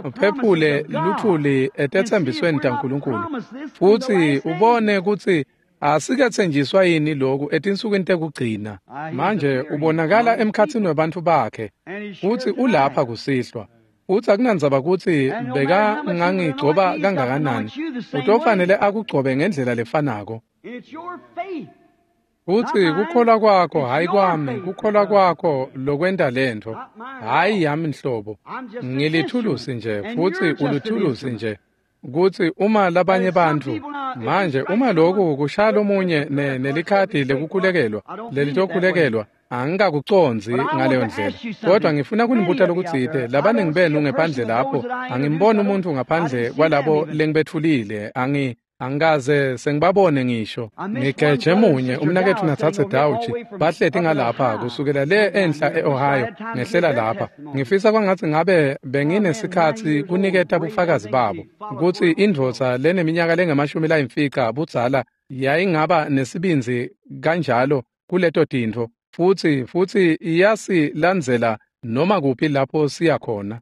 uphephule luthuli etetsembisweni taNkulunkulu, futsi ubone kutsi asiketsenjiswa yini lokhu etinsukwini tekugcina. Manje ubonakala emkhatsini webantfu bakhe, futsi ulapha kusihlwa. Utsi akunandzaba kutsi bekangangigcoba kangakanani, utofanele akugcobe ngendlela lefanako. Futsi kukholwa kwakho, hhayi kwami, kukholwa kwakho lokwenta lentfo, hhayi yami nhlobo. Ngilithulusi nje, futsi ulithulusi nje. Kutsi uma labanye bantfu, manje uma lokhu kushaya lomunye nelikhadi lekukhulekelwa, lelitokhulekelwa, angikakucondzi ngaleyo ndlela. Kodwa ngifuna kunibuta lokutsite, labaningi benu ngephandle lapho, angimboni umuntu ngaphandle kwalabo lengibetfulile, angi angikaze sengibabone ngisho. Ngigeje munye umnaketfu natsatse Dawuchi bahleti ngalapha kusukela le enhla e-Ohio ngehlela lapha. Ngifisa kwangatsi ngabe benginesikhatsi kuniketa bufakazi babo kutsi indvodza leneminyaka lengemashumi layimfica budzala yayingaba nesibindzi kanjalo kuleto tintfo, futsi futsi iyasilandzela noma kuphi lapho siya khona.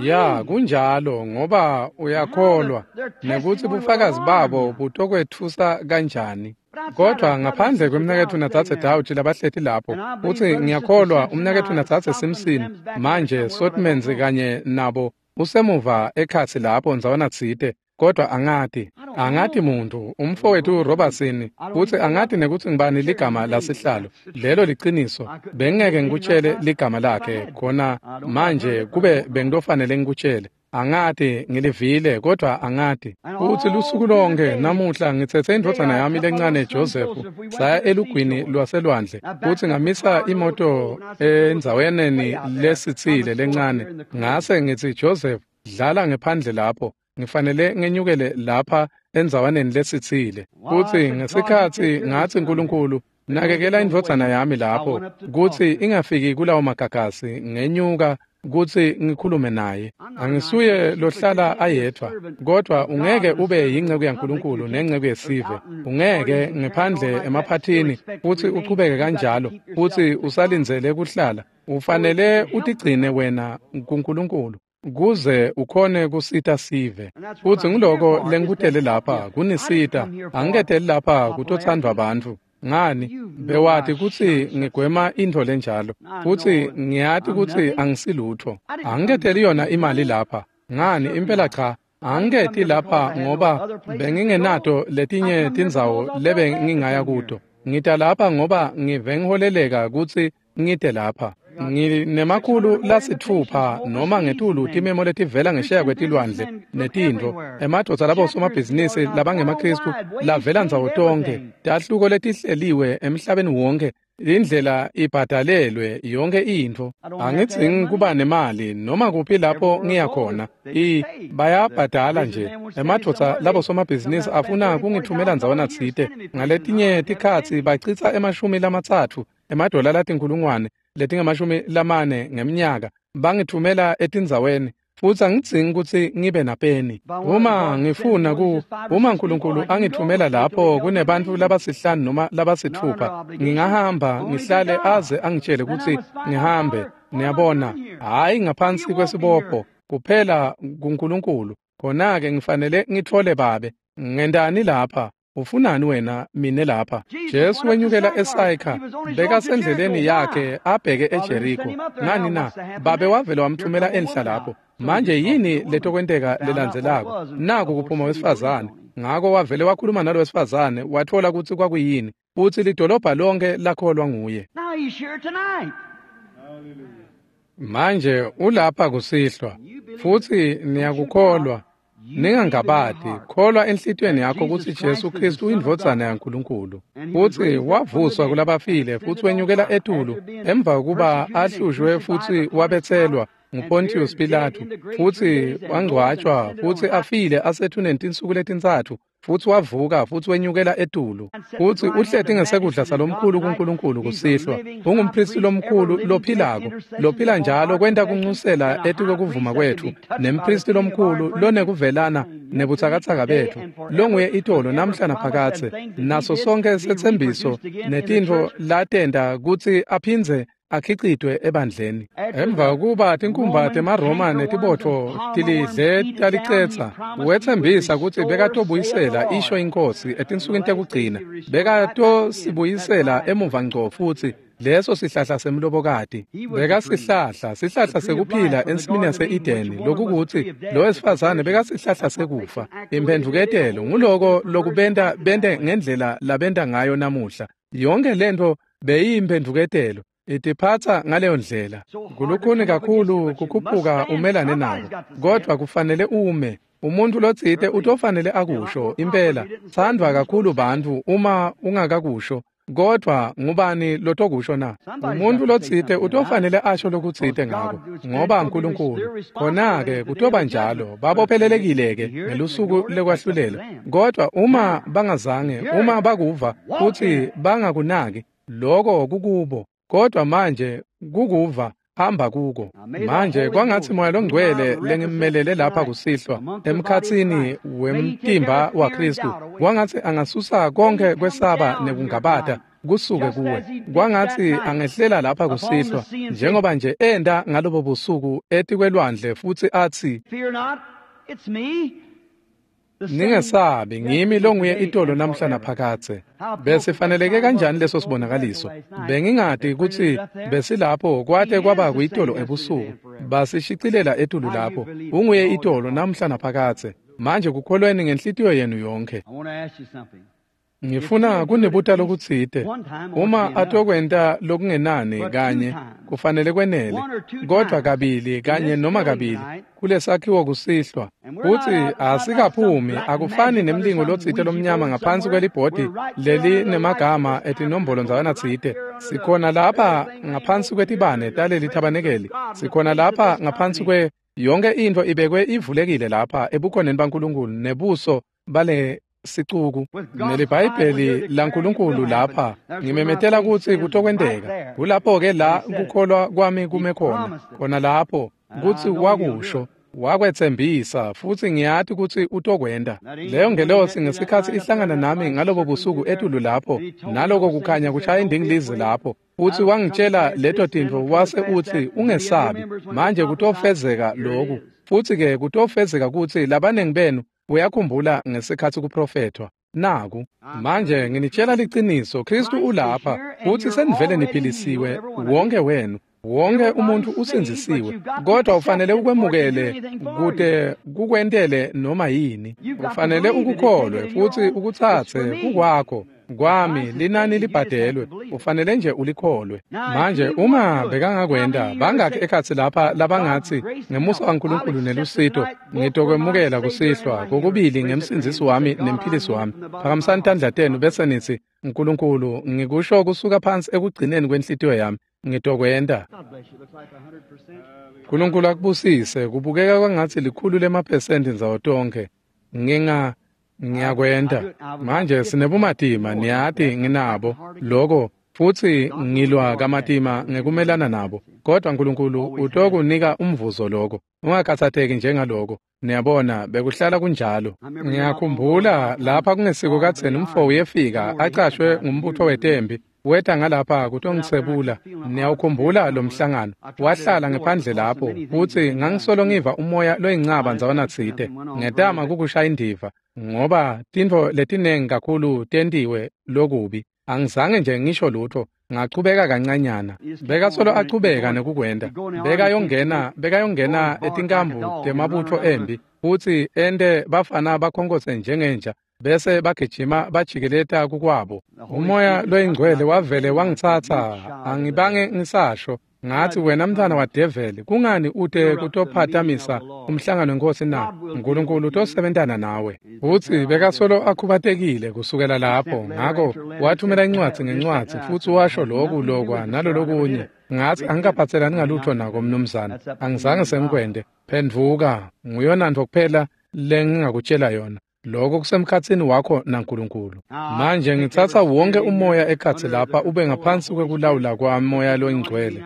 Ya, kunjalo, ngoba uyakholwa nekutsi bufakazi babo butokwetfusa kanjani. Kodwa ngaphandle kwemnaketfu natsatse Dawuchi labahleti lapho, futsi ngiyakholwa umnaketfu natsatse Simpson manje Sotmans kanye nabo usemuva ekhatsi lapho ndzawana tsite, kodwa angati angati muntu, umfowethu Robertson, futsi angati nekutsi ngibani ligama lasihlalo. Lelo liciniso, bengeke ngikutshele ligama lakhe khona manje kube bengitofanele ngikutshele. Angati, ngilivile, kodwa angati. Futsi lusuku lonke namuhla ngitsetse indvodzana yami lencane Joseph, saya elugwini lwaselwandle, futsi ngamisa imoto endzaweni lesitsile lencane. Ngase ngitsi, Joseph, dlala ngephandle lapho, ngifanele ngenyukele lapha endzawaneni lesitsile. Futsi ngesikhatsi ngatsi, Nkulunkulu, nakekela indvodzana yami lapho kutsi ingafiki kulawo magagasi, ngenyuka kutsi ngikhulume naye. Angisuye lohlala ayedvwa, kodwa ungeke ube yinceku yaNkulunkulu nenceku yesive. Ungeke ngephandle emaphathini futsi uchubeke kanjalo, futsi usalindzele kuhlala. Ufanele utigcine wena kuNkulunkulu kuze ukhone kusita sive. Futsi nguloko lengikutele lapha, kunisita. Angiketeli lapha kutotsandvwa bantfu. Ngani, bewati kutsi ngigwema intfo lenjalo, futsi ngiyati kutsi angisilutfo. Angiketeli yona imali lapha. Ngani, impela cha, angiketi lapha ngoba bengingenato letinye tindzawo lebe ngingaya kuto. Ngita lapha ngoba ngive ngiholeleka kutsi ngite lapha. Nginemakhulu lasitfupha noma ngetulu timemo letivela ngesheya kwetilwandle netintfo, emadvodza labosomabhizinisi labangemaKristu lavela ndzawo tonkhe, tahluko letihleliwe emhlabeni wonke, indlela ibhadalelwe yonke intfo. Angidzingi kuba nemali noma kuphi lapho ngiya khona. I bayabhadala nje. Emadvodza labosomabhizinisi afuna kungithumela ndzawana tsite. Ngaletinye tikhatsi bacitsa emashumi lamatsatfu emadola latinkhulungwane letingamashumi lamane ngemnyaka bangithumela etindzaweni, futsi angidzingi kutsi ngibe napeni. Uma ngifuna ku uma Nkulunkulu angithumela lapho kunebantfu labasihlanu noma labasitfupha, ngingahamba ngihlale aze angitshele kutsi ngihambe. Niyabona, hhayi ngaphansi kwesibopho, kuphela kuNkulunkulu. Khona-ke ngifanele ngitfole babe. Ngentani lapha? Ufunani wena mine lapha? Jesu wenyukela eSayikha, bekasendleleni yakhe abheke eJeriko. Ngani na? Babe wavele wamthumela enhla lapho. Manje yini letokwenteka lelandzelako? Naku kuphuma wesifazane. Ngako wavele wakhuluma nalo wesifazane, watfola kutsi kwakuyini, futsi lidolobha lonke lakholwa nguye. Manje ulapha kusihlwa, futsi niyakukholwa. Ningangabati, kholwa enhlitiyweni yakho kutsi Jesu Kristu uyindvodzana yaNkulunkulu, futsi wavuswa kulabafile futsi wenyukela etulu emva kokuba ahlushwe futsi wabetselwa nguPontius Pilatu, futsi wangcwatjwa futsi afile asethuneni tinsuku letintsatfu, futsi wavuka futsi wenyukela etulu, futsi uhleti ngesekudla salomkhulu kuNkulunkulu kusihlwa. Ungumphristi lomkhulu lophilako, lophila njalo kwenta kunxusela etikwekuvuma kwetfu, nemphristi lomkhulu lonekuvelana nebutsakatsaka betfu, longuye itolo namhla naphakadze, naso sonke setsembiso netintfo latenta kutsi aphindze akhicitwe ebandleni. Emva kuba tinkumba temaRoma netibotfo tilidle talicetsa, wetsembisa kutsi bekatobuyisela isho inkosi etinsukwini tekugcina, bekatosibuyisela emuva ngco futsi leso sihlahla semlobokati. Bekasihlahla, sihlahla sekuphila ensimini yase-Edeni, lokukutsi lo wesifazane bekasihlahla sekufa. Imphendvuketelo nguloko lokubenta bente ngendlela labenta ngayo namuhla. Yonke lento beyiyimphendvuketelo. Itiphatsa ngaleyo ndlela. Kulukhuni kakhulu kukhuphuka umelane nako, kodvwa kufanele ume. Umuntu lotsite utofanele akusho impela. Tsandvwa kakhulu bantfu uma ungakakusho, kodvwa ngubani lotokusho na? Umuntu lotsite utofanele asho lokutsite ngako, ngoba uNkulunkulu. Khona-ke kutoba njalo, babophelelekile-ke ngelusuku lekwahlulela. Kodvwa uma bangazange, uma bakuva futsi bangakunaki, loko kukubo. Kodwa manje kukuva hamba kuko. Manje kwangatsi Moya loNgcwele lengimmelele lapha kusihlwa emkhatsini wemtimba waKristu, kwangatsi angasusa konke kwesaba nekungabata kusuke kuwe. Kwangatsi angehlela lapha kusihlwa njengoba nje enda ngalobo busuku etikwelwandle futsi atsi, Ningesabi, ngimi longuye itolo namhla naphakadze. Besifaneleke kanjani leso sibonakaliso? Bengingati kutsi besilapho kwate kwaba kuyitolo ebusuku. Basishicilela etulu lapho. Unguye itolo namhla naphakadze. Manje kukholweni ngenhlitiyo yenu yonke. Ngifuna kunibuta lokutsite. Uma atokwenta lokungenani kanye, kufanele kwenele, kodvwa kabili kanye noma kabili kulesakhiwo kusihlwa, kutsi asikaphumi, akufani nemlingo lotsite lomnyama ngaphansi kwelibhodi leli nemagama etinombolo ndzawana tsite. Sikhona lapha ngaphansi kwetibane taleli thabanekeli, sikhona lapha ngaphansi kwe yonke intfo ibekwe ivulekile lapha ebukhoneni baNkulunkulu nebuso bale sicuku neliBhayibheli laNkulunkulu lapha. Ngimemetela kutsi kutokwenteka. Kulapho-ke la kukholwa kwami kume khona, khona lapho kutsi wakusho, wakwetsembisa, futsi ngiyati kutsi utokwenta. Leyo ngelosi ngesikhatsi ihlangana nami ngalobo busuku etulu lapho, naloko kukhanya kushaya indingilizi lapho, futsi wangitshela leto tintfo, wase utsi ungesabi, manje kutofezeka loku. Futsi-ke kutofezeka kutsi labanengi benu uyakhumbula ngesikhatsi kuprofethwa. Naku manje nginitshela liciniso, Kristu ulapha futsi senivele niphilisiwe wonke wenu. Wonke umuntu usindzisiwe, kodwa ufanele ukwemukele kute kukwentele noma yini. Ufanele ukukholwe futsi ukutsatse kukwakho. Kwami linani libhadelwe, ufanele nje ulikholwe. Manje uma bekangakwenta, bangakhi ekhatsi lapha labangatsi ngemusa waNkulunkulu nelusito ngitokwemukela kusihlwa kokubili ngemsindzisi wami nemphilisi wami? Phakamisani tandla tenu bese nitsi, Nkulunkulu, ngikusho kusuka phansi ekugcineni kwenhlitiyo yami, ngitokwenta. Nkulunkulu akubusise. Kubukeka kwangatsi likhulu lemaphesenti ndzawo tonkhe. Nginga ngiyakwenta. Manje sinebumatima, niyati nginabo loko, futsi ngilwa kamatima ngekumelana nabo. Kodwa Nkulunkulu utokunika umvuzo loko. Ungakhathatseki njengaloko. Niyabona, bekuhlala kunjalo. Ngiyakhumbula lapha kungesiko kadzeni umfo uyefika acashwe ngumbutfo wetempi. Weta ngalapha kutongisebula. Niyawukhumbula lo mhlangano. Wahlala ngephandle lapho futsi ngangisolo ngiva umoya loyincaba ndzawana tsite. Ngetama kukushaya indiva ngoba tintfo letinengi kakhulu tentiwe lokubi. Angizange nje ngisho lutho. Ngachubeka kancanyana. Bekasolo achubeka nekukwenta. Bekayongena bekayongena etinkambu temabutfo embi futsi ente bafana bakhonkotse njengenja bese bagijima bajikeleta kukwabo. Umoya loyingcwele wavele wangitsatsa, angibange ngisasho. Ngathi wena mntwana wadeveli, kungani ute kutophatamisa umhlangano wenkosi na? Nkulunkulu utosebentana nawe. Futsi bekasolo akhubatekile kusukela lapho. Ngako wathumela incwadzi ngencwadzi futsi washo loku lokwa nalolokunye. Ngathi angikaphatselani ngalutho nako mnumzane, angizange sengikwente. Phendvuka, nguyona ntfo kuphela lengingakutshela yona. Lokho kusemkhatsini wakho naNkulunkulu. Manje ngitsatsa wonke umoya ekhatsi lapha ube ngaphansi kwekulawula kwamoya loyingcwele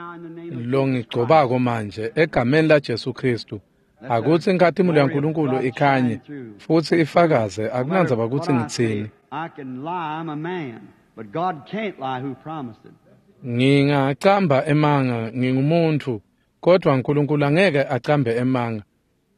longigcobako manje egameni laJesu Kristu. Akutsi inkhatimulo yaNkulunkulu ikhanye futsi ifakaze, akunandzaba kutsi ngitsini. Ngingacamba emanga, ngingumuntfu, kodvwa Nkulunkulu angeke acambe emanga.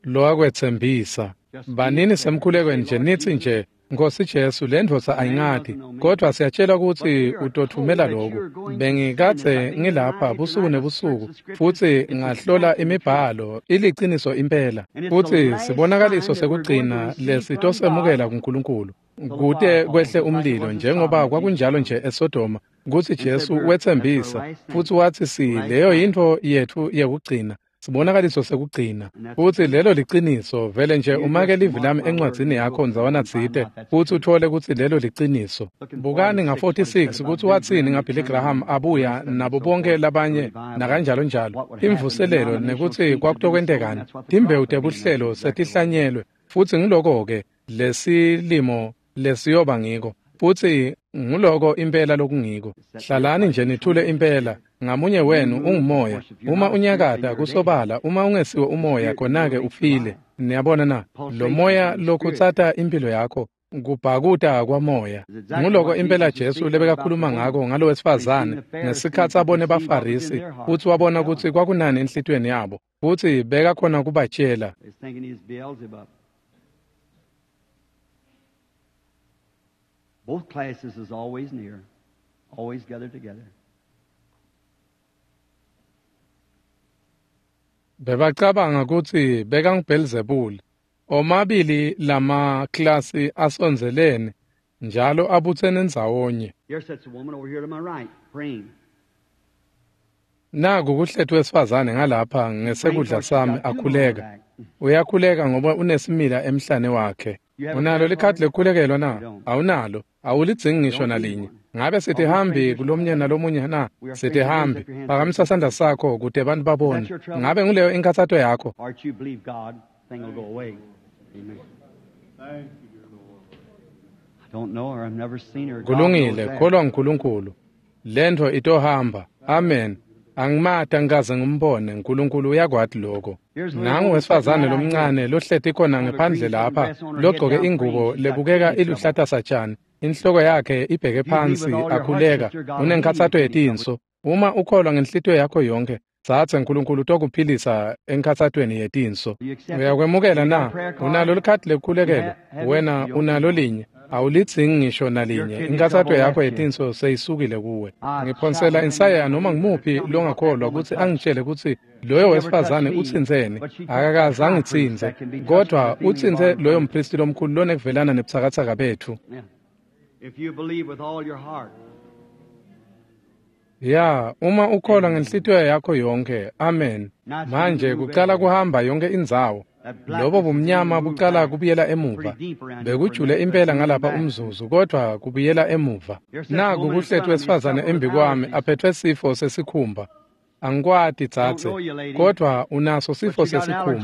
Lowakwetsembisa. Banini semkhulekweni nje nitsi nje, Nkosi Jesu, le ndvodza ayingati, kodvwa siyatshela kutsi utothumela loku. Bengikadze ngilapha busuku nebusuku futsi ngahlola imibhalo, iliciniso impela. Futsi sibonakaliso sekugcina lesitosemukela kuNkulunkulu kute kwehle umlilo njengoba kwakunjalo nje eSodoma, kutsi Jesu wetsembisa futsi watsi si leyo yintfo yetfu yekugcina. Sibonakaliso sekugcina. Futsi lelo liciniso, vele nje umake livi lami encwadzini yakho ndzawana tsite futsi uthole kutsi lelo liciniso. Bukani nga forty-six kutsi watsini ngaBilly Graham abuya nabo bonke labanye nakanjalo njalo. Imvuselelo nekutsi kwakutokwentekani. Timbewu tebuhlelo setihlanyelwe futsi ngiloko-ke lesilimo lesiyoba ngiko. Futsi nguloko impela lokungiko. Hlalani nje nithule impela. Ngamunye wenu ungumoya. Uma unyakata kusobala, uma ungesiwe umoya khona-ke ufile. Niyabona na? Lo moya lokhutsata impilo yakho kubhakuta kwamoya. Nguloko impela Jesu lebekakhuluma ngako ngalo wesifazane ngesikhatsi abone baFarisi futsi wabona kutsi kwakunani enhlitiyweni yabo futsi bekakhona kubatshela. Both classes is always near, always gathered together. Bebacabanga kutsi bekanguBelzebuli. Omabili lamaklasi asondzelene njalo abutsene ndzawonye. Here sits a woman over here to my right, praying. Naku kuhlethu wesifazane ngalapha ngesekudla sami akhuleka. Uyakhuleka ngoba unesimila emhlane wakhe. Unalo likhadi lekukhulekelwa na? Awunalo. Awulidzingi ngisho nalinye. Ngabe sitihambi kulomnye nalomunye na? Sitihambi. Phakamisa sandla sakho kute abantu babone. Ngabe nguleyo inkathato yakho? Kulungile, kholwa nguNkulunkulu. Lentfo itohamba. Amen. Angimati, angikaze ngimbone. Nkulunkulu uyakwati lokho. Nangu wesifazane lomncane lohleti khona ngephandle lapha, logcoke ingubo lebukeka iluhlata satshani. Inhloko yakhe ibheke phansi akhuleka. Unenkhatsato yetinso. Uma ukholwa ngenhlitiyo yakho yonke, tsatse Nkulunkulu utokuphilisa enkhatsatweni yetinso. Uyakwemukela na? Unalo likhadi lekukhulekelwa? Wena unalo linye. Awulidzingi ngisho nalinye. Inkathato yakho yetinso seyisukile kuwe. Ngiphonsela insaya noma ngimuphi longakholwa kutsi angitshele kutsi loyo wesifazane utsintseni. Akakaze angitsintse, kodvwa utsintse loyo mphristi lomkhulu lonekuvelana nebutsakatsaka betfu. If you believe with all your heart. Ya, uma ukholwa ngenhlitiyo yakho yonke. Amen. Manje kucala kuhamba yonke indzawo. Lobo bumnyama bucala kubuyela emuva. Bekujule impela ngalapha umzuzu, kodvwa kubuyela emuva. Naku kuhlethu wesifazane embi kwami aphethwe sifo sesikhumba. Angikwati tsatse, kodvwa unaso sifo sesikhumba.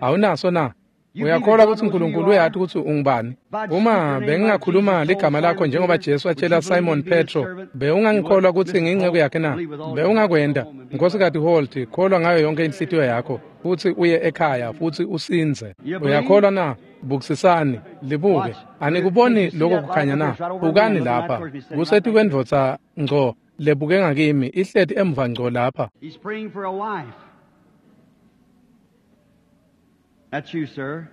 Awunaso na? Uyakholwa kutsi Nkulunkulu uyati kutsi ungubani? Uma bengingakhuluma ligama lakho njengoba Jesu atshela Simon Petro, bewungangikholwa kutsi ngiyinceku yakhe na? Bewungakwenta. Nkhosikati Holt, kholwa ngayo yonke inhlitiyo yakho futsi uye ekhaya futsi usindze. Uyakholwa na? Bukisisani, libuke. Anikuboni lokho kukhanya na? Bukani lapha. Kusetikwendvodza ngco lebuke ngakimi, ihleti emva ngco lapha. He's praying for a wife. That's you, sir.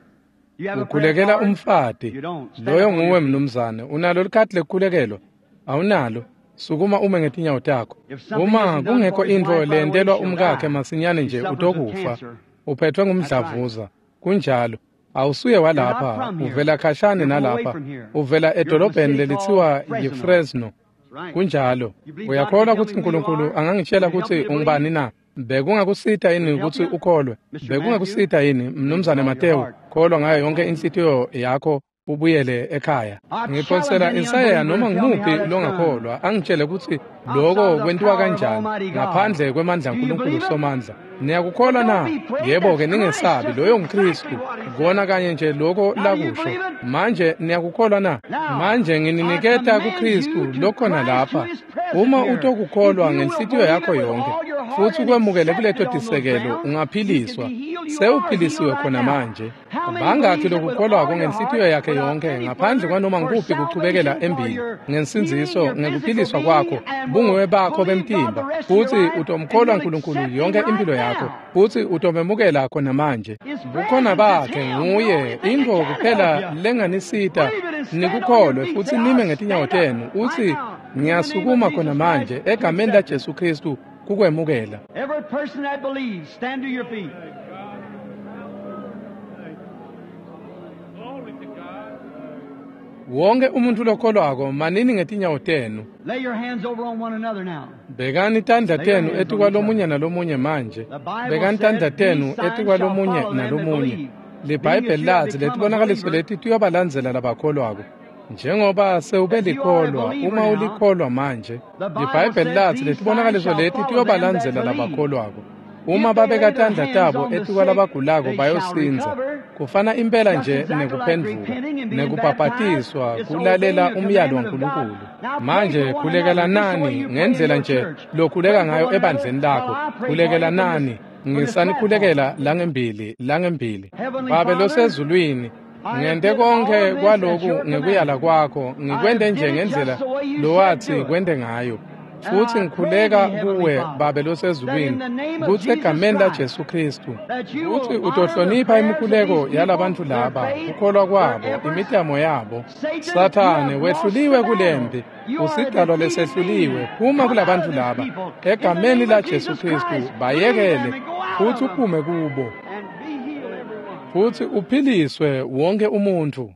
You have a prayer Ukhulekela card? umfati. You don't. Stand Loyo up on nguwe your feet. mnumzane. Unalo likhadi lekukhulekelwa? Awunalo. Sukuma ume ngetinyawo takho. If something Uma isn't done kungekho for his intfo wife right away, leyentelwa she'll umkakhe die. masinyane He nje suffers with utokufa. cancer. Uphethwe ngumdlavuza. Kunjalo. Awusuye You're not walapha, from here. uvela khashane You're from away nalapha. from here. Uvela You're from a edolobheni city lelithiwa called Fresno. yiFresno. That's right. Kunjalo. You believe God Uyakholwa can tell kutsi me who you uNkulunkulu are? angangitshela Would it help kutsi you to ungubani believe? na? Bekungakusita yini Would it help kutsi you? ukholwe? Mister Matthew, Bekungakusita yini believe with mnumzane all your Matewu? heart. Kholwa ngayo yonke inhlitiyo yakho ubuyele ekhaya. I challenge Ngiphonsela any insayeya unbeliever noma to tell me how ngumuphi that's done. longakholwa angitshele kutsi Outside lokho the kwentiwa power of kanjani Almighty God. ngaphandle kwemandla Do you aNkulunkulu believe it? Somandla. Niyakukholwa But na? don't be afraid. Yebo-ke That's Christ, ningesabi, just loyo nguKristu. exactly what he Kona said. kanye nje lokho Now, do you lakusho. believe it? Manje niyakukholwa na? Now, Manje I ngininiketa command you kuKristu to lokhona Christ lapha. who is present Uma here. If utokukholwa you will ngenhlitiyo believe yakho it with yonke all your heart futhi and ukwemukele accept kuleto it on those tisekelo, grounds, you can ungaphiliswa. be healed. You are healed Sewuphilisiwe right khona now. manje. How many Bangakhi believes it with lokukholwako all your ngenhlitiyo heart yakhe without yonke any ngaphandle further kwanoma for ngukuphi kuchubekela salvation, for embili your healing, ngensindziso your physical ngekuphiliswa being, kwakho and will bunguwe bakho believe God the bemtimba rest of your futhi life, and utomkholwa you'll uNkulunkulu accept Him yonke right impilo yakho now. futhi utomemukela khona manje. His Bukhona presence is bakhe Him, the nguye only thing that intfo can help kuphela you. lenganisita Believe it and stand on your nikukholwe feet. futhi Say, nime I ngetinyawo stand tenu up right uthi now in the name of ngiyasukuma khona Jesus manje Christ to egameni la accept it. Jesu Kristu kukwemukela. Every person that believes, stand to your feet. Glory to God. Wonke umuntu lokholwako manini ngetinyawo tenu. Lay your hands over on one another now. Bekani tandla Lay your tenu hands on each etikwalomunye other. nalomunye manje. The Bible Bekani tandla said, tenu These signs shall etikwalomunye follow them that nalomunye. believe. Being that LiBhayibheli you have latsi become a letibonakaliso believer, leti tiyobalandzela labakholwako. Njengoba sewube that you are a likholwa, believer uma now, ulikholwa manje, the Bible liBhayibheli says latsi these signs letibonakaliso shall leti follow them that tiyobalandzela believe. labakholwako. Uma If they lay babeka their tandla hands tabo on the sick, etikwalabagulako they shall bayosindza. recover. Kufana impela Just nje exactly like nekuphendvuka, repenting and being baptized, nekubhabhatiswa, it's kulalela obeying the umyalo commandment of God. waNkulunkulu. Now pray Manje for one another khulekelanani just the way you pray in ngendlela your nje church. lokhuleka Pray for ngayo one another ebandleni while lakho. I pray for you from this, Khulekelanani, from this platform. ngisanikhulekela langembili, langembili. Heavenly Babe Father, losezulwini, I have ngente did all konke this at kwaloku your ngekuyala commandment. kwakho, I ngikwente have nje did it ngendlela just the way you said lowathi do it. kwente ngayo. And Futhi I pray ngikhuleka thee, Heavenly kuwe Father, Babe that in losezulwini the name of kutsi Jesus egameni la Christ, Jesu Kristu that you kutsi will honor the utohlonipha prayers of imikhuleko these people, yalabantu their laba, faith, kukholwa their kwabo, efforts. imitamo yabo. Satan, you Sathane have lost the wehluliwe battle. kulempi, You are a usidalwa defeated lesehluliwe. being. Phuma Come out kulabantu of these laba. people. In the Egameni name la of Jesu Jesus Kristu Christ, leave them bayekele and go out futhi of them uphume kubo and be healed, everyone. futhi uphiliswe wonke umuntu.